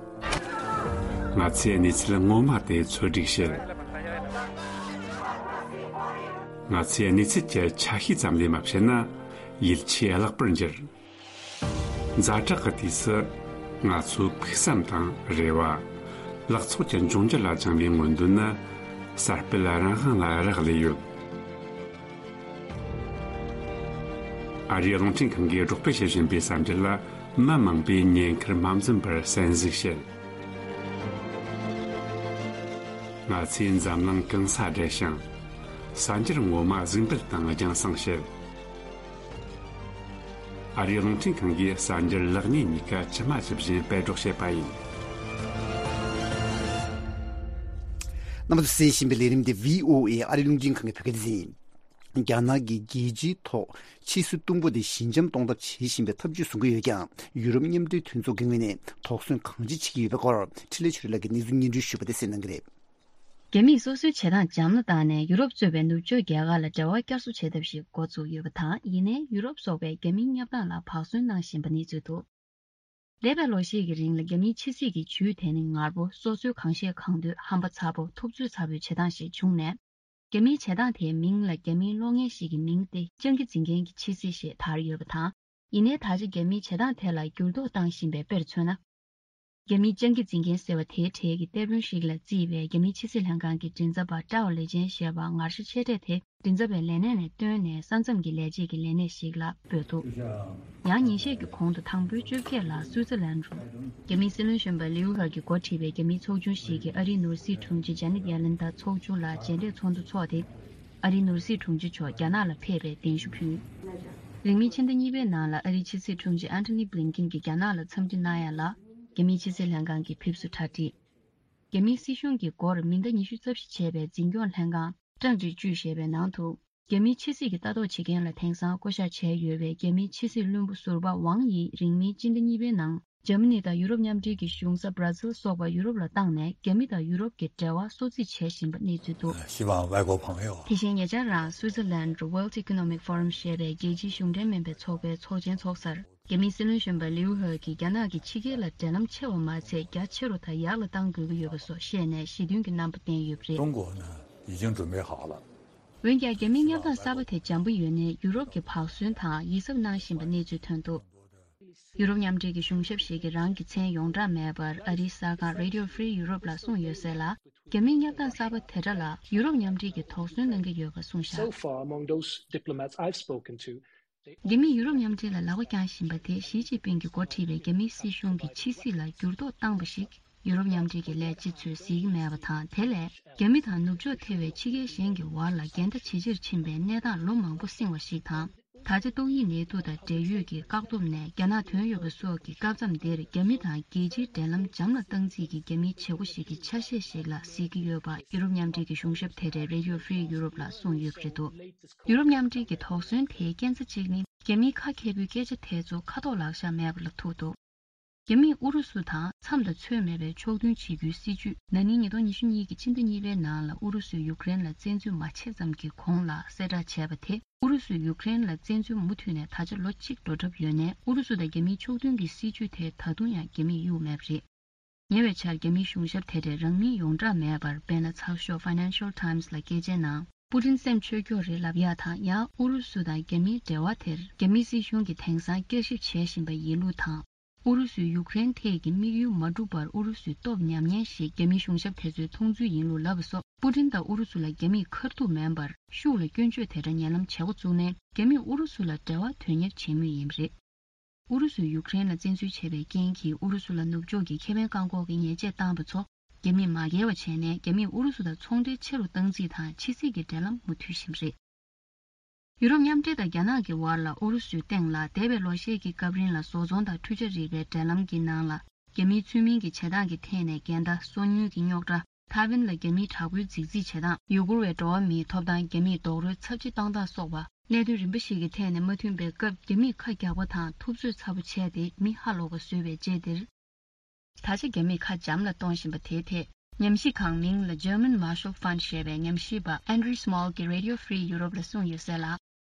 ང་ཚོས་གནས་ཚུལ་ངོ་མ་དེ་ཚོད་སྒྲིག་བྱེད། ང་ཚོས་གནས་ཚུལ་གྱི་ཆ་ཤས་ཙམ་ལས་མ་བཤད་ན་ཡིད་ཆེས་བརླག་པར་འགྱུར། ཛ་དྲག་གི་དུས་སུ་ང་ཚོའི་ཕུགས་བསམ་དང་རེ་བ། ལག་ཚོགས་ཀྱི་འབྱུང་འགྱུར་ལ་བཅངས་པའི་མངོན་འདོད་ནི་གསར་སྤེལ་རང་དབང་ལ་རག་ལས་ཡོད། ཨ་རིའི་རླུང་འཕྲིན་ཁང་གིས་སྒྲོག་སྤེལ་བྱེད་བཞིན་པའི་གསར་འགྱུར་ལ་མི་མང་པོས་ཉེན་ཁར་མ་འཛེམས་པར་གསན་གཟིགས་བྱེད། ང་ཚོས་འཛམ་གླིང་གང་སར་བསྒྲལ་ཞིང་། གསར་འགྱུར་ངོ་མ་གཟིགས་འབུལ་དང་རྒྱང་སྲིང་བྱེད། ཨ་རིའི་རླུང་འཕྲིན་ཁང་གིས་གསར་འགྱུར་ལེགས་ཉེས་གཉིས་ཀ་ཇི་མ་ཇི་བཞིན་སྤེལ་སྒྲོག་བྱེད་པ་ཡིན། རྣམ་པ་ཚོས་གསན་བཞིན་པའི་ལས་རིམ་འདི་བྷི་ཨོ་ཨེ་ཨ་རིའི་རླུང་འཕྲིན་ཁང་གི་བོད་སྐད་སྡེ་ཚན་ཡིན། རྒྱ་ནག་གིས་རྒྱལ་སྤྱིའི་ཐོག་ཕྱི་སྲིད་དུམ་བུ་དེ་ཞི་འཇམ་གཏོང་ཐབས་བྱེད་བཞིན་པའི་ཐབས་ཇུས་བཟུང་གི་ཡོད་ཀྱང་། ཡུ་རོབ་མཉམ་འབྲེལ་མཐུན་ཚོགས་ཀྱི་ངོས་ནས་དོགས་ཟོན་གང་ཅི་བྱེད་ཀྱི་ཡོད་པའི་སྐོར་འཕྲིན་ལས་ཆོས་སྒྲོན་ལགས་ཀྱིས་གནས་ཚུལ་སྙན་སྒྲོན་ཞུས་པ་དེ་གསན་གནང་གི་རེད། རྒྱ་མིས་སོ་སོའི་བྱེད་སྟངས་འཇམ་ལ་བཏང་ནས་ཡུ་རོབ་གཙོས་པའི་ནུབ་ཕྱོགས་རྒྱལ་ཁག་ལ་འབྲེལ་བ་བསྐྱར་གསོ་བྱེད་ཐབས་ཤིག་འགོ་བཙུགས་ཡོད་པ་དང་། ཡིན་ནའི་ཡུ་རོབ་སོགས་པས་རྒྱ་མིའི་གནས་སྟངས་ལ་བག་ཟོན་གནང་བཞིན་པ་གནས་ཚུལ་འདུག་འདས་པའི་ལོ་ཤས་ཀྱི་རིང་ལ་རྒྱ་མིའི་ཕྱི་སྲིད་ཀྱི་ཇུས་དེ་ནི་ངར་པོ། སོ་སོའི་གང་བཤད་གང་འདོད། ཧམ་པ་ཚ་པོ། ཐུབ་ཚོད་ཚ་པོའི་བྱེད་སྟངས་ཤིག་བྱུང་ནས། རྒྱ་མིའི་བྱེད་སྟངས་དེའི་མིང་ལ་རྒྱ་མིའི་གློག་བརྙན་ཞིག་གི་མིང་སྟེ་སྤྱང་ཀི་འཛིན་མཁན་གྱི་ཕྱི་སྲིད་ཞེས་དར་ཡོད་པ་དང་། ཡིན་ནའི་ད་ཆ་རྒྱ་མིའི་བྱེད་སྟངས་དེ་ལ་འགྱུར་ལྡོག་བཏང་བཞིན་པའི་དཔེར་མཚོན་ན། རྒྱ་མིའི་སྤྱང་ཀི་འཛིན་མཁན་ཟེར་བ་དེའི་གྲས་ཀྱི་གཏེར་དཔོན་ཞིག་ལ་བརྩིས་པའི་རྒྱ་མིའི་ཕྱི་སྲིད་ལྷན་ཁང་གི་མགྲིན་ཚབ་པ་ཀྲའོ་ལེ་ཅན་ཞེས་པ་ངར་ཤ་ཆེ་གྲས་དེ། མགྲིན་ཚབ་པའི་ལས་གནས་ནས་བཏོན་ནས་ས་མཚམས་ཀྱི་ལས་བྱེད་ཀྱི་ལས་གནས་ཤིག་ལ་འབོད་འདུག་ཡང་ཉིན་ཤས་ཀྱི་གོང་དུ་དང་པོའི་བཅོ་བརྒྱད་ལ་སུའུ་ཙི་ལན་རུ། རྒྱ་མིའི་སྲིད་བློན་གཞོན་པ་ལིའུ་ཧེ་གིས་འགོ་ཁྲིད་པའི་རྒྱ་མིའི་ཚོགས་ཆུང་ཞིག་གིས་ཨ་རིའི་ནོར་སྲིད་དྲུང་ཆེ་ཇ་ནེད་ཡེ་ལན་དང་ཚོགས་ཆུང་ལ་མཇལ་འཕྲད་ཚོགས་འདུ་འཚོགས་ཏེ། ཨ་རིའི་ནོར་སྲིད་དྲུང་ཆེ་མཆོག་རྒྱ་ནག་ལ་ཕེབས་པའི་གདན་ཞུ་ཕུལ། རིང་མིན་ཕྱི་ཟླ་གཉིས་པའི་ནང་ལ་ཨ་རིའི་ཕྱི་སྲིད་དྲུང་ཆེ་ཨན་ཐོ་ནི་བྷི་ལིན་ཀིན་གྱིས་རྒྱ་ནག་ལ་འཚམས་འདྲི་གནང་ཡ་ལ། རྒྱ་མིའི་ཕྱི་སྲིད་ལྷན་ཁང་གིས་ཕེབས་བསུ་གྲ་སྒྲིག་རྒྱ་མིའི་སྲིད་གཞུང་གིས་སྒོར་མི་ཟླ་ཉི་ཤུ་རྩ་བཞི་བྱས་པའི་འཛིན་སྐྱོང་ལྷན་ཁང་ཀྲང་ཀྲི་ཅུས་ཞེས་པའི་ནང་དུ། རྒྱ་མིའི་ཕྱི་སྲིད་ཀྱི་ལྟ་རྟོག་བྱེད་མཁན་ལ་དེང་སང་བསྐོ་བཞག་བྱས་ཡོད་པའི་རྒྱ་མིའི་ཕྱི་སྲིད་བློན་པོ་ཟུར་པ་ཝང་ཡིས་རིང་མིན་སྤྱི་ཟླ་གཉིས་པའི་ནང་། འཇར་མ་ནི་དང་ཡུ་རོབ་མཉམ་འབྲེལ་གྱི་གཞུང་ས་Brussels་སོགས་པ་ཡུ་རོབ་ལ་བཏང་ནས། རྒྱ་མི་དང་ཡུ་རོབ་ཀྱི་འབྲེལ་བ་གསོ་རྩིས་བྱེད་བཞིན་པ་གནས་ཚུལ་འདུག 希望外国朋友 དེ་བཞིན་ཉེ་ཆར་རང་སུའུ་ཙི་ལན་World Economic Forum་ཞེས་པའི་རྒྱལ་སྤྱིའི་གཞུང་འབྲེལ་མིན་པའི་ཚོགས་པའི་ཚོགས་ཆེན་འཚོགས་སར། རྒྱ་མིའི་སྲིད་བློན་གཞོན་པ་ལིའུ་ཧེ་གིས་རྒྱ་ནག་གིས་ཕྱི་རྒྱལ་ལ་འབྲེལ་ལམ་ཆེ་བ་མ་ཚད། རྒྱ་ཆེ་རུ་དང་ཡག་ལ་གཏང་དགོས་ཀྱི་ཡོད་པ་སོགས་བཤད་ནས་ཞི་མཐུན་གྱི་རྣམ་པ་བསྟན་ཡོད་པ་རེད། 中国呢，已经准备好了。 འོན་ཀྱང་རྒྱ་མིའི་མཉམ་ཐག་གསར་པ་དེ་འཇམ་པོ་ཡོད་ནས་ཡུ་རོབ་ཀྱིས་བག་ཟོན་དང་ཡིད་གཟབ་གནང་བཞིན་པ་གནས་ཚུལ་ཐོན་འདུག་ཡུ་རོབ་མཉམ་འབྲེལ་གྱི་གཞུང་ཞབས་ཤིག་གིས་རང་གི་མཚན་ཡོངས་གྲགས་མེད་པར་ཨ་རིའི་གསར་ཁང་Radio Free Europe་ལ་གསུངས་ཡོད་གསལ་ལ། རྒྱ་མིའི་མཉམ་ཐག་གསར་པ་དེ་འདྲ་ལ་ཡུ་རོབ་མཉམ་འབྲེལ་གྱིས་དོགས་ཟོན་གནང་གི་ཡོད་པ་གསུངས་བཞག So far, among those diplomats I've spoken to, རྒྱ་མིས་ཡུ་རོབ་མཉམ་འབྲེལ་ལ་ལག་པ་བརྐྱངས་བཞིན་པ་དེ་ཞི་ཅིན་ཕིང་གིས་འགོ་ཁྲིད་པའི་རྒྱ་མིའི་སྲིད་གཞུང་གིས་ཕྱི་སྲིད་ལ་འགྱུར་ལྡོག་བཏང་པ་ཞིག་ཡུ་རོབ་མཉམ་འབྲེལ་གྱི་ལས་བྱེད་ཚོས་གཟིགས་ཀྱི་མེད་པ་དང་། དེ་ལས་རྒྱ་མི་དང་ནུབ་ཕྱོགས་ཐེ་བའི་ཕྱི་རྒྱལ་གཞན་གྱི་བར་ལ་འགལ་ཟླ་ཇེ་ཆེར་ཕྱིན་པའི་གནས་སྟངས་ལོ་མང་པོ་བསྲིངས་བ་ཞིག་དང་། ད་ཆ་ཏོག་དབྱིབས་ནད་དུག་དང་འབྲེལ་ཡོད་ཀྱི་བཀག་སྡོམ་ནས་རྒྱ་ནག་ཐོན་ཡོད་པ་སོགས་ཀྱི་སྐབས་མཚམས་འདིར་རྒྱ་མི་དང་རྒྱལ་སྤྱིའི་འབྲེལ་ལམ་འཇམ་ལ་གཏང་རྩིས་ཀྱི་རྒྱ་མིའི་བྱེད་སྒོ་ཞིག་གི་ཆ་ཤས་ཤིག་ལ་གཟིགས་ཀྱི་ཡོད་པ་ཡུ་རོབ་མཉམ་འབྲེལ་གྱི་གཞུང་ཞབས་དེ་གྲས་Radio Free Europe་ལ་གསུངས་ཡོད་པ་རེད་འདུག་ཡུ་རོབ་མཉམ་འབྲེལ་གྱི་དོགས་ཟོན་དེའི་རྐྱེན་རྩ་གཅིག་ནི། རྒྱ་མིའི་ཁ་མཁས་པོའི་སྐད་ཆ་དེ་ཚོ་ཁ་ཐོག་ལག་ཤ་མེད་པ་ལ་ཐུག་འདུག་རྒྱ་མིས་ཨུ་རུ་སུ་དང་མཚམས་དང་ཚོད་མེད་པའི་ཕྱོགས་མཐུན་བྱེད་རྒྱུའི་སྲིད་ཇུས་ན་ནིང་ཉིས་སྟོང་ཉི་ཤུ་གཉིས་ཀྱི་ཕྱི་ཟླ་གཉིས་པའི་ནང་ལ་ཨུ་རུ་སུས་ཡུཀ་རེན་ལ་བཙན་འཛུལ་མ་བྱས་ཙམ་གྱི་གོང་ལ་གསལ་བསྒྲགས་བྱས་པ་དེ། ཨུ་རུ་སུས་ཡུཀ་རེན་ལ་བཙན་འཛུལ་མུ་མཐུད་ནས་ད་ཆ་ལོ་གཅིག་འགྲོ་གྲབས་ཡོད་ནའི། ཨུ་རུ་སུ་དང་རྒྱ་མིའི་ཕྱོགས་མཐུན་གྱི་སྲིད་ཇུས་དེ་ད་དུང་ཡང་རྒྱ་མིས་གཡུག་མེད་པ་རེད། ཉེ་བའི་ཆར་རྒྱ་མིའི་གཞུང་ཞབས་དེ་གྲས་རང་མིང་ཡོངས་གྲགས་མེད་པར། དཔེར་ན། ཚགས་ཤོག་Financial Times་ལ་སྐད་ཆའི་ནང་། པུ་ཏིན་སེམས་ཆོས་སྐྱོ་རེད་ལབ་ཡག་དང་། ཡང་ཨུ་རུ་སུ་དང་རྒྱ་མིའི་འབྲེལ་བ་དེར་རྒྱ་མིའི་སྲིད་གཞུང་གིས་དེང་སང་བསྐྱར་ཞིབ་བྱེད་བཞིན་པ་ཡིན་ལུགས་དང་། ཨུ་རུ་སུས་ཡུཀ་རེན་ཐད་ཀྱི་དམིགས་ཡུལ་མ་འགྲུབ་པར་ཨུ་རུ་སུས་སྟོབས་ཉམས་ཉེན་ཞིག་རྒྱ་མིའི་གཞུང་ཞབས་དེ་ཚོས་མཐོང་ཚུལ་ཡིན་ལུགས་ལབ་པ་སོགས། པུ་ཏིན་དང་ཨུ་རུ་སུ་ལ་རྒྱ་མིས་ཁ་ཐུག་མིན་པར་ཤུགས་ལ་སྐྱོན་བརྗོད་དེ་འདྲ་ཉེ་ལམ་བྱེད་འགོ་བཙུགས་ནས། རྒྱ་མིས་ཨུ་རུ་སུ་ལ་འབྲེལ་བ་དོན་གཉེར་བྱེད་མུས་ཡིན་པ་རེད། ཨུ་རུ་སུས་ཡུཀ་རེན་ལ་བཙན་འཛུལ་བྱས་པའི་རྐྱེན་གྱིས་ཨུ་རུ་སུ་ལ་ནུབ་ཕྱོགས་ཀྱི་ཁེ་ཕན་བཀག་འགོག་གི་ཉེས་ཆད་བཏང་བ་ཚོ་རྒྱ་མིས་མ་འགལ་བ་བྱས་ནས། རྒྱ་མིས་ཨུ་རུ་སུ་དང་ཚོང་འབྲེལ་ཆེ་རུ་གཏང་རྩིས་དང་། ཕྱི་སྲིད་ཀྱི་འབྲེལ་ལམ་མུ་མཐུད་བཞིན་པ་རེད། ཡུ་རོབ་མཉམ་འབྲེལ་དང་རྒྱ་ནག་གི་བར་ལ་ཨུ་རུ་སུའི་སྟེང་ལ་འདས་པའི་ལོ་ཤས་ཀྱི་སྐབས་རིང་ལ་བཟོ་ཚོང་དང་འཕྲུལ་ཆས་རིག་པའི་འབྲེལ་ལམ་གྱི་ནང་ལ། རྒྱ་མིའི་ཚུལ་མིན་གྱི་བྱེད་སྟངས་ཀྱི་ཐད་ནས་འགལ་ཟླ། སོ་ཉུལ་གྱི་རྙོག་དྲ། ཐའེ་ཝན་ལ་རྒྱ་མིའི་དྲག་པོའི་རྫིག་རྫིག་བྱེད་སྟངས། ཡུ་གུར་བའི་འགྲོ་བ་མིའི་ཐོབ་ཐང་རྒྱ་མིས་རྡོག་རོལ་ཚབས་ཆེ་བཏང་སྟངས་སོགས་པ། གནད་དོན་རིམ་པ་ཞིག་གི་ཐད་ནས་མ་མཐུན་པའི་སྐབས། རྒྱ་མིས་ཁ་རྒྱག་པ་དང་ཐུབ་ཚོད་ཚ་པོ་བྱས་ཏེ་མི་ཧ་ལོག་པ་བཟོས་པའི་རྗེས་འདིར། ད་ཆ་རྒྱ་མིས་ཁ་འཇམ་ལ་གཏོང་བཞིན་པ་དེའི་ཐད། ཉམས་ཞིབ་ཁང་མིང་ལ་German Marshall Fund་ཞེས་པའི་ཉམས་ཞིབ་པ་Andreas Malm་གྱིས་Radio Free Europe་ལ་གསུངས་ཡོད་གསལ་ལ།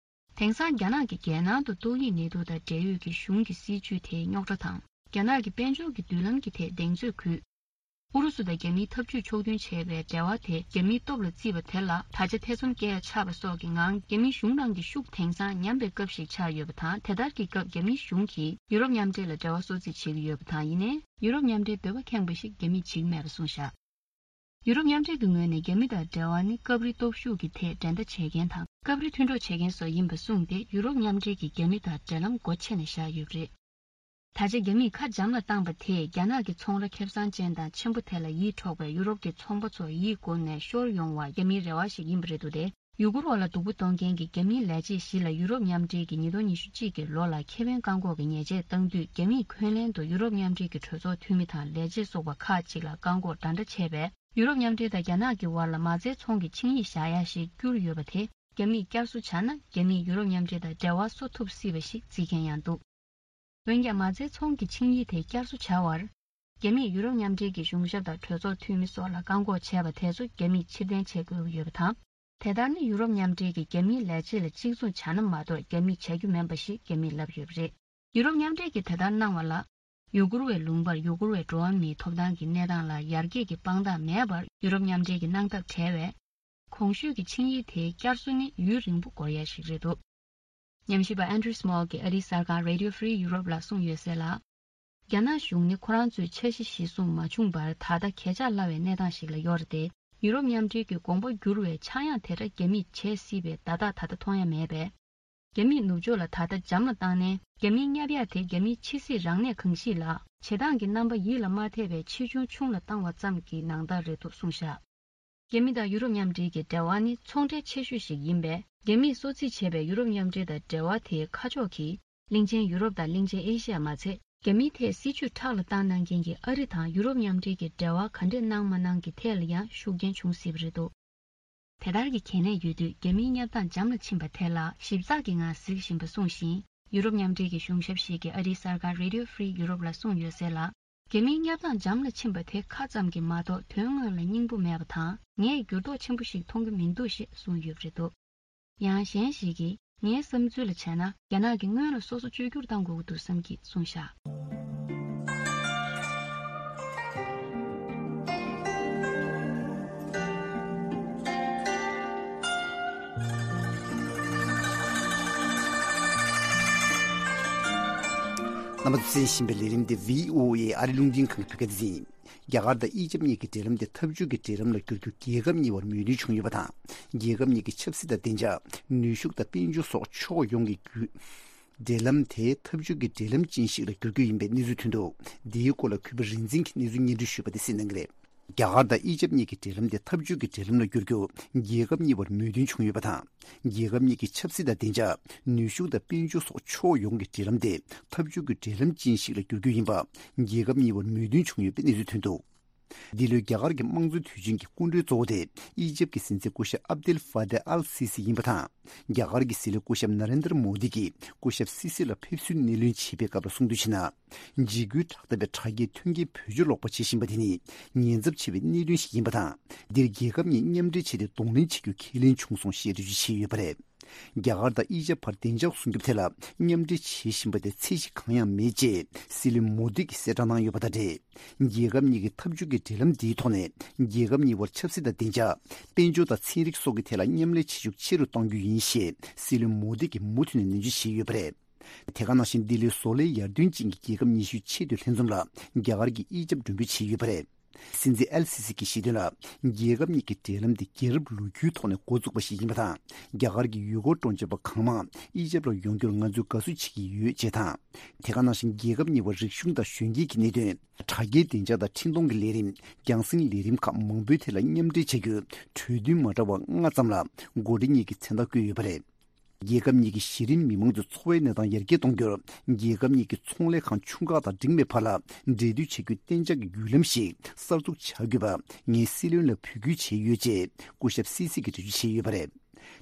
དེང་སང་རྒྱ་ནག་གིས་རྒྱལ་ནང་དུ་ཏོག་དབྱིབས་ནད་དུག་དང་འབྲེལ་ཡོད་ཀྱི་གཞུང་གི་སྲིད་བྱུས་དེ་རྙོག་དྲ་དང་། རྒྱ་ནག་གི་དཔལ་འབྱོར་གྱི་མདུན་ལམ་གྱི་ཐད་གདེང་ཚོད་ཁུལ། ཨུ་རུ་སུ་དང་རྒྱ་མིའི་འཐབ་ཇུས་ཕྱོགས་མཐུན་བྱས་པའི་འབྲེལ་བ་དེ་རྒྱ་མིའི་སྟོབས་ལ་བརྩིས་པ་དེ་ལ་ད་ཆ་ཐེ་ཚོམ་སྐྱེ་ཡ་ཆགས་པ་སོགས་ཀྱི་ངང་རྒྱ་མིའི་གཞུང་ནང་གི་ཤུགས་དེང་སང་ཉམས་པའི་སྐབས་ཤིག་ཆགས་ཡོད་པ་དང་། དེ་ལྟར་གྱི་སྐབས་རྒྱ་མིའི་གཞུང་གིས་ཡུ་རོབ་མཉམ་འབྲེལ་ལ་འབྲེལ་བ་སོར་རྩིས་བྱེད་ཀྱི་ཡོད་པ་དང་། ཡིན་ནའི་ཡུ་རོབ་མཉམ་འབྲེལ་འདོད་པ་ཁེངས་པ་ཞིག་རྒྱ་མིས་བྱེད་ཀྱི་མེད་པ་གསུངས་བཞག་ཡུ་རོབ་མཉམ་འབྲེལ་གྱི་ངོས་ནས་རྒྱ་མི་དང་འབྲེལ་བ་ནི་སྐབས་རེ་སྟོབས་ཤུགས་ཀྱི་ཐད་འགྲན་ཟླ་བྱེད་མཁན་དང་། སྐབས་རེ་མཐུན་གྲོགས་བྱེད་མཁན་སོགས་ཡིན་པ་གསུངས་ཏེ། ཡུ་རོབ་མཉམ་འབྲེལ་གྱིས་རྒྱ་མི་དང་འབྲེལ་ལམ་སྒོ་ཕྱེ་ནས་བཞག་ཡོད་པ་རེད། ད་ཆ་རྒྱ་མིས་ཁ་འཇམ་ལ་བཏང་པ་དེས་རྒྱ་ནག་གི་ཚོང་ར་ཁེ་བཟང་ཅན་དང་ཆེན་པོ་དེ་ལ་ཡིད་འཕྲོག་པས། ཡུ་རོབ་ཀྱི་ཚོང་པ་ཚོ་ཡིད་བསྒུག་ནས་ཤོར་ཡོང་བ་རྒྱ་མིའི་རེ་བ་ཞིག་ཡིན་པ་རེད་འདུག་སྟེ། ཡུ་གུར་བ་ལ་སྡུག་པོ་གཏོང་མཁན་གྱི་རྒྱ་མིའི་ལས་བྱེད་བཞི་ལ་ཡུ་རོབ་མཉམ་འབྲེལ་གྱིས་ཉིས་སྟོང་ཉི་ཤུ་གཅིག་གི་ལོ་ལ་ཁེ་ཕན་བཀག་འགོག་གི་ཉེས་ཆད་བཏང་དུས། རྒྱ་མིས་ཁོན་ལན་དུ་ཡུ་རོབ་མཉམ་འབྲེལ་གྱི་གྲོས་ཚོགས་འཐུས་མི་དང་ལས་བྱེད་སོགས་པ་ཁག་ཅིག་ལ་བཀག་འགོག་འདྲ་འདྲ་བྱས་པས། ཡུ་རོབ་མཉམ་འབྲེལ་དང་རྒྱ་ནག་གི་བར་ལ་མ་རྩའི་ཚོང་གི་ཆིངས་ཡིག་བཞག་ཡ་ཞིག་བསྐྱུར་ཡོད་པ་དེ་རྒྱ་མིས་བསྐྱར་གསོ་བྱ་ན། རྒྱ་མིས་ཡུ་རོབ་མཉམ་འབྲེལ་དང་འབྲེལ་བ་བཟོ་ཐུབ་སྲིད་པ་ཞིག་བརྩི་མཁན་ཡང་འདུག་འོན་ཀྱང་། མ་རྩའི་ཚོང་གི་ཆིངས་ཡིག་དེ་བསྐྱར་གསོ་བྱ་བར། རྒྱ་མིས་ཡུ་རོབ་མཉམ་འབྲེལ་གྱི་གཞུང་ཞབས་དང་གྲོས་ཚོགས་འཐུས་མི་སོགས་ལ་བཀག་འགོག་བྱས་པ་དེ་ཚོ་རྒྱ་མིས་ཕྱིར་འཐེན་བྱེད་དགོས་ཀྱི་ཡོད་པ་དང་། དེ་ལྟར་ནི་ཡུ་རོབ་མཉམ་འབྲེལ་གྱིས་རྒྱ་མིའི་ལས་བྱེད་ལ་གཅིག་མཚུངས་བྱ་ན་མ་གཏོགས་རྒྱ་མིས་བྱ་རྒྱུ་མིན་པ་ཞིག་རྒྱ་མིས་ལབ་ཡོད་པ་རེད། ཡུ་རོབ་མཉམ་འབྲེལ་གྱིས་དེ་ལྟར་གནང་བ་ལ། ཡུ་གུར་བའི་ལུང་པར་ཡུ་གུར་བའི་འགྲོ་བ་མིའི་ཐོབ་ཐང་གི་གནས་སྟངས་ལ་ཡར་རྒྱས་ཀྱི་དཔང་རྟགས་མེད་པར་ཡུ་རོབ་མཉམ་འབྲེལ་གྱིས་གནང་ཐབས་བྲལ་བས། གོང་ཞུས་ཀྱི་ཆིངས་ཡིག་དེའི་བསྐྱར་གསོ་ནི་ཡུན་རིང་པོ་འགོར་ཡ་ཞིག་རེད་འདུག་ཉམས་ཞིབ་པ་Andrew Small གྱིས་ཨ་རིའི་གསར་ཁང་Radio Free Europe ལ་གསུངས་ཡོད་གསལ་ལ། རྒྱ་ནག་གཞུང་ནི་ཁོ་རང་ཚོའི་འཆར་གཞི་གཞིར་བཟུང་མ་བྱུང་བར། ད་ལྟ་གས་ཆག་སླ་བའི་གནས་སྟངས་ཤིག་ལ་ཡོད་རེད་དེ། ཡུ་རོབ་མཉམ་འབྲེལ་གྱི་དགོངས་པ་བསྒྱུར་བའི་ཆག་ཡང་དེ་འདྲ་རྒྱ་མིས་བྱེད་སྲིད་པའི་བརྡ་རྟགས་ད་ལྟ་མཐོང་ཡ་མེད་པས། རྒྱ་མིས་ནུབ་ཕྱོགས་ལ་ད་ལྟ་འཇམ་ལ་བཏང་ནས། རྒྱ་མིའི་བསྙབ་ཡ་དེ་རྒྱ་མིའི་ཕྱི་སྲིད་རང་གནས་གང་ཞིག་ལ་བྱེད་སྟངས་ཀྱི་རྣམ་པ་ཡིད་ལ་མ་འཐད་པའི་ཆེ་ཆུང་ཆུང་ལ་བཏང་བ་ཙམ་གྱི་ནང་ལྟར་རེད་འདུག་གསུངས་བཞག་རྒྱ་མི་དང་ཡུ་རོབ་མཉམ་འབྲེལ་གྱི་འབྲེལ་བ་ནི་ཚོང་འབྲེལ་ཆེ་ཤོས་ཤིག་ཡིན་པས། རྒྱ་མིས་གསོལ་ཚིགས་བྱས་པའི་ཡུ་རོབ་མཉམ་འབྲེལ་དང་འབྲེལ་བ་དེའི་ཁ་ཕྱོགས་ཀྱིས། གླིང་ཆེན་ཡུ་རོབ་དང་གླིང་ཆེན་ཨེ་ཤི་ཡ་མ་ཚད། རྒྱ་མིའི་ཐད་སྲིད་ཇུས་ཁྲག་ལ་བཏང་གནང་མཁན་གྱི་ཨ་རི་དང་ཡུ་རོབ་མཉམ་འབྲེལ་གྱི་འབྲེལ་བ་ག་འདྲས་གནང་མ་གནང་གི་ཐད་ལ་ཡང་ཤུགས་རྐྱེན་བྱུང་སྲིད་པ་རེད་འདུག་དེ་ལྟར་གྱི་གལ་གནད་ཡོད་དུས། རྒྱ་མིའི་བསྙབ་སྟངས་འཇམ་ལ་ཕྱིན་པ་དེ་ལ་ཞིབ་ཚགས་ཀྱི་ངང་གཟིགས་བཞིན་པ་གསུངས་ཤིང་། ཡུ་རོབ་མཉམ་འབྲེལ་གྱི་གཞུང་ཞབས་ཤིག་གིས་ཨ་རིའི་གསར་ཁང་Radio Free Europe ལ་གསུངས་ཡོད་གསལ་ལ། རྒྱ་མིའི་བསྙབ་སྟངས་འཇམ་ལ་ཕྱིན་པ་དེ་ཁ་ཙམ་གྱིས་མ་གཏོགས་དོན་དངོས་ལ་སྙིང་པོ་མེད་པ་དང་། ངས་འགྱུར་ལྡོག་ཆེན་པོ་ཞིག་མཐོང་གི་མི་འདུག་ཞེས་གསུངས་ཡོད་པ་རེད་འདུག་ཡང་གཞན་ཞིག་གིས། ངའི་བསམ་ཚུལ་ལ་བྱས་ན། རྒྱ་ནག་གིས་སྔོན་ལ་སོ་སོ་བཅོས་བསྒྱུར་བཏང་དགོས་ཀྱི་འདུག་བསམ་གྱིས་གསུངས་བཞག་རྣམ་པ་ཚོས་གསན་བཞིན་པའི་ལས་རིམ་འདི་བྷི་ཨོ་ཨེ་ཨ་རི་རླུང་འཕྲིན་ཁང་གི་བོད་སྐད་སྡེ་ཚན་ཡིན། རྒྱ་གར་དང་ཨི་ཇབ་གཉིས་ཀྱི་འབྲེལ་ལམ་དེ་འཐབ་ཇུས་ཀྱི་འབྲེལ་ལམ་ལ་བསྒྱུར་རྒྱུ་རྒྱལ་ཁབ་གཉིས་བར་མོས་མཐུན་བྱུང་ཡོད་པ་དང་། རྒྱལ་ཁབ་གཉིས་ཀྱི་ཆབ་སྲིད་དང་བདེ་འཇགས། ནུས་ཤུགས་དང་དཔལ་འབྱོར་སོགས་ཕྱོགས་ཡོངས་ཀྱི་བརྒྱུད། འབྲེལ་ལམ་དེ་འཐབ་ཇུས་ཀྱི་འབྲེལ་ལམ་ཅན་ཞིག་ལ་བསྒྱུར་རྒྱུ་ཡིན་པའི་གནས་ཚུལ་ཐོན་འདུག་འདིའི་སྐོར་ལ་གུས་པ་རིག་འཛིན་གྱིས་གནས་ཚུལ་སྙན་སྒྲོན་ཞུས་པ་དེ་གསན་གནང་གི་རེད། རྒྱ་གར་དང་ཨི་ཇབ་གཉིས་ཀྱི་འབྲེལ་ལམ་དེ་འཐབ་ཇུས་ཀྱི་འབྲེལ་ལམ་ལ་བསྒྱུར་རྒྱུ་རྒྱལ་ཁབ་གཉིས་བར་མོས་མཐུན་བྱུང་ཡོད་པ་དང་། རྒྱལ་ཁབ་གཉིས་ཀྱི་ཆབ་སྲིད་དང་བདེ་འཇགས། ནུས་ཤུགས་དང་དཔལ་འབྱོར་སོགས་ཕྱོགས་ཡོངས་ཀྱི་འབྲེལ་ལམ་དེ་འཐབ་ཇུས་ཀྱི་འབྲེལ་ལམ་ཅན་ཞིག་ལ་བསྒྱུར་རྒྱུ་ཡིན་པ་རྒྱལ་ཁབ་གཉིས་བར་མོས་མཐུན་བྱུང་ཡོད་པའི་གནས་ཚུལ་ཐོན་འདུག་འདི་ལོའི་རྒྱ་གར་གྱི་དམངས་གཙོའི་དུས་ཆེན་གྱི་སྐུ་མགྲོན་གཙོ་བོ་དེ་ཨི་ཇབ་ཀྱི་སྲིད་འཛིན་སྐུ་ཞབས་ཨབ་དེལ་ཧྥ་ཏེ་ཨལ་སི་སི་ཡིན་པ་དང་། རྒྱ་གར་གྱི་སྲིད་བློན་སྐུ་ཞབས་ན་རེན་དྲ་མོ་དི་གིས་སྐུ་ཞབས་སི་སི་ལ་ཕེབས་བསུའི་སྣེ་ལེན་བྱེད་པའི་སྐབས་ལ་གསུངས་དོན་བྱས་ན། འཇིགས་སྐུལ་དྲག་འཐབ་པའི་དྲ་རྒྱའི་མཐུན་རྐྱེན་བེད་སྤྱོད་ལོག་པ་བྱེད་བཞིན་པ་དེ་ནི་ཉེན་ཚབས་ཆེ་བའི་གནད་དོན་ཞིག་ཡིན་པ་དང་། འདིར་རྒྱལ་ཁབ་གཉིས་མཉམ་འབྲེལ་བྱས་ཏེ་གདོང་ལེན་བྱེད་རྒྱུ་ཁས་ལེན་བྱུང་སོང་ཞེས་འགྲེལ་བརྗོད་བྱས་ཡོད་པ་རེད། རྒྱ་གར་དང་ཨི་ཇབ་བར་བདེ་འཇགས་སྲུང་སྐྱོབ་ཐད་ལ་མཉམ་འབྲེལ་བྱེད་བཞིན་པ་དེ་ཚད་གཞི་གང་ཡང་མེད་ཅེས་སྲིད་བློན་མོ་དི་གིས་གསལ་བསྒྲགས་གནང་ཡོད་པ་དང་འབྲེལ། རྒྱལ་ཁབ་གཉིས་ཀྱི་འཐབ་ཇུས་ཀྱི་འབྲེལ་ལམ་འདིའི་ཐོག་ནས་རྒྱལ་ཁབ་གཉིས་བར་ཆབ་སྲིད་དང་བདེ་འཇགས། དཔལ་འབྱོར་དང་ཚན་རིག་སོགས་ཀྱི་ཐད་ལ་མཉམ་ལས་བྱེད་ཤུགས་ཆེ་རུ་གཏོང་རྒྱུ་ཡིན་ཞེས་སྲིད་བློན་མོ་དི་གིས་མུ་མཐུད་ནས་ནན་བརྗོད་བྱས་ཡོད་པ་རེད། དེ་ག་ནང་བཞིན་ལྡི་ལིའི་བཟོ་ལས་ཡར་ཐོན་ཅན་གྱི་རྒྱལ་ཁབ་ཉི་ཤུའི་ཆེས་མཐོའི་ལྷན་འཛོམས་ལ་རྒྱ་གར་གྱིས་དབྱེ་ཞིབ་མགྲོན་འབོད་བྱས་ཡོད་པ་རེད། སྲིད་འཛིན་ཨེལ་སི་སི་གྱིས་བཤད་དོན་ལ། རྒྱལ་ཁབ་གཉིས་ཀྱི་འབྲེལ་ལམ་དེ་རྒྱལ་རབས་ལོ་རྒྱུས་ཐོག་ནས་འགོ་བཙུགས་པ་ཞིག་ཡིན་པ་དང་། རྒྱ་གར་གྱི་ཡུལ་སྐོར་སྤྲོ་འཆམ་པ་གང་མང་དབྱེ་ཞིབ་ལ་ཡོང་རྒྱུར་ང་ཚོས་དགའ་བསུ་བྱེད་ཀྱི་ཡོད་ཅེས་དང་། དེ་ག་ནང་བཞིན་རྒྱལ་ཁབ་གཉིས་བར་རིག་གཞུང་དང་གཞོན་སྐྱེས་ཀྱི་གནད་དོན། དྲ་རྒྱའི་བདེ་འཇགས་དང་འཕྲིན་གཏོང་གི་ལས་རིམ། རྒྱང་སྲིང་ལས་རིམ་ཁག་མང་པོའི་ཐད་ལ་མཉམ་འབྲེལ་བྱ་རྒྱུའི་གྲོས་མཐུན་མ་འདྲ་བ་ལྔ་ཙམ་ལ་འགོ་ཁྲིད་གཉིས་ཀྱིས་མཚན་རྟགས་བཀོད་ཡོད་པ་རེད། རྒྱལ་ཁབ་གཉིས་ཀྱི་གཞི་རིམ་མི་མང་ཚོའི་འཚོ་བའི་གནས་སྟངས་ཡར་རྒྱས་གཏོང་རྒྱུར། རྒྱལ་ཁབ་གཉིས་ཀྱི་ཚོང་ལས་ཁང་ཆུང་ཁག་དང་འབྲིང་བའི་བར་ལ་འབྲེལ་མཐུད་བྱ་རྒྱུའི་གཏན་འཇགས་ཀྱི་བརྒྱུད་ལམ་ཞིག་གསར་འཛུགས་བྱ་དགོས་པ། ངས་སྲིད་བློན་ལ་འབོད་སྐུལ་བྱས་ཡོད་ཅེས་སྐུ་ཞབས་སི་སི་གིས་འགྲེལ་བརྗོད་བྱས་ཡོད་པ་རེད།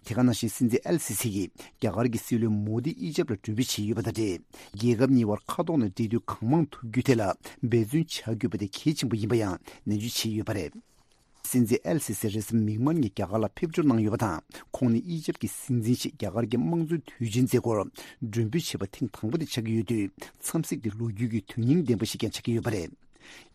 དེ་ག་ནང་བཞིན་སྲིད་འཛིན་ཨེལ་སི་སི་ཡིས་རྒྱ་གར་གྱི་སྲིད་བློན་མོ་དི་དབྱེ་ཞིབ་ལ་མགྲོན་འབོད་བྱས་ཡོད་པ་དང་འབྲེལ། རྒྱལ་ཁབ་གཉིས་བར་མཁའ་ཐོག་ནས་འབྲེལ་མཐུད་གང་མང་ཐུབ་རྒྱུའི་ཐད་ལ་འབད་བརྩོན་བྱ་དགོས་པ་དེ་གལ་ཆེན་པོ་ཡིན་པ་ཡང་ནན་བརྗོད་བྱས་ཡོད་པ་རེད། སྲིད་འཛིན་ཨེལ་སི་སི་རེས་གཟའ་མིག་དམར་ཉིན་རྒྱ་གར་ལ་ཕེབས་འབྱོར་གནང་ཡོད་པ་དང་། ཁོང་ནི་ཨི་ཇེབ་ཀྱི་སྲིད་འཛིན་ཞིག་རྒྱ་གར་གྱི་དམངས་གཙོའི་དུས་ཆེན་མཛད་སྒོར་མགྲོན་འབོད་བྱས་པ་ཐེངས་དང་པོ་དེ་ཆགས་ཀྱི་ཡོད་དུས། འཚམས་གཟིགས་དེ་ལོ་རྒྱུས་ཀྱི་དོན་སྙིང་ལྡན་པ་ཞིག་ཀྱང་ཆགས་ཀྱི་ཡོད་པ་རེད།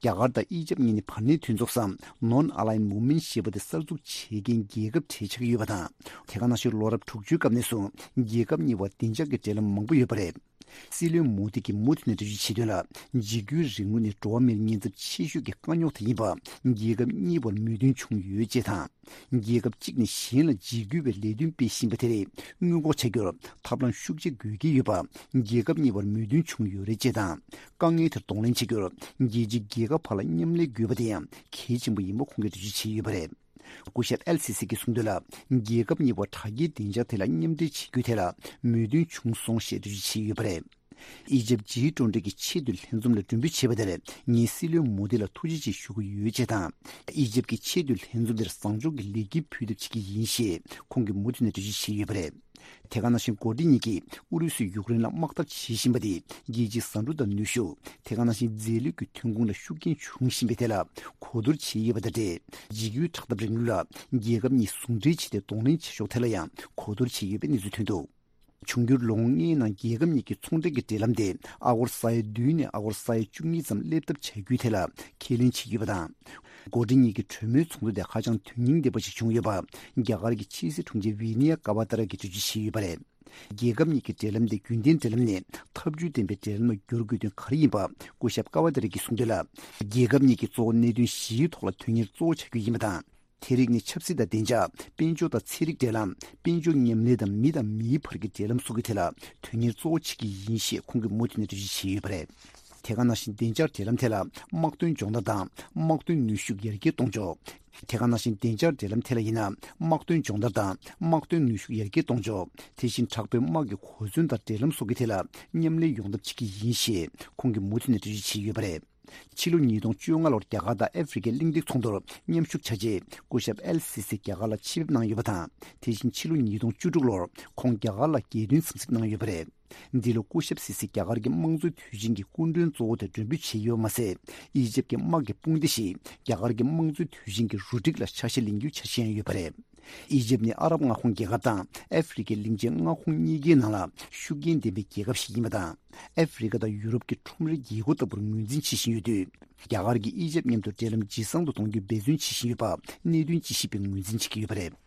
རྒྱ་གར་དང་ཨི་ཇེབ་གཉིས་ནི་བར་གནས་མཐུན་ཚོགས་སམ་Non-Aligned Movement ཞེས་པ་དེ་གསར་འཛུགས་བྱེད་མཁན་རྒྱལ་ཁབ་གྲས་ཆགས་ཀྱི་ཡོད་པ་དང་། དེ་ག་ནང་བཞིན་ལོ་རབས་དྲུག་ཅུའི་སྐབས་ནས་བཟུང་རྒྱལ་ཁབ་གཉིས་བར་བདེ་འཇགས་ཀྱི་འབྲེལ་ལམ་མང་པོ་ཡོད་པ་རེད། སྲིད་བློན་མོ་དི་གིས་མུ་མཐུད་ནས་འགྲེལ་བརྗོད་བྱས་དོན་ལ། འཇིགས་སྐུལ་རིང་ལུགས་ནི་འགྲོ་བ་མིར་ཉེན་ཚབས་ཆེ་ཤོས་ཀྱི་དཀའ་རྙོག་དེ་ཡིན་པ། རྒྱལ་ཁབ་གཉིས་བར་མོས་མཐུན་བྱུང་ཡོད་ཅེས་དང་། རྒྱལ་ཁབ་གཅིག་ནས་གཞན་ལ་འཇིགས་སྐུལ་བའི་ལས་དོན་སྤེལ་བཞིན་པ་དེ་རིགས་སྔོན་འགོག་བྱ་རྒྱུར་ཐབས་ལམ་ཤུགས་ཆེ་དགོས་ཀྱི་ཡོད་པ། རྒྱལ་ཁབ་གཉིས་བར་མོས་མཐུན་བྱུང་ཡོད་རེད་ཅེས་དང་། དཀའ་ངལ་དེར་གདོང་ལེན་བྱ་རྒྱུར་རྒྱལ་སྤྱིའི་རྒྱལ་ཁབ་བར་ལ་མཉམ་ལས་དགོས་པ་དེ་ཡང་གལ་ཆེན་པོ་ཡིན་པ་ཁོང་གིས་འགྲེལ་བརྗོད་བྱས་ཡོད་པ་རེད། སྐུ་ཞབས་ཨེལ་སི་སི་གིས་གསུངས་དོན་ལ། རྒྱལ་ཁབ་གཉིས་བར་དྲག་སྐྱེད་བདེ་འཇགས་ཐད་ལ་མཉམ་འབྲེལ་བྱེད་རྒྱུའི་ཐད་ལ་མོས་མཐུན་བྱུང་སོང་ཞེས་འགྲེལ་བརྗོད་བྱས་ཡོད་པ་རེད། ཨི་ཇེབ་ཇི་ཊུ་ཝེན་ཊི་གི་ཆེས་མཐོའི་ལྷན་འཛོམས་ལ་མགྲོན་འབོད་བྱས་པ་དེར་ངས་སྲིད་བློན་མོ་དི་ལ་ཐུགས་རྗེ་ཆེ་ཞུ་གི་ཡོད་ཅེས་དང་། ཨི་ཇེབ་ཀྱི་ཆེས་མཐོའི་ལྷན་འཛོམས་དེར་བཟང་ཕྱོགས་ཀྱི་ལེགས་སྐྱེས་ཕུལ་ཐབས་བྱེད་ཀྱི་ཡིན་ཞེས་ཁོང་གིས་མུ་མཐུད་ནས་འགྲེལ་བརྗོད་བྱས་ཡོད་པ་རེད། དེ་ག་ནང་བཞིན་འགོ་ཁྲིད་གཉིས་ཀྱིས་ཨུ་རུ་སུས་ཡུཀ་རེན་ལ་དམག་འཐབ་བྱེད་བཞིན་པ་དེ་རྒྱལ་སྤྱིའི་བཟའ་འབྲུ་དང་ནུས་ཤུགས། དེ་ག་ནང་བཞིན་རྫས་ལུད་ཀྱི་ཐོན་ཁུངས་ལ་ཤུགས་རྐྱེན་བྱུང་བཞིན་པའི་ཐད་ལ་གོ་བསྡུར་བྱས་ཡོད་པ་དང་འབྲེལ། འཇིགས་སྐུལ་དྲག་འཐབ་རིང་ལུགས་ལ་རྒྱལ་ཁབ་གཉིས་ཟུང་འབྲེལ་བྱས་ཏེ་གདོང་ལེན་བྱེད་ཕྱོགས་ཐད་ལ་ཡང་གོ་བསྡུར་བྱས་ཡོད་པའི་གནས་ཚུལ་ཐོན་འདུག། འབྱུང་འགྱུར་ལོ་ངོ་ལྔའི་ནང་རྒྱལ་ཁབ་གཉིས་ཀྱི་ཚོང་འབྲེལ་གྱི་འབྲེལ་ལམ་དེ་ཨ་སྒོར་ས་ཡ་བདུན་ནས་ཨ་སྒོར་ས་ཡ་བཅུ་གཉིས་ཙམ་སླེབས་ཐབས་བྱ་རྒྱུའི་ཐད་ལ་ཁས་ལེན་བྱས་ཡོད་པ་དང་། འགོ་ཁྲིད་གཉིས་ཀྱི་གྲོས་མོལ་ཚོགས་འདུ་དེ་ཧ་ཅང་དོན་སྙིང་ལྡན་པ་ཞིག་བྱུང་ཡོད་པ། རྒྱ་གར་གྱི་ཕྱི་སྲིད་དྲུང་ཆེ་ཝི་ནི་ཡ་ཀ་བ་ཏ་ར་གིས་འགྲེལ་བརྗོད་བྱས་ཡོད་པ་རེད། རྒྱལ་ཁབ་གཉིས་ཀྱི་འབྲེལ་ལམ་དེ་རྒྱུན་ལྡན་འབྲེལ་ལམ་ནས་ཐབས་ཇུས་ལྡན་པའི་འབྲེལ་ལམ་ལ་བསྒྱུར་དགོས་དོན་ག་རེ་ཡིན་པ། སྐུ་ཞབས་ཀ་བ་ཏ་ར་གིས་གསུངས་དོན་ལ། རྒྱལ་ཁབ་གཉིས་ཀྱི་གཙོ་བོ་གནད་དོན་བཞིའི་ཐོག་ལ་དོན་གཉེར་གཙོ་བོ་བྱ་རྒྱུ་ཡིན་པ་དང་། དེ་རིགས་ནི་ཆབ་སྲིད་དང་བདེ་འཇགས། དཔལ་འབྱོར་དང་ཚན་རིག་འབྲེལ་ལམ། དཔལ་འབྱོར་མཉམ་ལས་དང་མི་དང་མིའི་བར་གྱི་འབྲེལ་ལམ་སོགས་ཀྱི་ཐད་ལ་དོན་གཉེར་གཙོ་བོ་བྱེད་ཀྱི་ཡིན་ཞེས་ཁོང་གིས་མུ་མཐུད་ནས་འགྲེལ་བརྗོད་བྱས་ཡོད་པ་རེད། དེ་ག་ནང་བཞིན་བདེ་འཇགས་འབྲེལ་ལམ་ཐད་ལ་དམག་དོན་སྦྱོང་བརྡར་དང་དམག་དོན་ནུས་ཤུགས་ཡར་རྒྱས་གཏོང་ཕྱོགས། དེ་ག་ནང་བཞིན་བདེ་འཇགས་འབྲེལ་ལམ་ཐད་ལ་ཡིན་ན་དམག་དོན་སྦྱོང་བརྡར་དང་དམག་དོན་ནུས་ཤུགས་ཡར་རྒྱས་གཏོང་ཕྱོགས། དེ་བཞིན་དྲག་པོའི་དམག་གི་གོ་མཚོན་དང་འབྲེལ་ལམ་སོགས་ཀྱི་ཐད་ལ་མཉམ་ལས་ཡོང་ཐབས་བྱེད་ཀྱི་ཡིན་ཞེས་ཁོང་གིས་མུ་མཐུད་ནས་འགྲེལ་བརྗོད་བྱས་ཡོད་པ་རེད། ཕྱི་ལོ་ཉིས་སྟོང་བཅོ་ལྔ་ལོར་རྒྱ་གར་དང་ཨ་ཧྥེ་རི་ཁའི་གླེང་སྟེགས་ཚོགས་འདུར་མཉམ་ཞུགས་བྱ་ཆེད་སྐུ་ཞབས་ཨེལ་སི་སི་རྒྱ་གར་ལ་ཆེད་ཕེབས་གནང་ཡོད་པ་དང་། དེ་བཞིན་ཕྱི་ལོ་ཉིས་སྟོང་བཅུ་དྲུག་ལོར་ཁོང་རྒྱ་གར་ལ་རྒྱལ་དོན་འཚམས་གཟིགས་གནང་ཡོད་པ་རེད། འདི་ལོ་སྐུ་ཞབས་སི་སི་རྒྱ་གར་གྱི་དམངས་གཙོའི་དུས་ཆེན་གྱི་སྐུ་མགྲོན་གཙོ་བོ་དེ་མགྲོན་འབོད་བྱས་ཡོད་པ་མ་ཟད། ཨི་ཇེབ་ཀྱི་དམག་གི་དཔུང་སྡེ་ཞིག་རྒྱ་གར་གྱི་དམངས་གཙོའི་དུས་ཆེན་གྱི་རུ་སྒྲིག་ལ་ཆ་ཤས་ལེན་རྒྱུའི་འཆར་གཞི་ཡང་ཡོད་པ་རེད། ཨི་ཇེབ་ནི་ཨ་རབ་མངའ་ཁོངས་རྒྱལ་ཁབ་དང་ཨ་ཧྥེ་རི་ཁའི་གླིང་ཆེན་མངའ་ཁོངས་གཉིས་ཀའི་ནང་ལ་ཤུགས་རྐྱེན་ལྡན་པའི་རྒྱལ་ཁབ་ཞིག་ཡིན་པ་དང་། ཨ་ཧྥེ་རི་ཁ་དང་ཡུ་རོབ་ཀྱི་ཁྲོམ་རའི་རྒྱལ་སྒོ་ལྟ་བུར་ངོས་འཛིན་བྱེད་བཞིན་ཡོད་དུས། རྒྱ་གར་གྱིས་ཨི་ཇེབ་མཉམ་དུ་འབྲེལ་ལམ་ཇེ་བཟང་དུ་གཏོང་རྒྱུའི་འབད་བརྩོན་བྱེད་བཞིན་ཡོད་པ་གནད་དོན་དཔྱད་ཞིབ་པས་ངོས་འཛིན་བྱེད་ཀྱི་ཡོད་པ་རེད།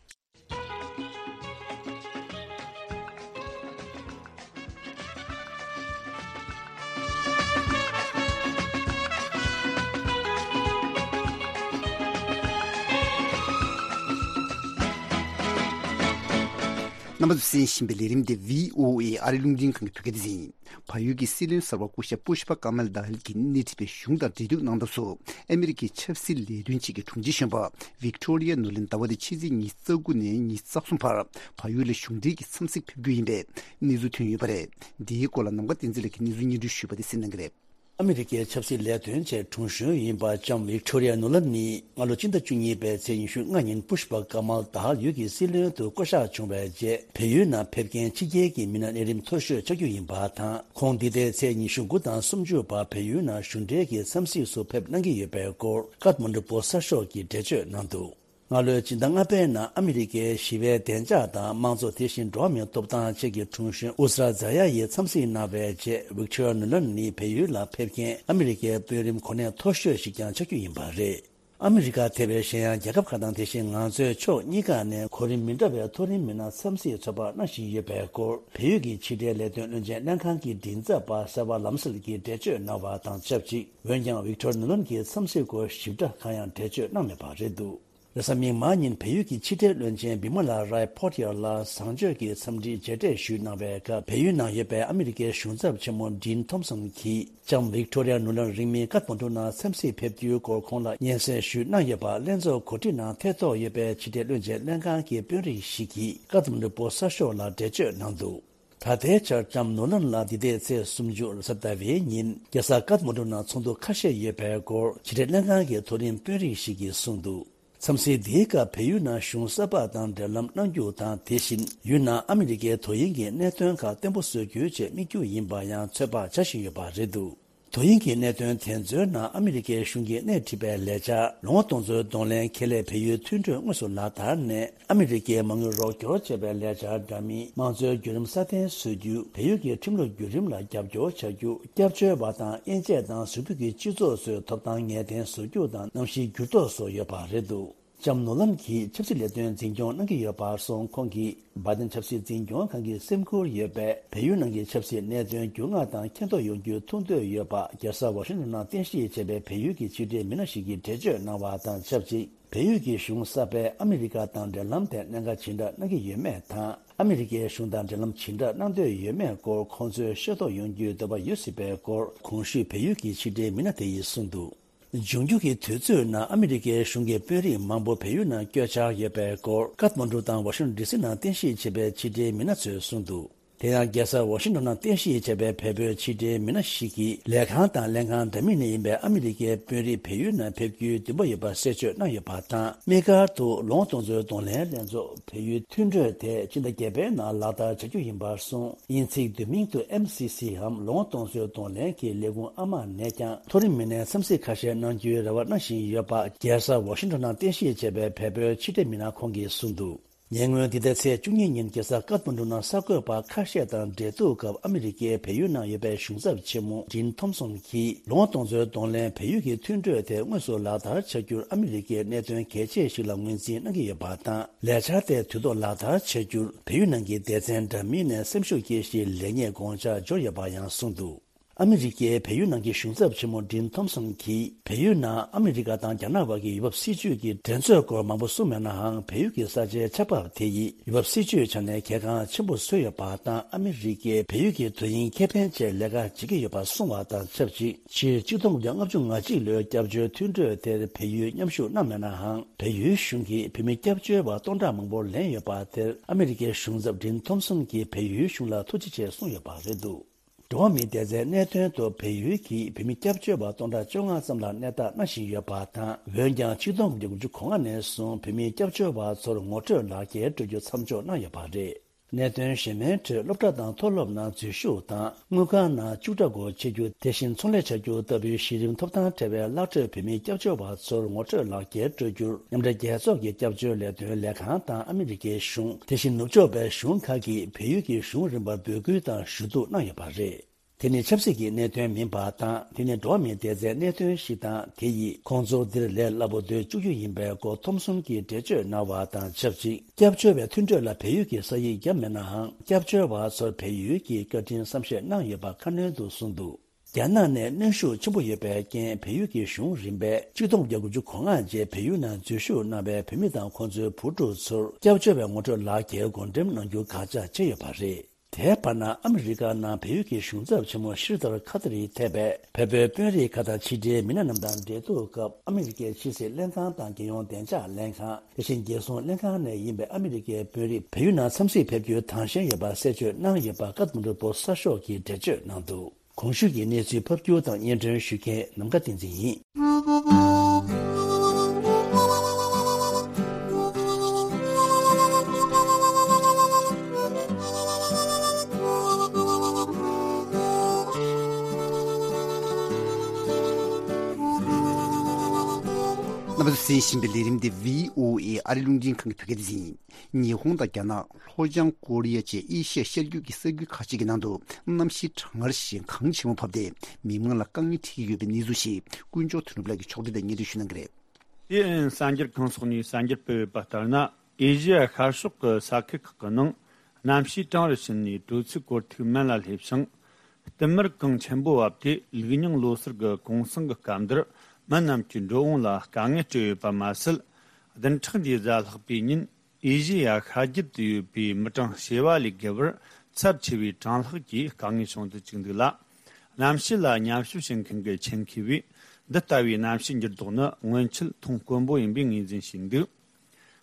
རྣམ་པ་ཚོས་གསན་བཞིན་པའི་ལས་རིམ་འདི་བྷི་ཨོ་ཨེ་ཨ་རིའི་རླུང་འཕྲིན་ཁང་གི་བོད་སྐད་སྡེ་ཚན་ཡིན། བལ་ཡུལ་གྱི་སྲིད་བློན་གསར་པ་སྐུ་ཞབས་པུ་ཤ་པ་ཀ་མལ་དཱ་ཧལ་གྱིས་སྣེ་ཁྲིད་པའི་གཞུང་དང་འབྲེལ་གཏུག་གནང་སྟངས་སུ་ཨ་མི་རི་ཀའི་ཆབ་སྲིད་ལས་དོན་ཅན་གྱི་དྲུང་ཆེ་གཞོན་པ་ཝིག་ཏོ་རི་ཡ་ནུ་ལན་ཟླ་བ་འདིའི་ཕྱི་ཚེས་ཉི་ཤུ་རྩ་དགུ་ནས་ཉི་ཤུ་རྩ་གསུམ་བར་བལ་ཡུལ་ལ་གཞུང་འབྲེལ་གྱི་འཚམས་གཟིགས་ཕེབས་རྒྱུ་ཡིན་པའི་གནས་ཚུལ་ཐོན་ཡོད་པ་རེད། འདིའི་སྐོར་ལ་ནམ་མཁའ་བསྟན་འཛིན་ལགས་ཀྱིས་གནས་ཚུལ་སྙན་སྒྲོན་ཞུས་པ་དེ་གསན་གནང་གི་རེད། ཨ་མི་རི་ཀའི་ཆབ་སྲིད་ལས་དོན་ཆེད་དྲུང་གཞོན་ཡིན་པ་ལྕམ་ཝིག་ཏོ་རི་ཡ་ནུ་ལན་ནི་སྔ་ལོ་སྤྱི་ཟླ་བཅུ་གཉིས་པའི་ཚེས་ཉི་ཤུ་ལྔ་ཉིན་པུ་ཤ་པ་ཀ་མལ་དཱ་ཧལ་ཡུལ་གྱི་སྲིད་བློན་དུ་བསྐོ་གཞག་བྱུང་བའི་རྗེས། བལ་ཡུལ་ནང་ཕེབས་མཁན་ཕྱི་རྒྱལ་གྱི་མི་སྣ་གནས་རིམ་མཐོ་ཤོས་ཆགས་རྒྱུ་ཡིན་པ་དང་། ཁོང་འདི་ཟླའི་ཚེས་ཉི་ཤུ་དགུ་དང་སུམ་ཅུ་བར་བལ་ཡུལ་ནང་གཞུང་འབྲེལ་གྱི་འཚམས་གཟིགས་སུ་ཕེབས་གནང་གི་ཡོད་པའི་སྐོར་ཀཏ་མན་ཌུ་པོ་སཊ་ཤོག་གིས་འགྲེལ་བརྗོད་གནང་འདུག། སྔ་ལོའི་སྤྱི་ཟླ་ལྔ་པའི་ནང་ཨ་མི་རི་ཀའི་ཞི་བའི་བདེ་འཇགས་དང་དམངས་གཙོ། དེ་བཞིན་འགྲོ་བ་མིའི་ཐོབ་ཐང་ཆེད་ཀྱི་དྲུང་གཞོན་ཨུ་ས་ར་ཛ་ཡ་ཡིས་འཚམས་གཟིགས་གནང་བའི་རྗེས། ཝིག་ཏོ་རི་ཡ་ནུ་ལན་ནི་བལ་ཡུལ་ལ་ཕེབས་མཁན་ཨ་མི་རི་ཀའི་དཔོན་རིགས་གོ་གནས་མཐོ་ཤོས་ཤིག་ཀྱང་ཆགས་རྒྱུ་ཡིན་པ་རེད། ཨ་མི་རི་ཀ་ཐེ་བའི་གཞན་ཡང་རྒྱལ་ཁབ་ཁག་དང་། དེ་བཞིན་ང་ཚོའི་ཕྱོགས་གཉིས་ཀ་ནས་གོ་རིམ་མི་འདྲ་བའི་མཐོ་རིམ་མི་སྣ་འཚམས་གཟིགས་ཚོད་དཔག་གནང་བཞིན་ཡོད་པའི་སྐོར། བལ་ཡུལ་གྱི་ཕྱི་འབྲེལ་ལས་དོན་བློན་ཆེན་ལྷན་ཁང་གི་མགྲིན་ཚབ་པ་སེ་བ་ལམ་སལ་གྱིས་འགྲེལ་བརྗོད་གནང་བ་དང་ཆབས་ཅིག། འོན་ཀྱང་ཝིག་ཏོ་རི་ཡ་ནུ་ལན་གྱི་འཚམས་གཟིགས་སྐོར་ཞིབ་ཕྲ་གང་ཡང་འགྲེལ་བརྗོད་གནང་མེད་པ་རེད་འདུག། རེས་གཟའ་མིག་དམར་ཉིན་བལ་ཡུལ་གྱི་ཕྱི་འབྲེལ་བློན་ཆེན་བི་མ་ལ་རའི་ཕོ་ཏི་ཡ་ལ་བཟང་སྤྱོད་ཀྱི་འཚམས་འདྲིའི་མཇལ་འཕྲད་ཞུས་གནང་བའི་སྐབས། བལ་ཡུལ་ནང་ཡོད་པའི་ཨ་མི་རི་ཀའི་གཞུང་ཚབ་ཆེན་མོ་ཌིན་ཐོམ་སོན་གྱིས་ལྕམ་ཝིག་ཏོ་རི་ཡ་ནུ་ལན་རིང་མིན་ཀཏ་མན་ཌུ་ནང་འཚམས་གཟིགས་ཕེབས་རྒྱུའི་སྐོར་ཁོང་ལ་སྙན་སེང་ཞུས་གནང་ཡོད་པ་ལྷན་ཚོགས་གོ་སྒྲིག་ནང་ཐད་གཏོགས་ཡོད་པའི་ཕྱི་འབྲེལ་བློན་ཆེན་ལྷན་ཁང་གི་དཔོན་རིགས་ཤིག་གིས་ཀཏ་མན་ཌུ་པོ་སཊ་ཤོག་ལ་འགྲེལ་བརྗོད་གནང་འདུག། ད་ལྟའི་ཆར་ལྕམ་ནུ་ལན་ལགས་འདི་ཟླའི་ཚེས་སུམ་ཅུ་རེས་གཟའ་ཟླ་བའི་ཉིན་རྒྱལ་ས་ཀཏ་མན་ཌུ་ནང་ཚོགས་འདུ་ཁ་ཤས་ཡོད་པའི་སྐོར་ཕྱི་འབྲེལ་ལྷན་ཁང་གི་མཐོ་རིམ་དཔོན་རིགས་ཤིག་གིས་གསུངས་འདུག། འཚམས་གཟིགས་འདིའི་སྐབས་བལ་ཡུལ་ནང་གཞུང་གསར་པ་དང་འབྲེལ་ལམ་གནང་རྒྱུ་དང་། དེ་བཞིན་ཡུལ་ནང་ཨ་མི་རི་ཀའི་དོ་དབྱིངས་ཀྱི་གནད་དོན་ཁག་བརྟན་པོ་བཟོ་རྒྱུའི་ཆེད་དམིགས་རྒྱུ་ཡིན་པ་ཡང་ཚོད་དཔག་བྱ་བཞིན་ཡོད་པ་རེད་འདུག། དོ་དབྱིངས་ཀྱི་གནད་དོན་དེ་ཚོའི་ནང་ཨ་མི་རི་ཀའི་གཞུང་གིས་སྣེ་ཁྲིད་པའི་ལས་འཆར་ལོ་ངོ་སྟོང་ཚོའི་གདོང་ལེན་ཁེ་ལས་བལ་ཡུལ་མཐུན་གྲོས་དངོས་སུ་ལག་བསྟར་ནས། ཨ་མི་རི་ཀའི་མ་དངུལ་རོགས་སྐྱོར་བྱས་པའི་ལས་འཆར་འདྲ་མིན་དམངས་གཙོའི་བརྒྱུད་རིམ་སྲ་བརྟན་བཟོ་རྒྱུ། བལ་ཡུལ་གྱི་ཁྲིམས་ལུགས་བརྒྱུད་རིམ་ལ་རྒྱབ་སྐྱོར་བྱ་རྒྱུ། སྐྱབས་བཅོལ་བ་དང་དབྱེ་འབྱེད་དང་ཟུར་ཕུད་ཀྱི་སྤྱི་ཚོགས་ཚོའི་ཐོབ་ཐང་ངེས་གཏན་བཟོ་རྒྱུ་དང་གནམ་གཤིས་འགྱུར་ལྡོག་སོགས་ཡོད་པ་རེད་འདུག་ལྕམ་ནོ་ལན་གྱིས་ཆབ་སྲིད་ལས་དོན་འཛིན་སྐྱོང་གནང་གི་ཡོད་པར་སོང་། ཁོང་གིས་བྷའི་ཏིན་ཆབ་སྲིད་འཛིན་སྐྱོང་ཁང་གི་སེམས་ཁུར་ཡོད་པས། བལ་ཡུལ་ནང་གི་ཆབ་སྲིད་གནད་དོན་འགྱུར་ལྡོག་དང་མཁྱེན་རྟོགས་ཡོང་རྒྱུའི་ཐུགས་འདོད་ཡོད་པ། རྒྱལ་ས་ཝ་ཤིང་ཊོན་ནང་རྟེན་གཞི་བྱས་པའི་བལ་ཡུལ་གྱི་ཕྱི་འབྲེལ་མི་སྣ་ཞིག་གིས་འགྲེལ་བརྗོད་གནང་བ་དང་ཆབས་ཅིག་བལ་ཡུལ་གྱི་གཞུང་གསར་པས་ཨ་མི་རི་ཀ་དང་འབྲེལ་ལམ་དེ་གནད་འགག་ཇི་འདྲ་གནང་གི་ཡོད་མེད་དང་། ཨ་མི་རི་ཀའི་གཞུང་དང་འབྲེལ་ལམ་ཇི་འདྲ་གནང་འདོད་ཡོད་མེད་སྐོར་ཁོང་ཚོས་ཤེས་རྟོགས་ཡོང་རྒྱུའི་འདོད་པ་ཡོད་སྲིད་པའི་སྐོར། གོང་ཞུས་བལ་ཡུལ་གྱི་ཕྱི་འབྲེལ་མི་སྣ་དེ་ཡིས་གསུངས་འདུག་འབྱུང་འགྱུར་གྱི་དུས་ཚོད་ནང་ཨ་མི་རི་ཀའི་གཞུང་གི་དཔོན་རིགས་མང་པོ་བལ་ཡུལ་ནང་བསྐྱོད་འཆར་ཡོད་པའི་སྐོར། ཀཏ་མན་གྲུ་དང་ཝ་ཤིང་ཊོན་ཌི་སི་ནང་རྟེན་གཞི་བྱས་པའི་ཕྱི་འབྲེལ་མི་སྣ་ཚོས་གསུངས་འདུག་དེ་ཡང་རྒྱལ་ས་ཝ་ཤིང་ཊོན་ནང་རྟེན་གཞི་བྱས་པའི་བལ་པོའི་ཕྱི་འབྲེལ་མི་སྣ་ཞིག་གིས་ལས་ཁང་དང་ལྷན་ཁང་འདྲ་མིན་ནས་ཡིན་པའི་ཨ་མི་རི་ཀའི་དཔོན་རིགས་བལ་ཡུལ་ནང་ཕེབས་རྒྱུའི་འདུན་པ་ཡོད་པ་གསལ་བརྗོད་གནང་ཡོད་པ་དང་། དམིགས་བཀར་དུ་ལོ་ངོ་སྟོང་ཚོའི་གདོང་ལེན་ལྷན་ཚོགས་བལ་ཡུལ་མཐུན་གྲོས་དེ་ཕྱི་ཟླ་བརྒྱད་པའི་ནང་ལག་བསྟར་བྱ་རྒྱུ་ཡིན་པར་གསུངས། དབྱིན་ཚིག་བསྡུས་མིང་དུ་ཨེམ་སི་སི་འམ་ལོ་ངོ་སྟོང་ཚོའི་གདོང་ལེན་གྱི་ལས་ཁུངས་ཨ་མ་ནས་ཀྱང་མཐོ་རིམ་མི་སྣའི་འཚམས་གཟིགས་ཁ་ཤས་གནང་རྒྱུའི་རེ་བ་གནང་བཞིན་ཡོད་པ། རྒྱལ་ས་ཝ་ཤིང་ཊོན་ནང་རྟེན་གཞི་བྱས་པའི་བལ་པོའི་ཕྱི་འབྲེལ་མི་སྣ་ཁོང་གིས་གསུངས་འདུག་ཉེ་སྔོན་འདི་ཟླའི་ཚེས་བཅུ་གཉིས་ཉིན་རྒྱལ་ས་ཀཏ་མན་གྲུ་ནང་གསར་འགོད་པ་ཁ་ཤས་དང་འབྲེལ་གཏུག་སྐབས། ཨ་མི་རི་ཀའི་བལ་ཡུལ་ནང་ཡོད་པའི་གཞུང་ཚབ་ཆེན་མོ་ཌིན་ཐོམ་སོན་གྱིས་ལོ་ངོ་སྟོང་ཚོའི་གདོང་ལེན་བལ་ཡུལ་གྱི་མཐུན་གྲོས་དེ་དངོས་སུ་ལག་བསྟར་བྱ་རྒྱུར་ཨ་མི་རི་ཀའི་གནད་དོན་གལ་ཆེ་ཞིག་ལ་ངོས་འཛིན་གནང་གི་ཡོད་པ་དང་། ལས་འཆར་དེ་དུས་ཐོག་ལག་བསྟར་བྱ་རྒྱུར་བལ་ཡུལ་ནང་གི་སྡེ་ཚན་འདྲ་མིན་ནས་སེམས་ཤུགས་སྐྱེད་གཞིའི་ལེགས་ཉེས་དགོངས་འཆར་འབྱོར་ཡོད་པ་ཡང་གསུངས་འདུག་ཨ་མི་རི་ཀའི་བལ་ཡུལ་ནང་གི་གཞུང་ཚབ་ཆེན་མོ་ཌིན་ཐོམ་སོན་གྱིས། བལ་ཡུལ་ནང་ཨ་མི་རི་ཀ་དང་རྒྱ་ནག་བར་གྱི་ཡུལ་བབ་སྲིད་ཇུས་ཀྱི་འགྲན་རྩོད་སྐོར་མང་པོ་གསུངས་མེད་ནའང་། བལ་ཡུལ་གྱི་ས་ཆའི་ཆགས་བབ་དེ་ཡིས་ཡུལ་བབ་སྲིད་ཇུས་ཆ་ནས་གལ་འགངས་ཆེན་པོ་བཟོས་ཡོད་པ་དང་། ཨ་མི་རི་ཀས་བལ་ཡུལ་གྱི་དོན་སྙིང་ཁེ་ཕན་ཆེད་ལས་ཀ་བྱེད་ཀྱི་ཡོད་པ་གསུངས་པ་དང་ཆབས་ཅིག་ཕྱིར་གཅིག་སྟོང་དགུ་བརྒྱ་ལྔ་བཅུ་ང་གཅིག་ལོའི་སྐྱབས་བཅོལ་མཐུན་གྲོས་དེར་བལ་ཡུལ་མཉམ་ཞུགས་གནང་མེད་ནའང་། བལ་ཡུལ་གཞུང་གིས་བོད་མི་སྐྱབས་བཅོལ་བ་སྟོང་ཕྲག་མང་པོ་ལེན་ཡོད་པ་དེར་ཨ་མི་རི་ཀའི་གཞུང་ཚབ་ཌིན་ཐོམ་སོན་གྱིས་བལ་ཡུལ་གཞུང་ལ་ཐུགས་རྗེ་ཆེ་གསུངས་ཡོད་པ་རེད་འདུག་འགྲོ་བ་མིའི་བདེ་རྩའི་གནད་དོན་ཐོག་བལ་ཡུལ་གྱིས་བོད་མི་སྐྱབས་བཅོལ་བ་སྟོང་ཕྲག་བཅོ་ལྔ་ཙམ་ལ་གནས་སྟངས་གནང་བཞིན་ཡོད་པ་དང་། འོན་ཀྱང་ཆིག་སྟོང་དགུ་བརྒྱ་དགུ་བཅུ་གོ་ལྔ་ནས་བཟུང་བོད་མི་སྐྱབས་བཅོལ་བ་ཚོར་ངོ་སྤྲོད་ལག་འཁྱེར་སྤྲོད་རྒྱུ་མཚམས་འཇོག་གནང་ཡོད་པ་རེད། གནད་དོན་གཞན་མའི་ཁྲོད། སློབ་གྲྭ་དང་མཐོ་སློབ་ནང་འཛུལ་ཞུགས་དང་། དངུལ་ཁང་ནང་བཅུག་ཁྲ་སྒོ་ཕྱེ་རྒྱུ། དེ་བཞིན་ཚོང་ལས་བྱ་རྒྱུ་ལྟ་བུའི་གཞི་རིམ་ཐོབ་ཐང་བྲལ་བའི་བརླག་འགྲོའི་བོད་མི་སྐྱབས་བཅོལ་བ་ཚོར་ངོ་སྤྲོད་ལག་འཁྱེར་སྤྲོད་རྒྱུར། མཉམ་འབྲེལ་རྒྱལ་ཚོགས་ཀྱི་སྐྱབས་བཅོལ་ལས་དོན་ལས་ཁང་དང་ཨ་མི་རི་ཀའི་གཞུང་། དེ་བཞིན་ནུབ་ཕྱོགས་པའི་གཞུང་ཁག་གིས་བལ་ཡུལ་གྱི་གཞུང་རིམ་པར་འབོད་སྐུལ་དང་ཞུ་གཏུག་གནང་ཡོད་པ་རེད། དེ་ནི་ཆབ་སྲིད་ཀྱི་གནད་དོན་མིན་པ་དང་། དེ་ནི་འགྲོ་བ་མིའི་བདེ་རྩའི་གནད་དོན་ཞིག་དང་། དེ་ཡིས་ཁོང་ཚོར་འདིར་ལས་སླ་པོ་སྡོད་བཅུག་རྒྱུ་ཡིན་པའི་སྐོར་ཐོམ་སོན་གྱིས་འགྲེལ་བརྗོད་གནང་བ་དང་ཆབས་ཅིག་སྐྱབས་བཅོལ་བའི་མཐུན་གྲོས་ལ་བལ་ཡུལ་གྱི་ས་ཡིག་བརྒྱབ་མེད་ནའང་། སྐྱབས་བཅོལ་བ་ཚོར་བལ་ཡུལ་གྱིས་བཀའ་དྲིན་བསམ་ཤེས་གནང་ཡོད་པ་ཁ་སྣོན་དུ་གསུངས་འདུག་རྒྱ་ནག་ནས་གནོན་ཤུགས་ཆེན་པོ་ཡོད་པའི་རྐྱེན། བལ་ཡུལ་གྱི་གཞུང་རིམ་པས་ཆིག་སྟོང་དགུ་བརྒྱ་དགུ་བཅུ་གོ་ལྔ་རྗེས་བལ་ཡུལ་ནང་འཛུལ་ཞུགས་གནང་བའི་བོད་མི་དང་ཁོང་ཚོའི་བུ་ཕྲུག་ཚོར་སྐྱབས་བཅོལ་བའི་ངོ་སྤྲོད་ལག་འཁྱེར་བགོ་འགྲེམས་གནང་རྒྱུ་དགག་བྱ་བྱས་ཡོད་པ་རེད། དེའི་བར་ན། ཨ་མི་རི་ཀ་ནང་བལ་ཡུལ་གྱི་གཞུང་ཚབ་ཆེན་མོ་ཤིར་དར་ཁ་ཏ་རི་ཐེ་བས་བལ་པོའི་དཔོན་རིགས་ཁག་དང་ཕྱི་འབྲེལ་མི་སྣ་རྣམས་དང་འབྲེལ་གཏུག་སྐབས། ཨ་མི་རི་ཀའི་ཕྱི་སྲིད་ལྷན་ཁང་དང་རྒྱལ་ཡོངས་བདེ་འཇགས་ལྷན་ཁང་། དེ་བཞིན་རྒྱལ་སྲུང་ལྷན་ཁང་ནས་ཡིན་པའི་ཨ་མི་རི་ཀའི་དཔོན་རིགས་བལ་ཡུལ་ནང་འཚམས་གཟིགས་ཕེབས་རྒྱུའི་དང་ཞེན་ཡོད་པ་གསལ་བརྗོད་གནང་ཡོད་པ། ཀཏ་མན་གྲུ་པོ་སི་གསར་ཤོག་གིས་འགྲེལ་བརྗོད་གནང་འདུག་གོང་ཞུས་ཀྱི་གནས་ཚུལ་ཕབ་སྒྱུར་དང་སྙན་སྒྲོན་ཞུ་མཁན་ནམ་མཁའ་བསྟན་འཛིན་ཡིན། རྣམ་པ་ཚོས་གསན་བཞིན་པའི་ལས་རིམ་འདི་བྷི་ཨོ་ཨེ་ཨ་རི་རླུང་འཕྲིན་ཁང་གི་བོད་སྐད་སྡེ་ཚན་ཡིན། ཉི་ཧོང་དང་རྒྱ་ནག་ལྷོ་བྱང་ཀོ་རི་ཡ་བཅས་ཨེ་ཤི་ཡ་ཤར་རྒྱུད་ཀྱི་ས་ཁུལ་ཁག་ཅིག་གི་ནང་དུ་གནམ་གཤིས་གྲང་ངར་ཞིག་གང་ཆེན་པོ་བབས་ཏེ། མི་མང་ལ་དཀའ་ངལ་འཕྲད་ཀྱི་ཡོད་པའི་གནས་ཚུལ་ཞིག་ཀུན་མཆོག་དོན་གྲུབ་ལགས་ཀྱིས་ཕྱོགས་བསྒྲིགས་དང་སྙན་སྒྲོན་ཞུ་གནང་གི་རེད། སི་ཨེན་ཨེན་གསར་འགྱུར་ཁང་སོགས་ནས་གསར་འགྱུར་སྤེལ་ཡོད་པ་ལྟར་ན། ཨེ་ཤི་ཡ་ཤར་ཕྱོགས་ཀྱི་ས་ཁུལ་ཁག་གི་ནང་གནམ་གཤིས་གྲང་རུ་ཕྱིན་ནས་དྲོ་ཚིགས་གོར་ཐིག་སྨན་ལ་སླེབས་ཤིང་། བསྟུད་མར་གངས་ཆེན་པོ་བབས་ཏེ། ལུགས་རྙིང་ལོ་སར་གྱི་གུང་སེང་གི་སྐབས་འདིར་མི་རྣམས་ཀྱི་འགྲོ་འོང་ལ་དཀའ་ངལ་སྤྲད་ཡོད་པ་མ་ཟད། བདུན་ཕྲག་འདིའི་གཟའ་ལྷག་པའི་ཉིན་ཨེ་ཤི་ཡ་ཤར་རྒྱུད་དུ་ཡོད་པའི་མི་གྲངས་བྱེ་བ་ལས་བརྒལ་བར་ཚབས་ཆེ་བའི་གྲང་ལྷགས་ཀྱི་དཀའ་ངལ་བྱུང་དུ་བཅུག་འདུག་ལ། གནམ་གཤིས་ལ་ཉམས་ཞིབ་བྱེད་མཁན་གྱི་ཆེད་མཁས་པས། འདི་ལྟ་བུའི་གནམ་གཤིས་འགྱུར་ལྡོག་ནི་སྔོན་ཆད་མཐོང་དཀོན་པོ་ཡིན་པའི་ངོས་འཛིན་བྱས་འདུག་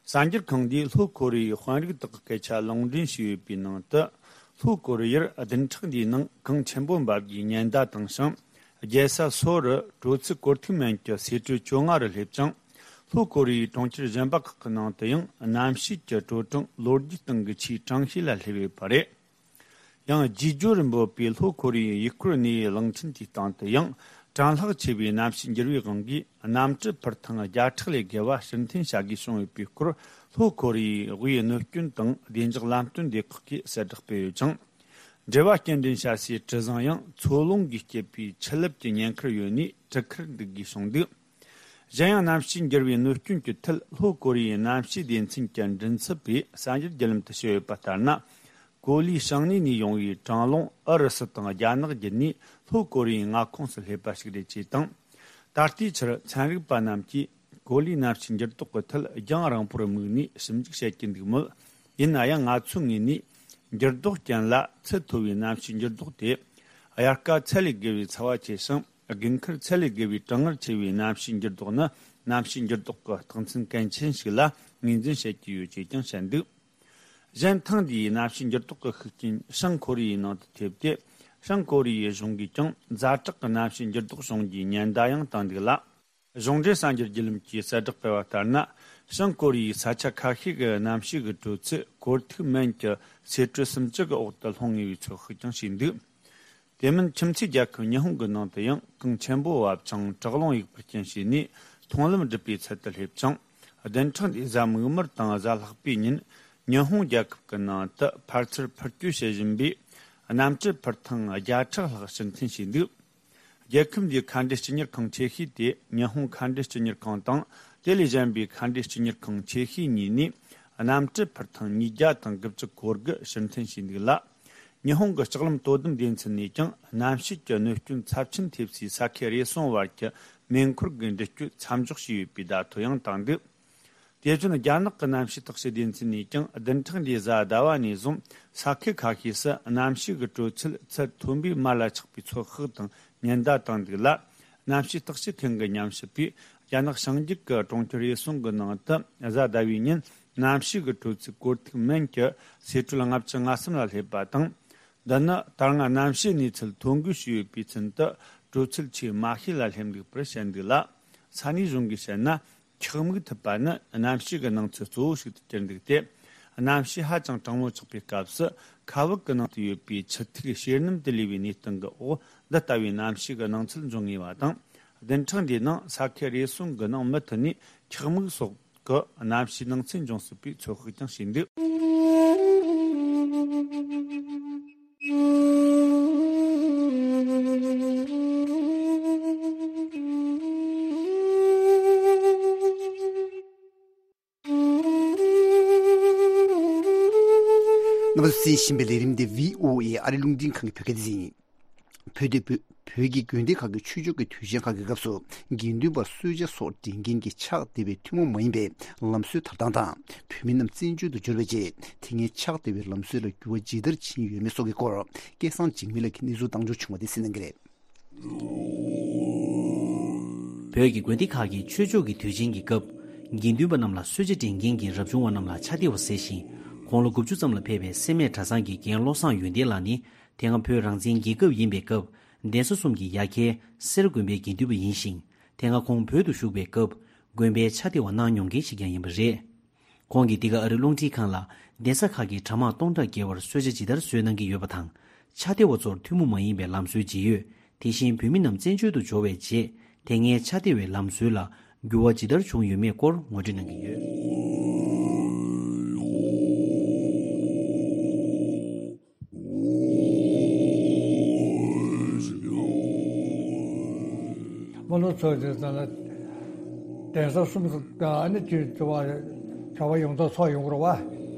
གསར་འགྱུར་ཁང་འདིས་ལྷོ་ཀོ་རི་ཡའི་དཔོན་རིགས་དག་གི་སྐད་ཆ་ལུང་འདྲེན་བྱས་ཡོད་པའི་ནང་དུ། ལྷོ་ཀོ་རི་ཡར་བདུན་ཕྲག་འདིའི་ནང་གངས་ཆེན་པོ་འབབ་རྒྱུའི་ཉེན་བརྡ་བཏང་ཞིང་། རྒྱལ་ས་སོལ་རུ་དྲོ་ཚིགས་གོར་ཐིག་སྨན་གྱི་ཟས་བྲོ་བཅོ་ལྔ་རུ་སླེབས་ཀྱང་། ལྷོ་ཀོ་རི་ཡའི་གྲོང་ཁྱེར་གཞན་པ་ཁག་གི་ནང་དུ་ཡང་གནམ་གཤིས་ཀྱི་དྲོ་གྲང་ལོ་རྒྱུས་སྟེང་གི་ཆེས་གྲང་ཤོས་ལ་སླེབས་ཡོད་པ་རེད། ཡང་རྗེས་སྦྱོར་རིན་པོ་པའི་ལྷོ་ཀོ་རི་ཡའི་ཡུལ་སྐོར་གནས་ཡུལ་གླིང་ཕྲན་དེའི་སྟེང་དུ་ཡང་གྲང་ལྷགས་ཆེ་བའི་གནམ་གཤིས་འགྱུར་བའི་དབང་གིས། གནམ་གྲུ་འཕུར་ཐེངས་བརྒྱ་ཕྲག་ལས་བརྒལ་བ་ཕྱིར་འཐེན་བྱ་དགོས་བྱུང་ཡོད་པའི་སྐོར། ལྷོ་ཀོ་རི་ཡའི་དབུས་གནོད་སྐྱོན་དང་བདེ་འཇགས་ལམ་སྟོན་སྡེ་ཁག་གིས་གསལ་བསྒྲགས་སྤེལ་ཡོད་ཅིང་། འབྲེལ་བ་སྐྱེལ་འདྲེན་བྱ་སའི་གྲུ་གཟིངས་ཡང་མཚོ་རླུང་གིས་བསྐྱེད་པའི་ཆུ་རླབས་ཀྱི་ཉེན་ཁར་ཡོད་ནས་གྲུ་ཁར་འདུག་དགོས་བྱུང་འདུག། གཞན་ཡང་གནམ་གཤིས་འགྱུར་བའི་གནོད་སྐྱོན་གྱི་ཐད། ལྷོ་ཀོ་རི་ཡའི་གནམ་གཤིས་སྡེ་ཚན་གྱི་མགྲིན་ཚབ་པས་གསར་འགྱུར་བརྒྱུད་ལམ་དུ་བཤད་ཡོད་པ་ལྟར་ན། ཀོ་ལིའི་བྱང་སྣེ་ནས་ཡོང་བའི་གྲང་རླུང་ཨུ་རུ་སུ་དང་རྒྱ་ནག་བརྒྱུད་ནས་ལྷོ་ཀོ་རི་ཡའི་མངའ་ཁོངས་སུ་སླེབས་པ་ཞིག་རེད་ཅེས་དང་། ད་ལྟའི་ཆར་ཚན་རིག་པ་རྣམས་ཀྱིས་ཀོ་ལིའི་གནམ་གཤིས་འགྱུར་ལྡོག་གི་ཐད་རྒྱང་རིང་པོར་དམིགས་ནས་ཞིབ་འཇུག་བྱེད་ཀྱི་འདུག་མོད། ཡིན་ན་ཡང་ང་ཚོའི་ངོས་ནས་འགྱུར་ལྡོག་རྐྱེན་ལ་ཚད་མཐོ་བའི་གནམ་གཤིས་འགྱུར་ལྡོག་དེ། དབྱར་ཁ་ཚད་ལས་བརྒལ་བའི་ཚ་བ་ཆེ་ཞིང་། དགུན་ཁར་ཚད་ལས་བརྒལ་བའི་གྲང་ངར་ཆེ་བའི་གནམ་གཤིས་འགྱུར་ལྡོག་ནི། གནམ་གཤིས་འགྱུར་ལྡོག་གི་རྟགས་མཚན་གལ་ཆེན་ཞིག་ལ་ངོས་འཛིན་བྱེད་ཀྱི་ཡོད་ཅེས་ཀྱང་བཤད་འདུག། གཞན་ཐེངས་འདིའི་གནམ་གཤིས་འགྱུར་ལྡོག་གི་ཤུགས་རྐྱེན་བྱང་ཀོ་རི་ཡའི་ནང་དུ་ཐེབས་ཏེ། བྱང་ཀོ་རི་ཡའི་གཞུང་གིས་ཀྱང་ཛ་དྲག་གི་གནམ་གཤིས་འགྱུར་ལྡོག་བྱུང་རྒྱུའི་ཉེན་བརྡ་ཡང་བཏང་འདུག་ལ། གཞུང་འབྲེལ་གསར་འགྱུར་བརྒྱུད་ལམ་གྱིས་གསལ་བསྒྲགས་སྤེལ་བ་ལྟར་ན། བྱང་ཀོ་རི་ཡའི་ས་ཆ་ཁ་ཤས་ཀྱི་གནམ་གཤིས་ཀྱི་དྲོད་ཚད་སྐོར་ཐིག་མན་གྱི་ཟེར་ཊི་སུམ་ཅུ་གི་འོག་ཏུ་ལྷུང་ངེས་པའི་ཚོད་དཔག་ཀྱང་བྱས་འདུག། དེ་མིན་ཁྱིམ་མཚེས་རྒྱལ་ཁབ་ཉི་ཧོང་གི་ནང་དུ་ཡང་གངས་ཆེན་པོ་བབས་ཤིང་བྲག་རླུང་ཡུག་པར་རྐྱེན་བྱས་ནས་མཐོང་ལམ་སྒྲིབ་པའི་ཚུལ་དུ་སླེབས་ཅིང་། བདུན་ཕྲག་འདིའི་གཟའ་མིག་དམར་དང་གཟའ་ལྷག་པའི་ཉིན་ཉི་ཧོང་རྒྱལ་ཁབ་ཀྱི་ནང་དུ་ཕར་ཚུར་འཕུར་སྐྱོད་བྱེད་བཞིན་པའི་གནམ་གྲུ་འཕུར་ཐེངས་བརྒྱ་ཕྲག་ལྷག་ཕྱིར་འཐེན་བྱས་འདུག། རྒྱལ་ཁབ་འདིའི་མཁའ་འགྲུལ་སྤྱི་གཉེར་ཁང་ཆེ་ཤོས་དེ་ཉི་ཧོང་མཁའ་འགྲུལ་སྤྱི་གཉེར་ཁང་དང་། དེ་ལས་གཞན་པའི་མཁའ་འགྲུལ་སྤྱི་གཉེར་ཁང་ཆེ་ཤོས་གཉིས་ནས་གནམ་གྲུ་འཕུར་ཐེངས་ཉིས་བརྒྱ་དང་དགུ་བཅུ་གོ་དགུ་ཕྱིར་འཐེན་བྱས་འདུག་ལ། ཉི་ཧོང་གི་ལྕགས་ལམ་དོ་དམ་སྡེ་ཚན་ནས་ཀྱང་གནམ་གཤིས་ཀྱི་གནོད་སྐྱོན་ཚབས་ཆེན་ཐེབས་སའི་ས་ཁུལ་རེ་ཟུང་བར་གྱི་མེ་འཁོར་གྱི་འགྲུལ་སྐྱོད་མཚམས་འཇོག་བྱས་ཡོད་པའི་བརྡ་ཐོ་ཡང་བཏང་འདུག། དེ་བཞིན་རྒྱ་ནག་གི་གནམ་གཤིས་བརྟག་དཔྱད་སྡེ་ཚན་ནས་ཀྱང་བདུན་ཕྲག་འདིའི་གཟའ་ཟླ་བ་ནས་བཟུང་ས་ཁུལ་ཁ་ཤས་སུ་གནམ་གཤིས་ཀྱི་དྲོད་ཚད་ཚད་མཐོན་པོའི་མར་ལ་ཆགས་པའི་ཚོད་དཔག་དང་ཉེན་བརྡ་བཏང་འདུག་ལ། གནམ་གཤིས་བརྟག་དཔྱད་མཁན་གྱིས་ཉམས་ཞིབ་པས། རྒྱ་ནག་བྱང་རྒྱུད་ཀྱི་གྲོང་ཁྱེར་རེ་ཟུང་གི་ནང་དུ་གཟའ་ཟླ་བའི་ཉིན་གནམ་གཤིས་ཀྱི་དྲོད་ཚད་སྐོར་ཐིག་མན་གྱི་ཟེར་ཊི་ལྔ་བཅུ་ང་གསུམ་ལ་སླེབས་པ་དང་། འདི་ནི་ད་སྔ་གནམ་གཤིས་གནས་ཚུལ་ཐོ་འགོད་བྱས་ཡོད་པའི་ཚུན་དུ་དྲོད་ཚད་ཆེས་དམའ་ཤོས་ལ་སླེབས་འདུག་པར་བཤད་འདུག་ལ། ས་གནས་གཞུང་གིས་བཤད་ན། ཁྱག་མིག་ཐིབས་པ་ནི་གནམ་གཤིས་ཀྱི་སྣང་ཚུལ་གཙོ་བོ་ཞིག་ཏུ་གྱུར་འདུག་སྟེ། གནམ་གཤིས་ཧ་ཅང་གྲང་མོ་ཆགས་པའི་སྐབས་སུ་མཁའ་དབུགས་ཀྱི་ནང་དུ་ཡོད་པའི་ཆུ་ཐིགས་བྱེར་སྣུམ་དུ་ལུས་པའི་གནས་སྟངས་ཀྱི་འོག་འདི་ལྟ་བུའི་གནམ་གཤིས་ཀྱི་སྣང་ཚུལ་འབྱུང་ངེས་པ་དང་། བདུན་ཕྲག་འདིའི་ནང་ས་ཁུལ་རེ་ཟུང་གི་ནང་མུ་མཐུད་ནས་ཁྱག་མིག་སོགས་ཀྱི་གནམ་གཤིས་སྣང་ཚུལ་འབྱུང་སྲིད་པའི་ཚོད་དཔག་ཀྱང་བྱས་འདུག། རྣམ་པ་ཚོས་གསན་བཞིན་པའི་ལས་རིམ་འདི་བྷི་ཨོ་ཨེ་ཨ་རིའི་རླུང་འཕྲིན་ཁང་གི་བོད་སྐད་སྡེ་ཚན་ཡིན། བོད་དེ་བོད་བོད་ཀྱི་དགོན་སྡེ་ཁག་གི་ཆོས་ཕྱོགས་ཀྱི་དུས་ཆེན་ཁག་གི་སྐབས་སུ་དགེ་འདུན་པ་གསོལ་ཇ་སོགས་སྤྲད་མཁན་གྱི་ཕྱག་འདེབས་པའི་ཐུན་མོང་མ་ཡིན་པའི་ལམ་སྲོལ་དར་སྟངས་དང་། བོད་མི་རྣམས་བཙན་བྱོལ་དུ་འབྱོར་བའི་རྗེས་དེ་སྔའི་ཕྱག་འདེབས་པའི་ལམ་སྲོལ་ལ་འགྱུར་བ་ཇི་ལྟར་ཕྱིན་ཡོད་མེད་སོགས་ཀྱི་སྐོར་སྐལ་བཟང་འཇིགས་མེད་ལགས་ཀྱིས་གནས་ཚུལ་བཏང་འབྱོར་བྱུང་བ་དེ་གསན་གནང་གི་རེད། བོད་ཀྱི་དགོན་སྡེ་ཁག་གི་ཆོས་ཕྱོགས་ཀྱི་དུས་ཆེན་གྱི་སྐབས། དགེ་འདུན་པ་རྣམས་ལ་གསོལ་ཇ་སྤྲད་མཁན་གྱི་རབ་བྱུང་བ་རྣམས་ལ་ཕྱག་འདེབས་པ་ཟེར་ཞིང་། དགུང་ལོ་དགུ་བཅུ་ཙམ་ལ་ཕེབས་པའི་སེར་སྨད་གྲྭ་ཚང་གི་རྒན་བློ་བཟང་ཡོན་ཏན་ལགས་ནི། དེ་སྔ་བོད་རང་བཙན་རྒྱལ་ཁབ་ཡིན་པའི་སྐབས། གདན་ས་གསུམ་གྱི་ཡ་གྱལ་སེར་དགོན་པའི་དགེ་འདུན་པ་ཡིན་ཞིང་། དེ་སྔ་ཁོང་བོད་དུ་བཞུགས་པའི་སྐབས། དགོན་པའི་ཕྱག་འདེབས་པ་གནང་མྱོང་མཁན་ཞིག་ཀྱང་ཡིན་པ་རེད། ཁོང་གིས་འདི་ག་ཨ་རི་རླུང་འཕྲིན་ཁང་ལ། གདན་ས་ཁག་གི་གྲྭ་དམངས་སྟོང་ཕྲག་བརྒལ་བར་གསོལ་ཇ་ཇི་ལྟར་བཟོས་གནང་གི་ཡོད་པ་དང་། ཕྱག་འདེབས་པ་ཚོར་ཐུན་མོང་མ་ཡིན་པའི་ལམ་སྲོལ་ཇི་ཡོད། དེ་བཞིན་བོད་མི་རྣམས་བཙན་བྱོལ་དུ་འབྱོར་བའི་རྗེས། དེ་སྔའི་ཕྱག་འདེབས་པའི་ལམ་སྲོལ་ལ་འགྱུར་བ་ཇི་ལྟར་བྱུང་ཡོད་མེད་སྐོར་ངོ་སྤྲོད་གནང་གི་ཡོད། སྨོན་ལམ་ཚོགས་དེ་ཙམ་ལ། གདན་ས་གསུམ་ག་ཨ་ནི་ཅིག་བ་གྲྭ་པ་ཡོངས་རྫོགས་ཚོགས་ཡོང་གི་རེད་བ།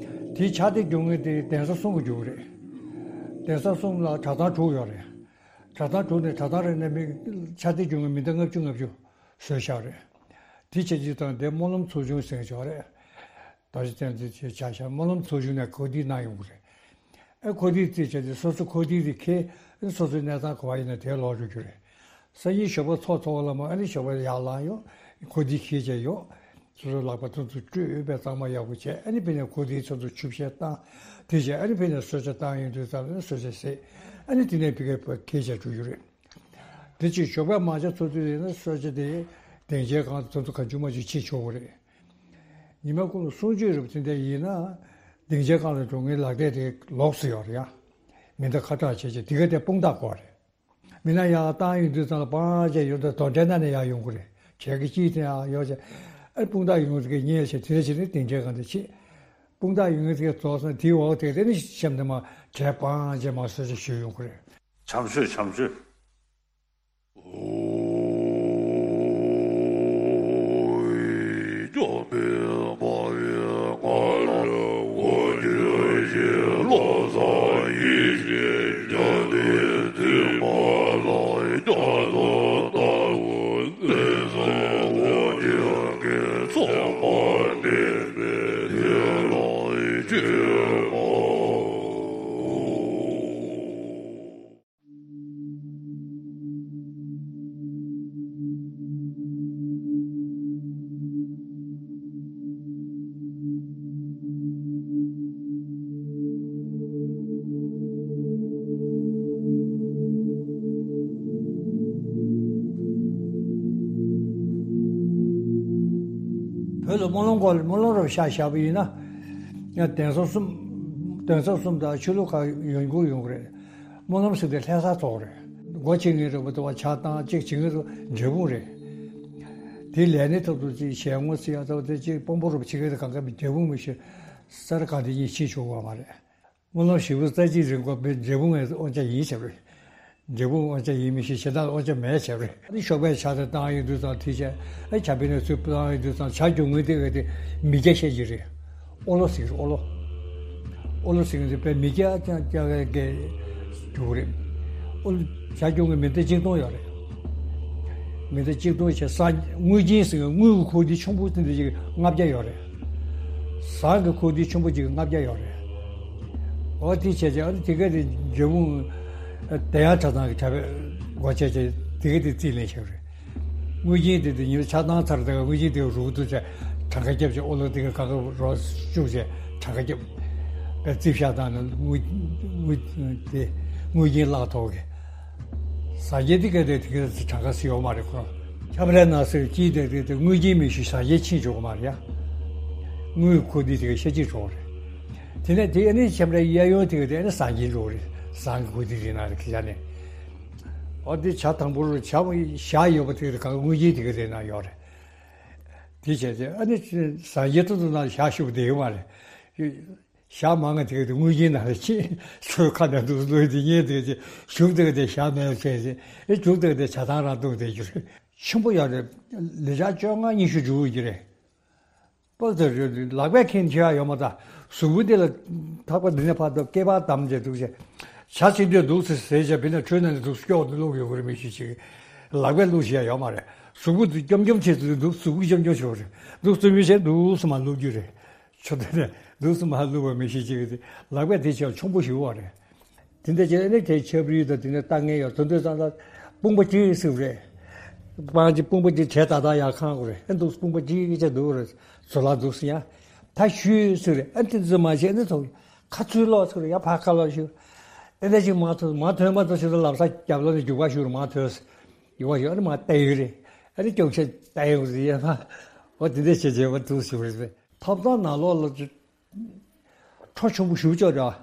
དེའི་ཕྱག་དེབ་རྒྱུག་མཁན་དེ་གདན་ས་གསུམ་གྱིས་རྒྱུག་གི་རེད། གདན་ས་གསུམ་ལ་གྲྭ་ཚང་དྲུག་ཡོད་རེད། གྲྭ་ཚང་དྲུག་ནས་གྲྭ་ཚང་རེ་ནས་མི་ཕྱག་དེབ་རྒྱུག་མཁན་མི་འདི་ལྔ་བཅུ་ལྔ་བཅུ་བཟོས་བཞག་རེད། དེ་བྱས་ཅིག་དང་དེ་སྨོན་ལམ་ཚོགས་ཆུང་ཟེར་ཆོག་རེད། ད་ཅི་བསྟན་འཛིན་ཆེ་ཆ་ཤ་སྨོན་ལམ་ཚོགས་ཆུང་ནས་གོ་སྒྲིག་གནང་ཡོང་གི་རེད། ཨེ་གོ་སྒྲིག་རྩིས་བྱས་ཏེ་སོ་སོ་གོ་སྒྲིག་རེ་འཁྱེར། སོ་སོའི་གནས་ཚང་ག་པར་ཡིན་ན་དེར་ལོག་འགྲོ་རྒྱུ་རེད། སང་ཉིན་ཞོགས་པ་ཚོགས་ཚོགས་ལ་མ་ཨ་ནི་ཞོགས་པ་ཡར་ལངས་ཡོང་། གོ་སྒྲིག་འཁྱེར་བྱས་ཡོང་། སོ་སོའི་ལག་པ་ཐུག་ཐུག་བཀྲུས་པའི་གཙང་མ་ཡག་པོ་བྱས། ཨ་ནི་ཕ་ནས་གོ་སྒྲིག་ཚོགས་འདུ་ཆུ་བཤལ་བཏང་། དེ་བྱས་ཨ་ནི་ཕ་ནས་གསོལ་ཇ་བཏང་ཡོང་དུས་ཙམ་ལ་གསོལ་ཇ་ཟས། ཨ་ནི་དེ་ནས་ཕ་གིར་འཁྱེར་བྱས་འགྲོ་རྒྱུ་རེད། དེ་ཕྱིར་ཞོགས་པ་མ་ཇ་ཚོགས་དུས་ཡིན་ན་གསོལ་ཇ་དེ་སྡིངས་ཆའི་སྒང་དུ་ཚོགས་འདུ་གང་བྱུང་མང་བྱུང་བྱེད་ཆོག་གི་རེད། ཉི་མ་ཀུན་ལ་གསུང་ཆོས་རེད་པ། དེ་འདྲ་ཡིན་ན་སྡིངས་ཆའི་སྒང་ལ་འགྲོ་མཁན་ལག་དེབ་དེ་ལོགས་སུ་ཡོད་རེད་ཡ། མི་འདི་ཁ་གྲག་བྱས་བྱས་དེ་ག་དེ་དཔུང་རྟགས་སྐོར་རེད། མི་སྣ་ཡར་བཏང་ཡོང་དུས་ཙམ་ལ་སྤང་བྱས་ཡོང་དུས་དོ་འགྲན་ན་ནས་ཡར་ཡོང་གི་རེད། བྱས་ཀྱི་ཅིའི་ཐད་ཡར་ཡོང་བྱས་ཨ་དཔུང་རྟགས་ཡོང་གི་རེད་ཉེས་བྱས་དེ་བྱས་ནས་དེ་འདྲའི་གང་དེ་བྱེད། དཔུང་རྟགས་ཡོང་གི་དེ་རྫོགས་སོང་དེའི་འོག་དེ་དེ་ནི་གཤམ་དུ་མ་བྱས་སྤང་བྱས་མ་སོ་སོ་ཞུ་ཡོང་གི་རེད། བྱམས་ཆོས་བྱམས་ཆོས། བོད་ལ་སྨོན་ལམ་སྐོར་ལ་སྨོན་ལམ་རབ་བཞག་བཞག་པ་ཡིན་ན། ཡང་གདན་ས་གསུམ། གདན་ས་གསུམ་དང་ཆོས་ལུགས་ཁག་ཡོང་རྒྱུ་ཡོང་གི་རེད། སྨོན་ལམ་ཟེར་དེ་ལྷ་ས་ཐོག་རེད། སྒོ་ཕྱེ་ངེས་རེད་པ་དང་ཕྱག་བཏང་གཅིག་བྱེད་ངེས་རུ་འབྲས་སྤུངས་རེད། དེ་ལས་གནས་ཐོག་ཏུ་གཅིག་ཞལ་ངོ་ཚིག་ཡག་ཐོག་དེ་གཅིག་དཔང་པོ་རུ་ཕྱི་རྒྱལ་དུ་གང་ག་མི་འབྲས་སྤུངས་མི་ཤེས། ས་ར་གང་དེ་གཉིས་ཕྱིན་ཆོག་གི་མ་རེད། སྨོན་ལམ་བཞི་པོ་རྩ་གཅིག་རིང་པོ་འབྲས་སྤུངས་ངས་དབང་ཆ་ཡིན་བྱས་རེད། འབྲས་སྤུངས་དབང་ཆ་ཡིན་མི་ཤེས་གཞན་དག་དབང་ཆ་མེད་བྱས་རེད། ཨ་ནི་ཤོག་པའི་ཆ་དེ་བཏང་ཡོང་དུས་ཙང་དེ་བྱས་ཨ་ཆ་པའི་ནས་ཚུར་བཏང་ཡོང་དུས་ཙང་ཆ་རྒྱུ་དངོས་དེ་བས་དེ་མི་སྐྱ་བཤད་ཀྱི་རེད། ཨོ་ལོ་ཟེར་ཨོ་ལོ། ཨོ་ལོ་ཟེར་གྱི་རེད་པས་མི་སྐྱ་ཀྱང་སྐྱ་བའི་གེ་རྒྱུ་རེད། ཨོ་ལོ་བྱ་སྐྱོང་གི་མི་ཚེ་གཅིག་སྟོང་ཡོད་རེད། མི་ཚེ་གཅིག་སྟོང་བྱས་ས་དངུལ་རྐྱེན་ཟེར་གྱི་དངུལ་གྱི་ཁུག་དེ་ཆུང་པོ་དེ་འདྲ་ཅིག་ལྔ་བརྒྱ་ཡོད་རེད། ཟངས་ཀྱི་ཁུག་དེ་ཆུང་པོ་ཅིག་ལྔ་བརྒྱ་ཡོད་རེད། ཨོ་དེ་བྱས་བྱས་ཨ་ནི་དེ་ག་དེ་འབྲས་སྤུངས་དེ་ཡང་གྲྭ་ཚང་གི་གྲྭ་པས་སྒོ་ཕྱེ་བྱས་དེ་ག་དེ་རྩིས་ལེན་བྱས་རེད། དངུལ་རྐྱེན་དེ་དེ་ཉིན་ཆ་ཚང་ཚར་དེ་ག་དངུལ་རྐྱེན་དེ་རུ་ཏུ་བྱས་གྲངས་ཀ་བརྒྱབ་བྱས་ཨོ་ལོ་དེ་ག་ག་ག་རོ་བཅུག་བྱས་གྲངས་ཀ་བརྒྱབ། པའི་རྩིས་བཞག་སྟངས་ནི་དངུལ་དངུལ་དེ་དངུལ་རྐྱེན་བརླག་ཐོག་གི་ཟ་རྒྱལ་དེ་ག་དེ་དེ་ག་དེ་གྲངས་ཀ་སྲིད་ཡོད་མ་རེད་ཁོ། ཁྱམས་རའི་ནང་སྲིད་ཀྱིས་དེ་དེ་དེ་དངུལ་རྐྱེན་མི་ཤེས་ཟ་རྒྱལ་ཕྱིན་འཇོག་གི་མ་རེད་ཡ། དངུལ་ཁུག་དེ་དེ་ག་ཤ་གཅིག་འགྲོ་གི་རེད། དེ་ནས་དེ་ཨ་ནི་ཁྱམས་རའི་གཡས་གཡོན་དེ་ག་དེ་ཨ་ནི་ཟངས་རྒྱལ་འགྲོ་གི་རེད། ཟངས་ཀྱི་ཁུག་དེ་དེ་ནང་རེད་ཁི་ཆ་ནས། ཨོ་དེ་བྱ་དང་པོ་རུ་བྱ་བཞག་ཡོད་པ་དེ་ག་དེ་ག་དངུལ་རྐྱེན་དེ་ག་དེ་ནང་ཡོད་རེད། དེ་བྱས་ཏེ་ཨ་ནི་ཟངས་རྒྱལ་ཏོག་ཏོག་ནང་བཞག་ཤུབ་བསྡད་ཡོད་མ་རེད། ཞག་མང་ང་དེ་ག་དེ་དངུལ་རྐྱེན་ནང་ལ་ཕྱིན་ཚོའི་ཁ་ནས་འདུག་ལོས་དེ་ཉེས་དེ་ག་དེ་ཞུགས་དེ་ག་དེ་ཞག་མེད་བྱས་ཏེ་ཨེ་རྒྱུགས་དེ་ག་དེ་བྱ་ཐང་རང་བཏུང་བསྡད་རྒྱུ་རེད། ཆེན་པོ་ཡོད་རེད། ལི་ཅག་བཅོ་ལྔ་ཉི་ཤུ་འཇུག་གི་རེད། པོ་དེ་རེད་ལག་པས་འཁྱེར་འཁྱེར་ཡ་ཡོད་མ་ད། གཟུགས་པོ་དེ་ལ་ཐག་པ་འདི་ནས་ཕར་དང་སྐེད་པ་བསྡམས་བྱས་འདུག་བྱས། བྱ་ཅིག་འདོད་འདུག་ཟེར་ཟེར་བྱས་བི་ན་ཁྲོད་ནང་ནས་འདུག་སྐྱོག་ཏུ་བླུགས་ཡོད་གི་རེད་མི་ཤེས་ཅིག་ལག་པས་བླུགས་བྱས་ཡ་ཡོད་མ་རེད། གཟུགས་པོ་འདི་འཇོམ་འཇོམ་བྱས་ཚུལ་འདུག་གཟུགས་པོ་འཇོམ་འཇོམ་བྱས་པ་རེད། འདུག་བཙུན་མོའི་ཆེད་འདུག་སེ་མར་བླུགས་རྒྱུ་རེད། ཆོ་དེ་ནས་འདུག་སེ་མར་བླུགས་པ་མི་ཤེས་ཅིག་གི་ལག་པས་དེ་བྱས་ཆུང་པོ་ཞིག་བ་རེད། དེ་འདྲ་བྱས་ནས་དེ་ཆབ་རིལ་དང་དེ་ནས་ལྟ་ངན་ཡོད་དོན་དུ་ཙང་ལ་དཔུང་པ་གཅིག་ཟེར་རེད། སྤང་གཅིག་དཔུང་པ་གཅིག་བྱས་ཏག་ཏག་ཡར་ཁང་དགོས་རེད། ཨ་འདུག་དཔུང་པ་གཅིག་བྱས་འདུག་རེད། ཟོ་ལ་འདུག་སེ་ཡ། ད་ཞུས་ཟེར་རེད། ཨ་དེ་ཚོ་མ་བྱས་ནས་ཐོག་ཁ་ཚུར་ལོག་ཟེར་རེད། ཡ་ཕར་ཁ་ལོག་ཞུ། ཨ་འདྲ་ཅིག་མ་ཐོན་མ་ཐོན་མ་ཐོན་ཞུ་ད་ལམ་སང་རྒྱབ་ལོག་ནས་རྒྱུག་པ་ཞུ་རེད། མ་ཐོན་ཡོད་པ་ཞུ། ཨ་ནི་མ་བལྟས་ཡོད་རེད། ཨ་ནི་སྐྱོག་ཆ་བལྟས་ཡོད་རེད། ཡ་ཕ་འོ་དེ་འདྲ་བྱས་བྱས་པ་འདུག་ཞུ་རེད། ཐབ་ཚང་ནང་ལོགས་ལ་ཁྲོ་ཆུང་པོ་ཞུ་ཅོག་འདྲ།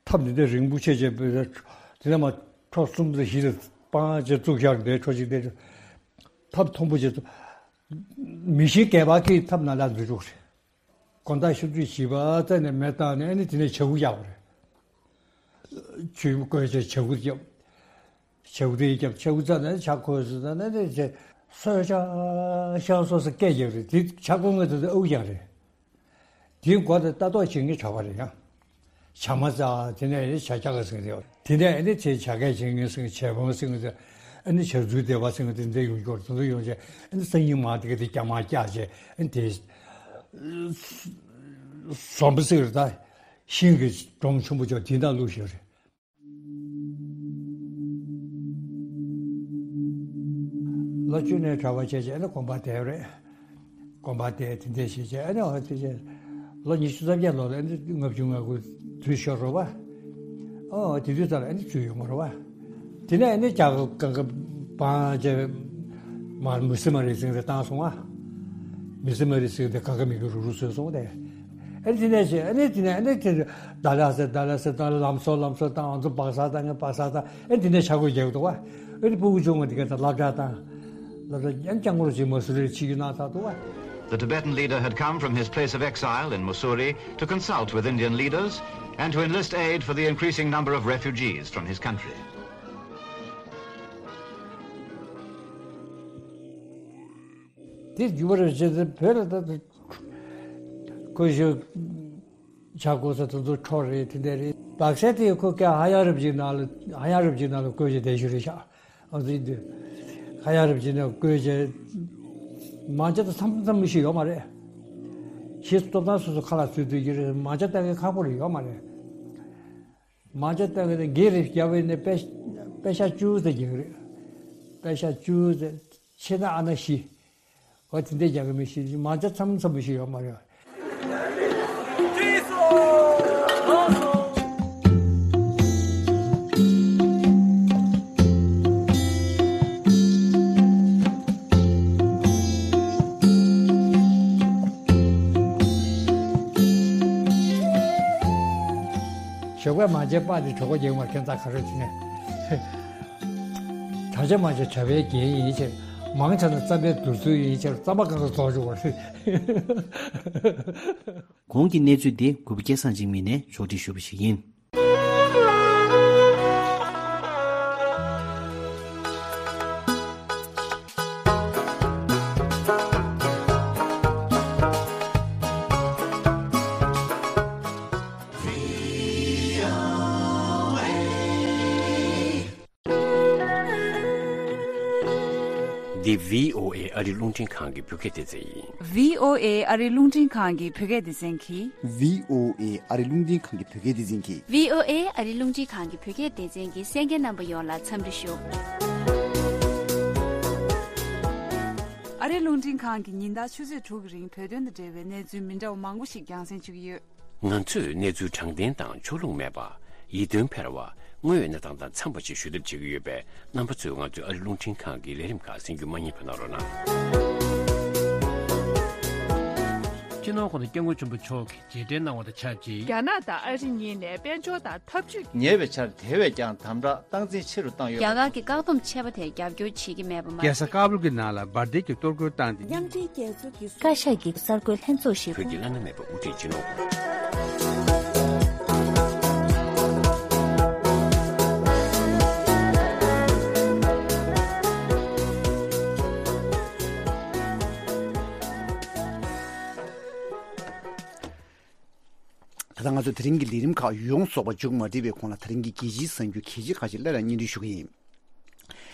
ཐབ་འདི་འདྲ་རིང་པོ་ཆེ་ཆེ་བོད་དེ་ནས་མ་ཁྲོ་གསུམ་དང་བཞི་དང་སྤང་ཆེ་བཙུགས་བཞག་འདྲའི་ཁྲོ་ཅིག་འདྲའི་ཐབ་མཐོན་པོ་ཆེ་ཚོ་མི་ཤེས་སྐལ་པ་གིས་ཐབ་ནང་ལ་འཛུལ་འགྲོ་གི་རེད། དགོང་དག་ཆུ་ཚོད་བཞི་པ་ཙམ་ནས་མེ་བཏང་ནས་ཨ་ནི་དེ་ནས་བྱ་འུ་རྒྱག་གི་རེད། ཆུ་བསྐོལ་བྱས་བྱ་འུ་རྒྱབ། བྱ་འུ་དེ་རྒྱབ་བྱ་འུ་རྩ་ནས་བྱ་འཁོལ་སོང་ཙང་ནས་དེ་བྱས་སོས་ཤང་ཤང་སོ་སོ་སྐད་རྒྱག་རེད། དེ་བྱ་འཁོལ་ངེས་དེ་ཨུ་རྒྱག་རེད། དེའི་མགོ་དེ་ལྟ་རྟོག་བྱེད་མཁན་གྲྭ་པ་རེད་ཡ། བྱ་མ་རྩ་དེ་ནས་ཨེ་བྱ་རྒྱག་ག་ཟེར་གི་རེད། དེ་ནས་ཨེ་ནི་དེ་བྱ་སྐད་བྱེད་མཁན་ཟེར་གི་བྱ་བོང་ཟེར་གི་ཨེ་ནི་བྱ་རྫུས་སྡེ་པ་ཟེར་གི་དེ་འདྲ་ཡོང་རྒྱུ་རེད། དེ་ཚོ་ཡོང་བྱས་ཨེ་ནི་སང་ཉིན་མ་དེ་ག་དེ་རྒྱ་མ་བཀྱག་བྱས་ཨེ་ནི་དེ་ཟོམ་པ་ཟེར་གི་རེད། ད་ཤིང་གི་སྒྲོམ་ཆེན་པོ་ཅོག་དེ་འདྲ་བླུགས་བཞག་རེད། ལོ་བཅུ་ནས་གྲྭ་པ་བྱས་བྱས་ཨ་ནི་དགོན་པ་དེ་རེད། དགོན་པ་དེ་དེ་འདྲས་བྱས་བྱས་ཨ་ནི་ཨ་དེ་བྱས་ལོ་ཉི་ཤུ་རྩ་བརྒྱད་ལོ་ལ་ཨ་ནི་ལྔ་བཅུ་ང་དགུ་དུས་ཤོར་རོ་བ། ཨོ་དེ་དུས་ཙམ་ལ་ཨ་ནི་བཙུན་ཡོང་བ་རོ་བ། དེ་ནས་ཨ་ནི་རྒྱ་གར་གང་ག་བང་བྱས་མར་མི་སི་མ་རི་ཟིང་དེ་བཏང་སོང་བ། མི་སི་མ་རི་ཟིང་དེ་གང་ག་མི་གི་རུ་རུ་བཟོས་སོང་དེ། ཨེ་དེ་ནས་ཆེ་ཨེ་ནས་དེ་ནས་ཨེ་ནས་དེ་ནས་ད་ལ་སེ་ད་ལ་སེ་ད་ལ་ལམ་སོ་ལམ་སོ་དང་ང་ཚོ་སྦག་ས་དང་ངས་སྦག་ས་དང་ཨེ་དེ་ནས་ཆ་གོས་རྒྱག་འདུག་བ། ཨེ་དེ་ཕྲུ་གུ་ཆུང་ངུ་དེ་ག་ད་སློབ་གྲྭ་དང་སློབ་གྲྭ་ཡང་སྐྱང་འཁོར་ཅིག་མ་སུ་རེ་ཆི་ཡུ་ན་ད་འདུག་བ། The Tibetan leader had come from his place of exile in Mussoorie to consult with Indian leaders and to enlist aid for the increasing number of refugees from his country. དེ་རྒྱུ་བར་བྱེད་དེ་བོད་ལ་ད་ཁོ་ཞོ་ཆ་གོ་ས་དེ་ཚོ་འཕྲོ་རེད་དེ་འདྲ་རེད། བག་ས་དེ་ཁོ་ཀ་ཧ་ཡ་རབ་ཀྱི་ནང་ལ་ཧ་ཡ་རབ་ཀྱི་ནང་ལ་བཀོད་ཀྱི་དེ་ཞུ་རེད་ཤག་ཨ་ཙི་དུ་ཧ་ཡ་རབ་ཀྱི་ནང་བཀོད་ཀྱི་མང་ཆེ་ད་མཚམས་མཚམས་མི་ཤེས་ཡོད་མ་རེད། ཤེས་སྟོབས་དང་སོ་སོ་ཁ་ལ་ཚུད་དུ་ཡོད་རེད། མང་ཆེ་ད་གི་ཁག་པོ་རེད་ཡོད་མ་རེད། མང་ཆེ་ད་གི་དེ་སྒེར་རེ་བརྒྱབ་པའི་ནས་པེ་པེ་ཤ་བཅུ་ཙམ་རྒྱག་གི་རེད། པེ་ཤ་བཅུ་ཙམ་ཆེ་ན་ཨ་ན་བཞི། འོ་དེ་འདྲས་རྒྱག་གི་མི་ཤེས། མང་ཆེ་མཚམས་མཚམས་མི་ཤེས་ཡོད་མ་རེད། ཞོགས་པ་མང་ཆེ་པ་དེ་གྲོད་ཁོག་རྒྱག་མ་ཁྱད་མཚར་ག་རེ་བྱས་ནས། གྲྭ་ཆ་མང་ཆེ་གྲྭ་པའི་རྒྱན་ཡིན་ཕྱིར། མང་ཆེ་ན་རྩམ་པའི་བསྡུར་ཚུལ་ཡིན་ཕྱིར། རྩམ་པ་གང་ག་རྫོགས་འཇུག་པ་རེད། གོང་གི་གནས་ཚུལ་འདི་གུས་པ་སྐལ་བཟང་འཇིགས་མེད་ནས་ཕྱོགས་སྒྲིག་ཞུས་པ་ཞིག་ཡིན། འདི་བྷི་ཨོ་ཨེ་ཨ་རི་རླུང་འཕྲིན་ཁང་གི་བོད་སྐད་སྡེ་ཚན་ཡིན། བྷི་ཨོ་ཨེ་ཨ་རི་རླུང་འཕྲིན་ཁང་གི་བོད་སྐད་སྡེ་ཚན་གྱིས། བྷི་ཨོ་ཨེ་ཨ་རི་རླུང་འཕྲིན་ཁང་གི་བོད་སྐད་སྡེ་ཚན་གྱིས། བྷི་ཨོ་ཨེ་ཨ་རི་རླུང་འཕྲིན་ཁང་གི་བོད་སྐད་སྡེ་ཚན་གྱི་གསན་མཁན་རྣམ་པ་ཡོངས་ལ་འཚམས་འདྲི་ཞུ། ཨ་རི་རླུང་འཕྲིན་ཁང་གིས་ཉིན་ལྟར་ཆུ་ཚོད་དྲུག་གི་རིང་བོད་དོན་དང་འབྲེལ་བའི་གནས་ཚུལ་མི་འདྲ་བ་མང་པོ་ཞིག་རྒྱང་སྲིང་ཞུ་གི་ཡོད། ང་ཚོས་གནས་ཚུལ་དྲང་བདེན་དང་ཕྱོགས་ལྷུང་མེད་པ། ཡིད་རྟོན་འཕེར་བ། དངོས་ཡོད་གནས་སྟངས་དང་འཚམས་པ་ཞིག་ཞུ་ཐབས་བྱེད་ཀྱི་ཡོད་པས། རྣམ་པ་ཚོས་ང་ཚོའི་ཨ་རི་རླུང་འཕྲིན་ཁང་གི་ལས་རིམ་ཁག་གསན་རྒྱུ་མ་བསྙེལ་བ་གནང་རོགས་གནང་། སྤྱི་ནོར་༸གོང་ས་༸སྐྱབས་མགོན་ཆེན་པོ་མཆོག་གིས་རྗེས་དྲན་གནང་བ་དང་ཆབས་ཅིག་རྒྱ་ནག་དང་ཨ་རི་གཉིས་ནས་དཔལ་འབྱོར་དང་འཐབ་ཇུས། ཉེ་བའི་ཆར་དེ་བས་ཀྱང་དམ་དྲག་སྟངས་འཛིན་ཆེ་རུ་བཏང་ཡོད་པ་རེད། རྒྱ་གར་གྱི་བཀག་སྡོམ་ཆད་པ་དེར་རྒྱབ་སྐྱོར་བྱེད་ཀྱི་མེད་པ་མ་རྒྱལ་ས་ཟད། ཀ་བུལ་གྱི་ནང་ལ་འབར་མདེལ་གྱི་གཏོར་རྒོལ་བཏང་སྟེ། མཉམ་འབྲེལ་རྒྱལ་ཚོགས་ཀྱི་བཀའ་ཤག་གི་གསར་འགོད་ལྷན་ཚོགས་ཤིག་བོད་ཀྱི་བླ་ན་མེད་པ་དབུ་ཁྲིད་སྤྱི་ནོར། ད་ལྟ་ང་ཚོ་དེ་རིང་གི་ལས་རིམ་ཁག་ཡོངས་རྫོགས་པ་མཇུག་མ་སྒྲིལ་བའི་གོང་ལ། དེ་རིང་གི་རྒྱལ་སྤྱིའི་གསར་འགྱུར་གལ་ཆེ་ཁག་ཅིག་སླར་ཡང་སྙན་སྒྲོན་ཞུ་གི་ཡིན།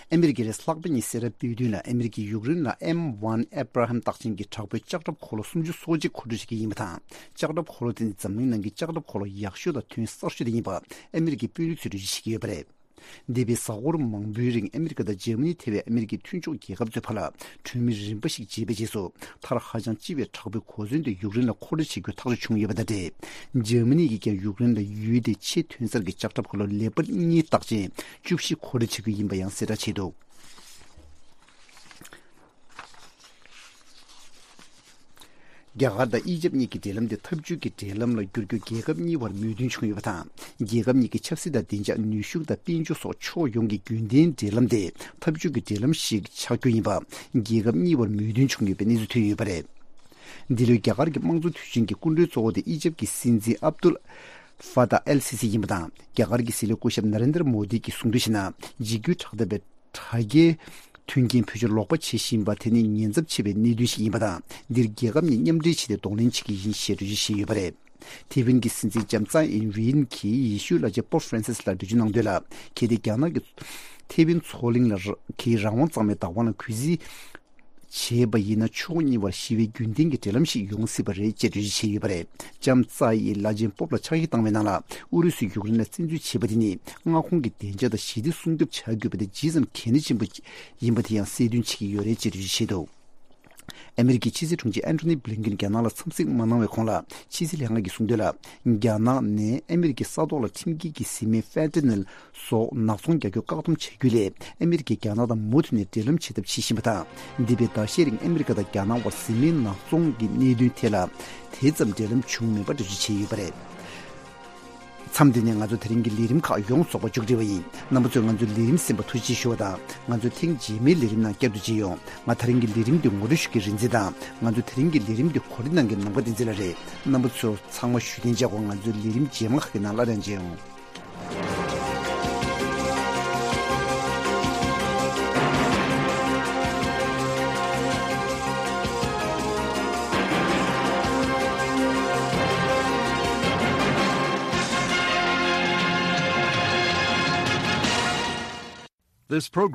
ཨ་མི་རི་ཀའི་རེས་ལྷག་པ་ཉིན་སེ་ར་སྤོས་སྡོང་ལ་ཨ་མི་རི་ཀས་ཡུཀ་རེན་ལ་ཨེམ་ཝན་ཨེབ་ར་ཧམ་རྟགས་ཅན་གྱི་དྲག་པོའི་ལྕགས་ཁྲབ་འཁོར་ལོ་སུམ་ཅུ་སོ་གཅིག་མཁོ་སྤྲོད་བྱེད་ཀྱི་ཡིན་པ་དང་། ལྕགས་ཁྲབ་འཁོར་ལོ་དེ་ནི་འཛམ་གླིང་ནང་གི་ལྕགས་ཁྲབ་འཁོར་ལོ་ཡག་ཤོས་དང་ཐོན་གསར་ཤོས་དེ་ཡིན་པ་ཨ་མི་རི་ཀའི་དཔོན་རིགས་ཚོས་འགྲེལ་བརྗོད་བྱེད་ཀྱི་ཡོད་པ་རེད། འདས་པའི་གཟའ་འཁོར་མང་པོའི་རིང་ཨ་མི་རི་ཀ་དང་འཇར་མ་ནི་ཐེ་བའི་ཨ་མི་རི་ཀའི་མཐུན་ཕྱོགས་རྒྱལ་ཁབ་ཚོའི་བར་ལ་གྲོས་མོལ་རིམ་པ་ཞིག་བྱས་པའི་རྗེས་སུ། མཐར་ཧ་ཅང་ལྕི་བའི་དྲག་པོའི་གོ་མཚོན་དེ་ཡུཀ་རེན་ལ་མཁོ་སྤྲོད་བྱེད་རྒྱུ་ཐག་གཅོད་བྱུང་ཡོད་པ་དང་འབྲེལ། འཇར་མ་ནི་གིས་ཀྱང་ཡུཀ་རེན་ལ་ཡུལ་དེའི་ཆེས་ཐོན་གསར་གྱི་ལྕགས་ཁྲབ་འཁོར་ལོ་ལེ་པར་གཉིས་རྟགས་ཅན་བཅུ་བཞི་མཁོ་སྤྲོད་བྱེད་རྒྱུ་ཡིན་པ་ཡང་གསལ་བསྒྲགས་བྱས་འདུག་རྒྱ་གར་དང་ཨི་ཇབ་གཉིས་ཀྱི་འབྲེལ་ལམ་དེ་འཐབ་ཇུས་ཀྱི་འབྲེལ་ལམ་ལ་བསྒྱུར་རྒྱུ་རྒྱལ་ཁབ་གཉིས་བར་མོས་མཐུན་བྱུང་ཡོད་པ་དང་། རྒྱལ་ཁབ་གཉིས་ཀྱི་ཆབ་སྲིད་དང་བདེ་འཇགས། ནུས་ཤུགས་དང་དཔལ་འབྱོར་སོགས་ཕྱོགས་ཡོངས་ཀྱི་རྒྱུན་ལྡན་འབྲེལ་ལམ་དེ་འཐབ་ཇུས་ཀྱི་འབྲེལ་ལམ་ཞིག་ཆགས་རྒྱུ་ཡིན་པ་རྒྱལ་ཁབ་གཉིས་བར་མོས་མཐུན་བྱུང་ཡོད་པའི་གནས་ཚུལ་ཐོན་ཡོད་པ་རེད། འདི་ལོའི་རྒྱ་གར་གྱི་དམངས་གཙོ་དུས་ཆེན་གྱི་སྐུ་མགྲོན་གཙོ་བོ་དེ་ཨི་ཇབ་ཀྱི་སྲིད་འཛིན་ཨབ་ཏུལ་ཧྥ་ཏཱ་ཨལ་སི་སི་ཡིན་པ་དང་། རྒྱ་གར་གྱི་སྲིད་བློན་སྐུ་ཞབས་ན་རེན་དྲ་མོ་དི་གིས་གསུང་གྲོས་བྱས་ན། འཇིགས་སྐུལ་དྲག་འཐབ་པའི་དྲ་རྒྱའི་མཐུན་རྐྱེན་བེད་སྤྱོད་ལོག་པ་བྱེད་བཞིན་པ་དེ་ནི་ཉེན་ཚབས་ཆེ་བའི་གནད་དོན་ཞིག་ཡིན་པ་དང་། འདིར་རྒྱལ་ཁབ་གཉིས་མཉམ་འབྲེལ་བྱས་ཏེ་གདོང་ལེན་བྱེད་ཀྱི་ཡིན་ཞེས་འགྲེལ་བརྗོད་བྱས་ཡོད་པ་རེད། ཐེ་ཝན་གྱི་སྲིད་འཛིན་ལྕམ་ཙའེ་ཨིན་ཝེ་ཡིན་གྱིས་ཡེ་ཤུ་བླ་ཆེན་པོབ་ཧྥ་རན་སིས་ལ་འགྲེལ་བརྗོད་གནང་དོན་ལ། གལ་ཏེ་རྒྱ་ནག་གིས་ཐེ་ཝན་མཚོ་གླིང་ལ་གི་རང་དབང་གཙང་མའི་བདག་དབང་ལ་གུས་བརྩི་བྱས་པ་ཡིན་ན། ཕྱོགས་གཉིས་བར་ཞི་བའི་རྒྱུན་ལྡན་གྱི་འབྲེལ་ལམ་ཞིག་ཡོང་སྲིད་པ་རེད་ཅེས་འགྲེལ་བརྗོད་བྱས་ཡོད་པ་རེད། ལྕམ་ཙའེ་ཡིས་བླ་ཆེན་པོབ་ལ་ཕྱག་ཡིག་བཏང་བའི་ནང་ལ། ཨུ་རུ་སུས་ཡུཀ་རེན་ལ་བཙན་འཛུལ་བྱས་པ་དེ་ནི་མངའ་ཁོངས་ཀྱི་བདེ་འཇགས་དང་ཞི་བདེ་སྲུང་སྐྱོབ་བྱ་དགོས་པ་དེ་ཇི་ཙམ་གལ་གནད་ཆེན་པོ་ཡིན་པ་དེ་ཡང་གསལ་སྟོན་བྱེད་ཀྱི་ཡོད་རེད་ཅེས་འགྲེལ་བརྗོད་བྱས་འདུག་ཨ་མི་རི་ཀའི་ཕྱི་སྲིད་དྲུང་ཆེ་ཨན་ཐོ་ནི་བྷི་ལིན་ཀེན་རྒྱ་ནག་ལ་འཚམས་གཟིགས་མ་གནང་བའི་གོང་ལ། ཕྱི་སྲིད་ལྷན་ཁང་གིས་གསུངས་དོན་ལ། རྒྱ་ནག་ནས་ཨ་མི་རི་ཀའི་ས་ཐོག་ལ་ཁྲིམས་འགལ་གྱི་བཟི་སྨན་ཕེན་ཏ་ནེལ་སོགས་ནག་ཚོང་རྒྱག་རྒྱུ་བཀག་སྡོམ་བྱ་རྒྱུ་ལས། ཨ་མི་རི་ཀས་རྒྱ་ནག་དང་མུ་མཐུད་ནས་འབྲེལ་ལམ་བྱེད་ཐབས་བྱེད་བཞིན་པ་དང་། འདས་པའི་ཟླ་ཤས་རིང་ཨ་མི་རི་ཀ་དང་རྒྱ་ནག་དབར་བཟི་སྨན་ནག་ཚོང་གི་གནད་དོན་ཐད་ལ། དེ་ཙམ་འབྲེལ་ལམ་བྱུང་མེད་པ་འགྲེལ་བརྗོད་བྱས་ཡོད་པ་རེད། མཚམས་འདི་ནས་ང་ཚོ་དེ་རིང་གི་ལས་རིམ་ཁག་ཡོངས་རྫོགས་པ་མཇུག་སྒྲིལ་བ་ཡིན། རྣམ་པ་ཚོས་ང་ཚོའི་ལས་རིམ་གསན་པར་ཐུགས་རྗེ་ཆེ་ཞུ་བ་དང་། ང་ཚོ་ཐེངས་རྗེས་མའི་ལས་རིམ་ནང་བསྐྱར་དུ་མཇལ་ཡོང་། ང་ད་རིང་གི་ལས་རིམ་འདི་ངོ་སྤྲོད་ཞུ་མཁན་རིག་འཛིན་དང་། ང་ཚོ་དེ་རིང་གི་ལས་རིམ་འདི་གོ་སྒྲིག་གནང་མཁན་ནམ་མཁའ་བསྟན་འཛིན་ལགས་རེད། རྣམ་པ་ཚོ་ཚང་མ་བཞུགས་གདན་འཇགས་སྒོ། ང་ཚོའི་ལས་རིམ་རྗེས་མ་ཁག་གི་ནང་སླར་ཡང་མཇལ་ཡོང་། This program